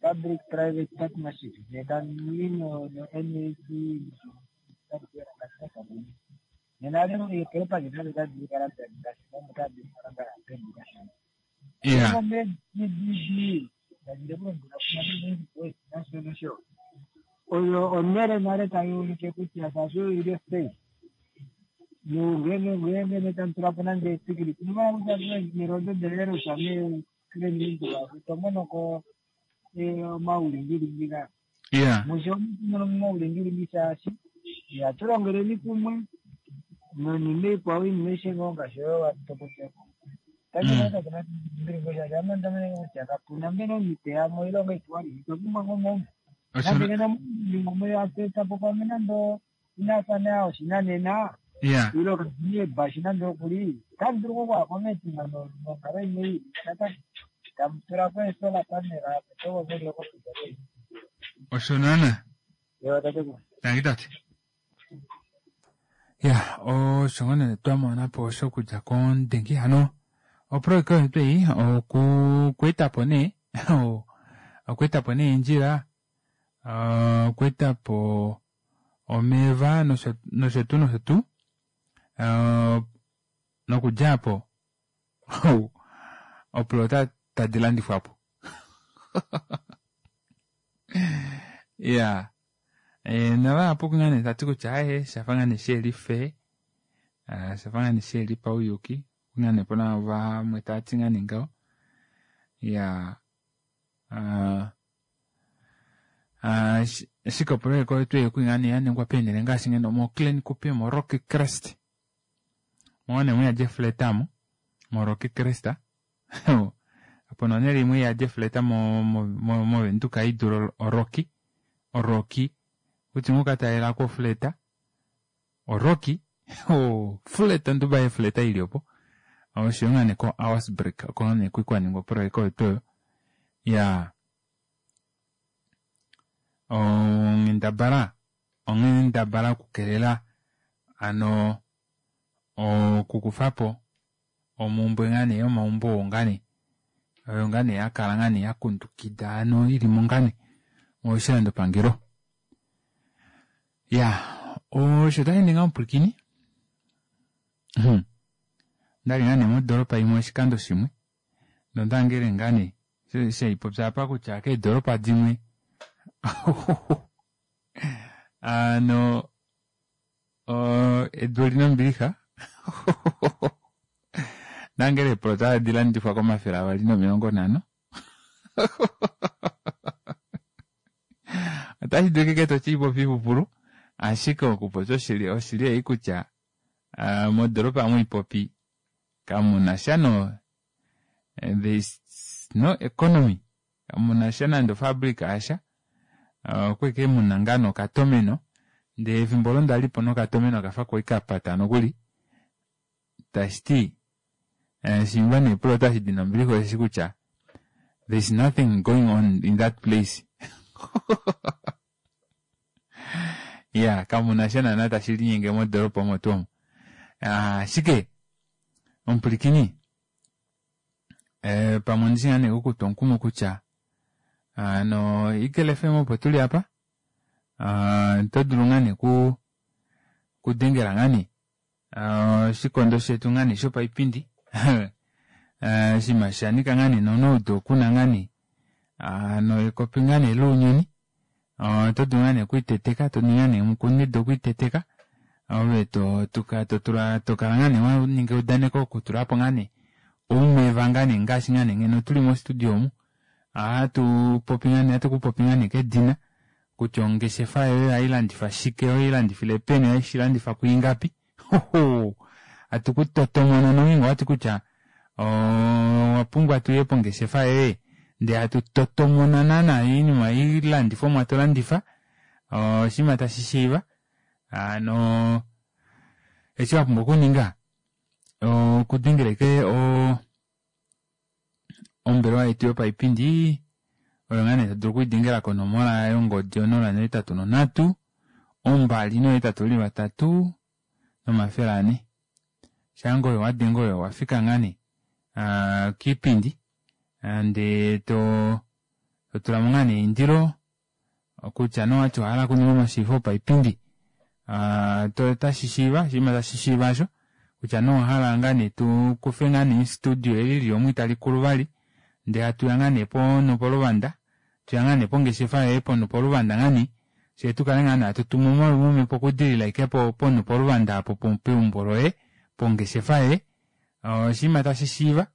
public private partnership netamui no N A C nena eepaki nado tadi kala ngaashi tadi kala pedu kashona. Yeah. Oyo onele nale tayi ulike kutya shaashi oyo ili space nongenge ngenge tamutulapo nande esikili mirondo delerusa tomonoko omaulingilingi nga Yeah. musho muno mumaulingilingi shaashi yatulongeleni kumwe nonima ikwao inima ishengo ngaashi oyo watopopyako kutya kapuna mbena omiteya moilonga itwali itwapumbwa ngomaumbo nande nena muumwe yatetapo pamwe nando inafana oshinanena Yeah. ilo katumie ebashi nande okuli tamudulu kokwako metima nonkalo imwe ili tamutulako esolar panel apo tokovelekopita. Osho naana. Ewa tatekulu. Tangi tate. Ya, osho ngoo nee twamona po shokudja kondengi hano oprojeka oyo twei okweetapo nee okweetapo nee eendjila, okweetapo omeva nosho nosho tuu nosho tuu nokudja aapo oplota tadi landifwapo. Ya, navahapu ngaa nee tati kutya aye shafa ngaa nee sheli fair, shafa ngaa nee sheli pauyuki ngaa nee pona vamwe tavati ngaa nee ngaho. Ya, ashike oprojeka oyo twei oku ngaa nee yaningwa peenele ngaashi ngeno mo Klein Kuppe, mo Rocky Crest, mo nee muyadi efleta amo mo Rocky Crest opo nonhele imwe iyadi efleta moVenduka idule oRocky, oRocky kutya ngoo okatalela ofleta oRocky ofleta nduba efleta ili opo oshoyo ngaa nee ko Auersberg oko nee kwali kwaningwa oprojeka oyo tuu oyo. Ya, onghendabala onghendabala okukelela ano okukufapo omumbwe ngaa nee yomaumbo oo ngaa nee oyo ngaa nee yakala ngaa nee yakundukida ano ilimo ngaa nee moshilandopangelo. Ya, osho tashi ninga omupwilikini ondali ngaa nee modoropa imwe oshikando shimwe nondangele ngaa nee shaipopya apa kutya keedoropa dimwe ano edu olina ombilixa nangele eeplota tadi landifwa komafele avali nomilongo nhano otashi dulika ike toshipopi ipupulu ashike okupopya oshili oshili ei kutya modoropa mwiipopi kamuna sha no there is no economy kamuna sha nande ofabrika yasha okweke muna ngaa nokatomeno ndee efimbo olo ndalipo nokatomeno okafa kwali kapata nokuli tashiti shimba nee eplota eshi dina ombilixa osheshi kutya there is nothing going on in that place. Ya, kamuna sha naana tashi linyenge modoropa omo tuu omo. Ashike omupwilikini pamwe ondishi ngaa nee kukutwa omukumo kutya ano Eagle F M opo tuli apa oto dulu ngaa nee kudengela ngaa nee oshikondo shetu ngaa nee shopaipindi oshinima shanika ngaa nee nonoudo kuna ngaa nee ano ekopi ngaa nee lounyuni oto dulu ngaa nee okwiiteteka to ningi ngaa nee mukunido okwiiteteka Ove to tuka totula tokala ngaa nee waninga eudaneko okutulapo ngaa nee oumeva ngaa nee ngaashi ngaa nee ngeno tuli mo studio omu ohatu popi ngaa nee ohatu kupopi ngaa nee kedina kutya ongeshefa yoye ohailandifa shike ohailandifile peni ohaishilandifa kwiingapi hoho hatu kutotomona nongeenge owati kutya owapumbwa tuye pongeshefa yoye ndee hatu totomona naana oinima oilandifomwa tolandifa oshinima tashi shiiva hano eshi wapumbwa okuninga okudengela ashike oo ombelewa yetu yopaipindi oyo ngaa nee todulu okulidengela konomola yongodi onola nohetatu nonhatu ombali nohetatu ili vatatu nomafele ane shaange oyo wadenge oyo owafika ngaa nee kiipindi ndee too totulamo ngaa nee eindilo kutya nee owati owahala okuninga omashiivifo opaipindi otashi shiiva oshinima tashi shiiva aasho kutya nee owahala ngaa nee tukufe ngaa nee studio eli lili omu italikulu vali ndee hatuya ngaa nee ponhu poluvanda hatuya ngaa nee pongeshefa yoye ponhu poluvanda ngaa nee fyee tukale ngaa nee hatu tumu omawi okudilila ashike ponhu poluvanda aapo peumbo loye pongeshefa yoye oshinima tashi shiiva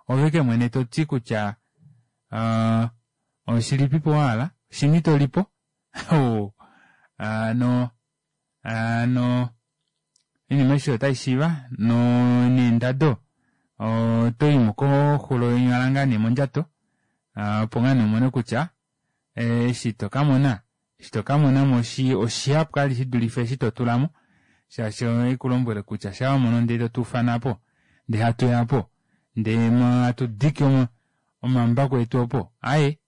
ove ashike mwene toti kutya oshilipipo wahala oshini tolipo hano hano oinima aishe oyo otaishiiva neendado otoyimo koxulo yonyala ngaa nee mondjato opo ngaa nee umone kutya eshi tokamona eshi tokamonamo oshihapu vali shidulife eshi totulamo shaashi ohaikulombwele kutya shaa wamono ndee totuufana aapo ndee hatuya aapo ndee hatudiki omambako etu opo aaye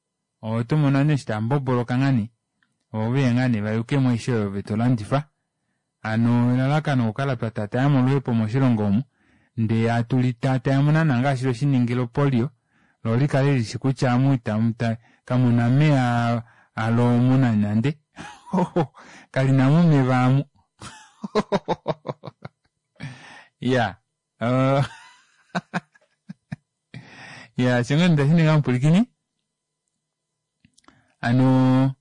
otomono ovanhu eshi taamboboloka ngaa nee voo oveya ngaa nee vayukemo aishe oyo ove tolandifa hano elalakano okukala twatatayamo oluhepo moshilongo omu ndee hatu litatayamo naana ngaashi tweshiningila opolio loo likale lishi kutya omu kamuna omeya alo omu nande nande kalinamo omeva aamu iyaa iyaa osho ngoo nee ndashininga omupwilikini hano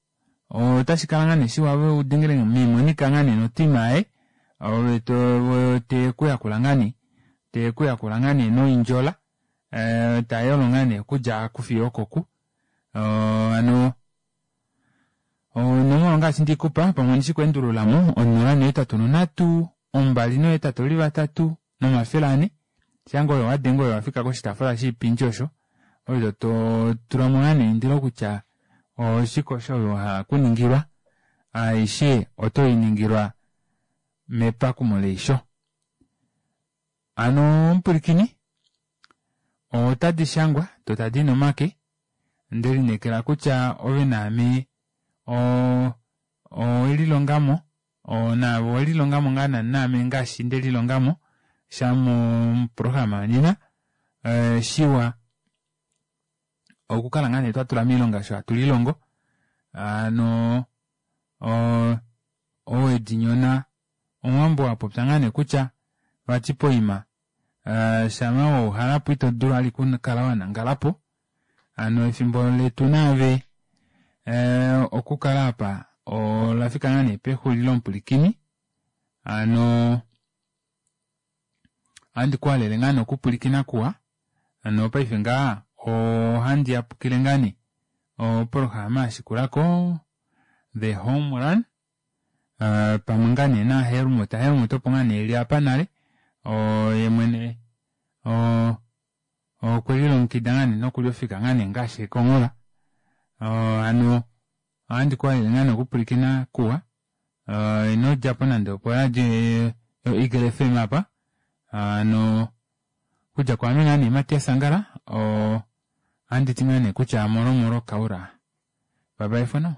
otashikala ngaa nee shiwa ove udengele mee monica ngaa nee notima yaye ove tekuyakula ngaa nee tekuyakula ngaa nee noindjola tayolo ngaa nee okudja oku fiyo okoku hano onomola ongaashi ndeikupa pamwe ondishi okweendululamo onola nohetatu nonhatu ombali nohetatu ili vatatu nomafele ane shaange oyo wadenge oyo owafika koshitaafula shoipindi osho ove totulamo ngaa nee eindilo kutya oshike osho ove wahala okuningilwa aishe otoiningilwa mepakumo leisho hano omupwilikini otadi shangwa doo tadii nomake ndelineekela kutya ove naame owelilongamo naave owelilongamo ngaa naame ngaashi ndelilongamo sha moprograma yonena shiwa okukala ngaa nee twatula moilonga osho hatu lilongo hano owedinyona omuwambo apopya ngaa nee kutya vati poima shama wauhalapo ito dulu vali okukala wanangalapo hano efimbo letu naave okukala aapa olafika ngaa nee pexulilo omupwilikini hano ohandi kuhalele ngaa nee okupwilikina kuwa nopaife ngaha ohandi yapukile ngaa nee oprograma yashikulako the home run pamwe ngaa nee naHelmut. Helmut opo ngaa nee eli apa nale yemwene okwelilongekida ngaa nee nokuli ofika ngaa nee ngaashi ekonghola hano ohandi kuhalele ngaa nee okupwilikina kuwa inodjapo nande opo radio yo Eagle F M apa hano okudja kwaame ngaa nee Matias Angala ohanditi ngaa nee kutya molo molo kaura bye bye for now.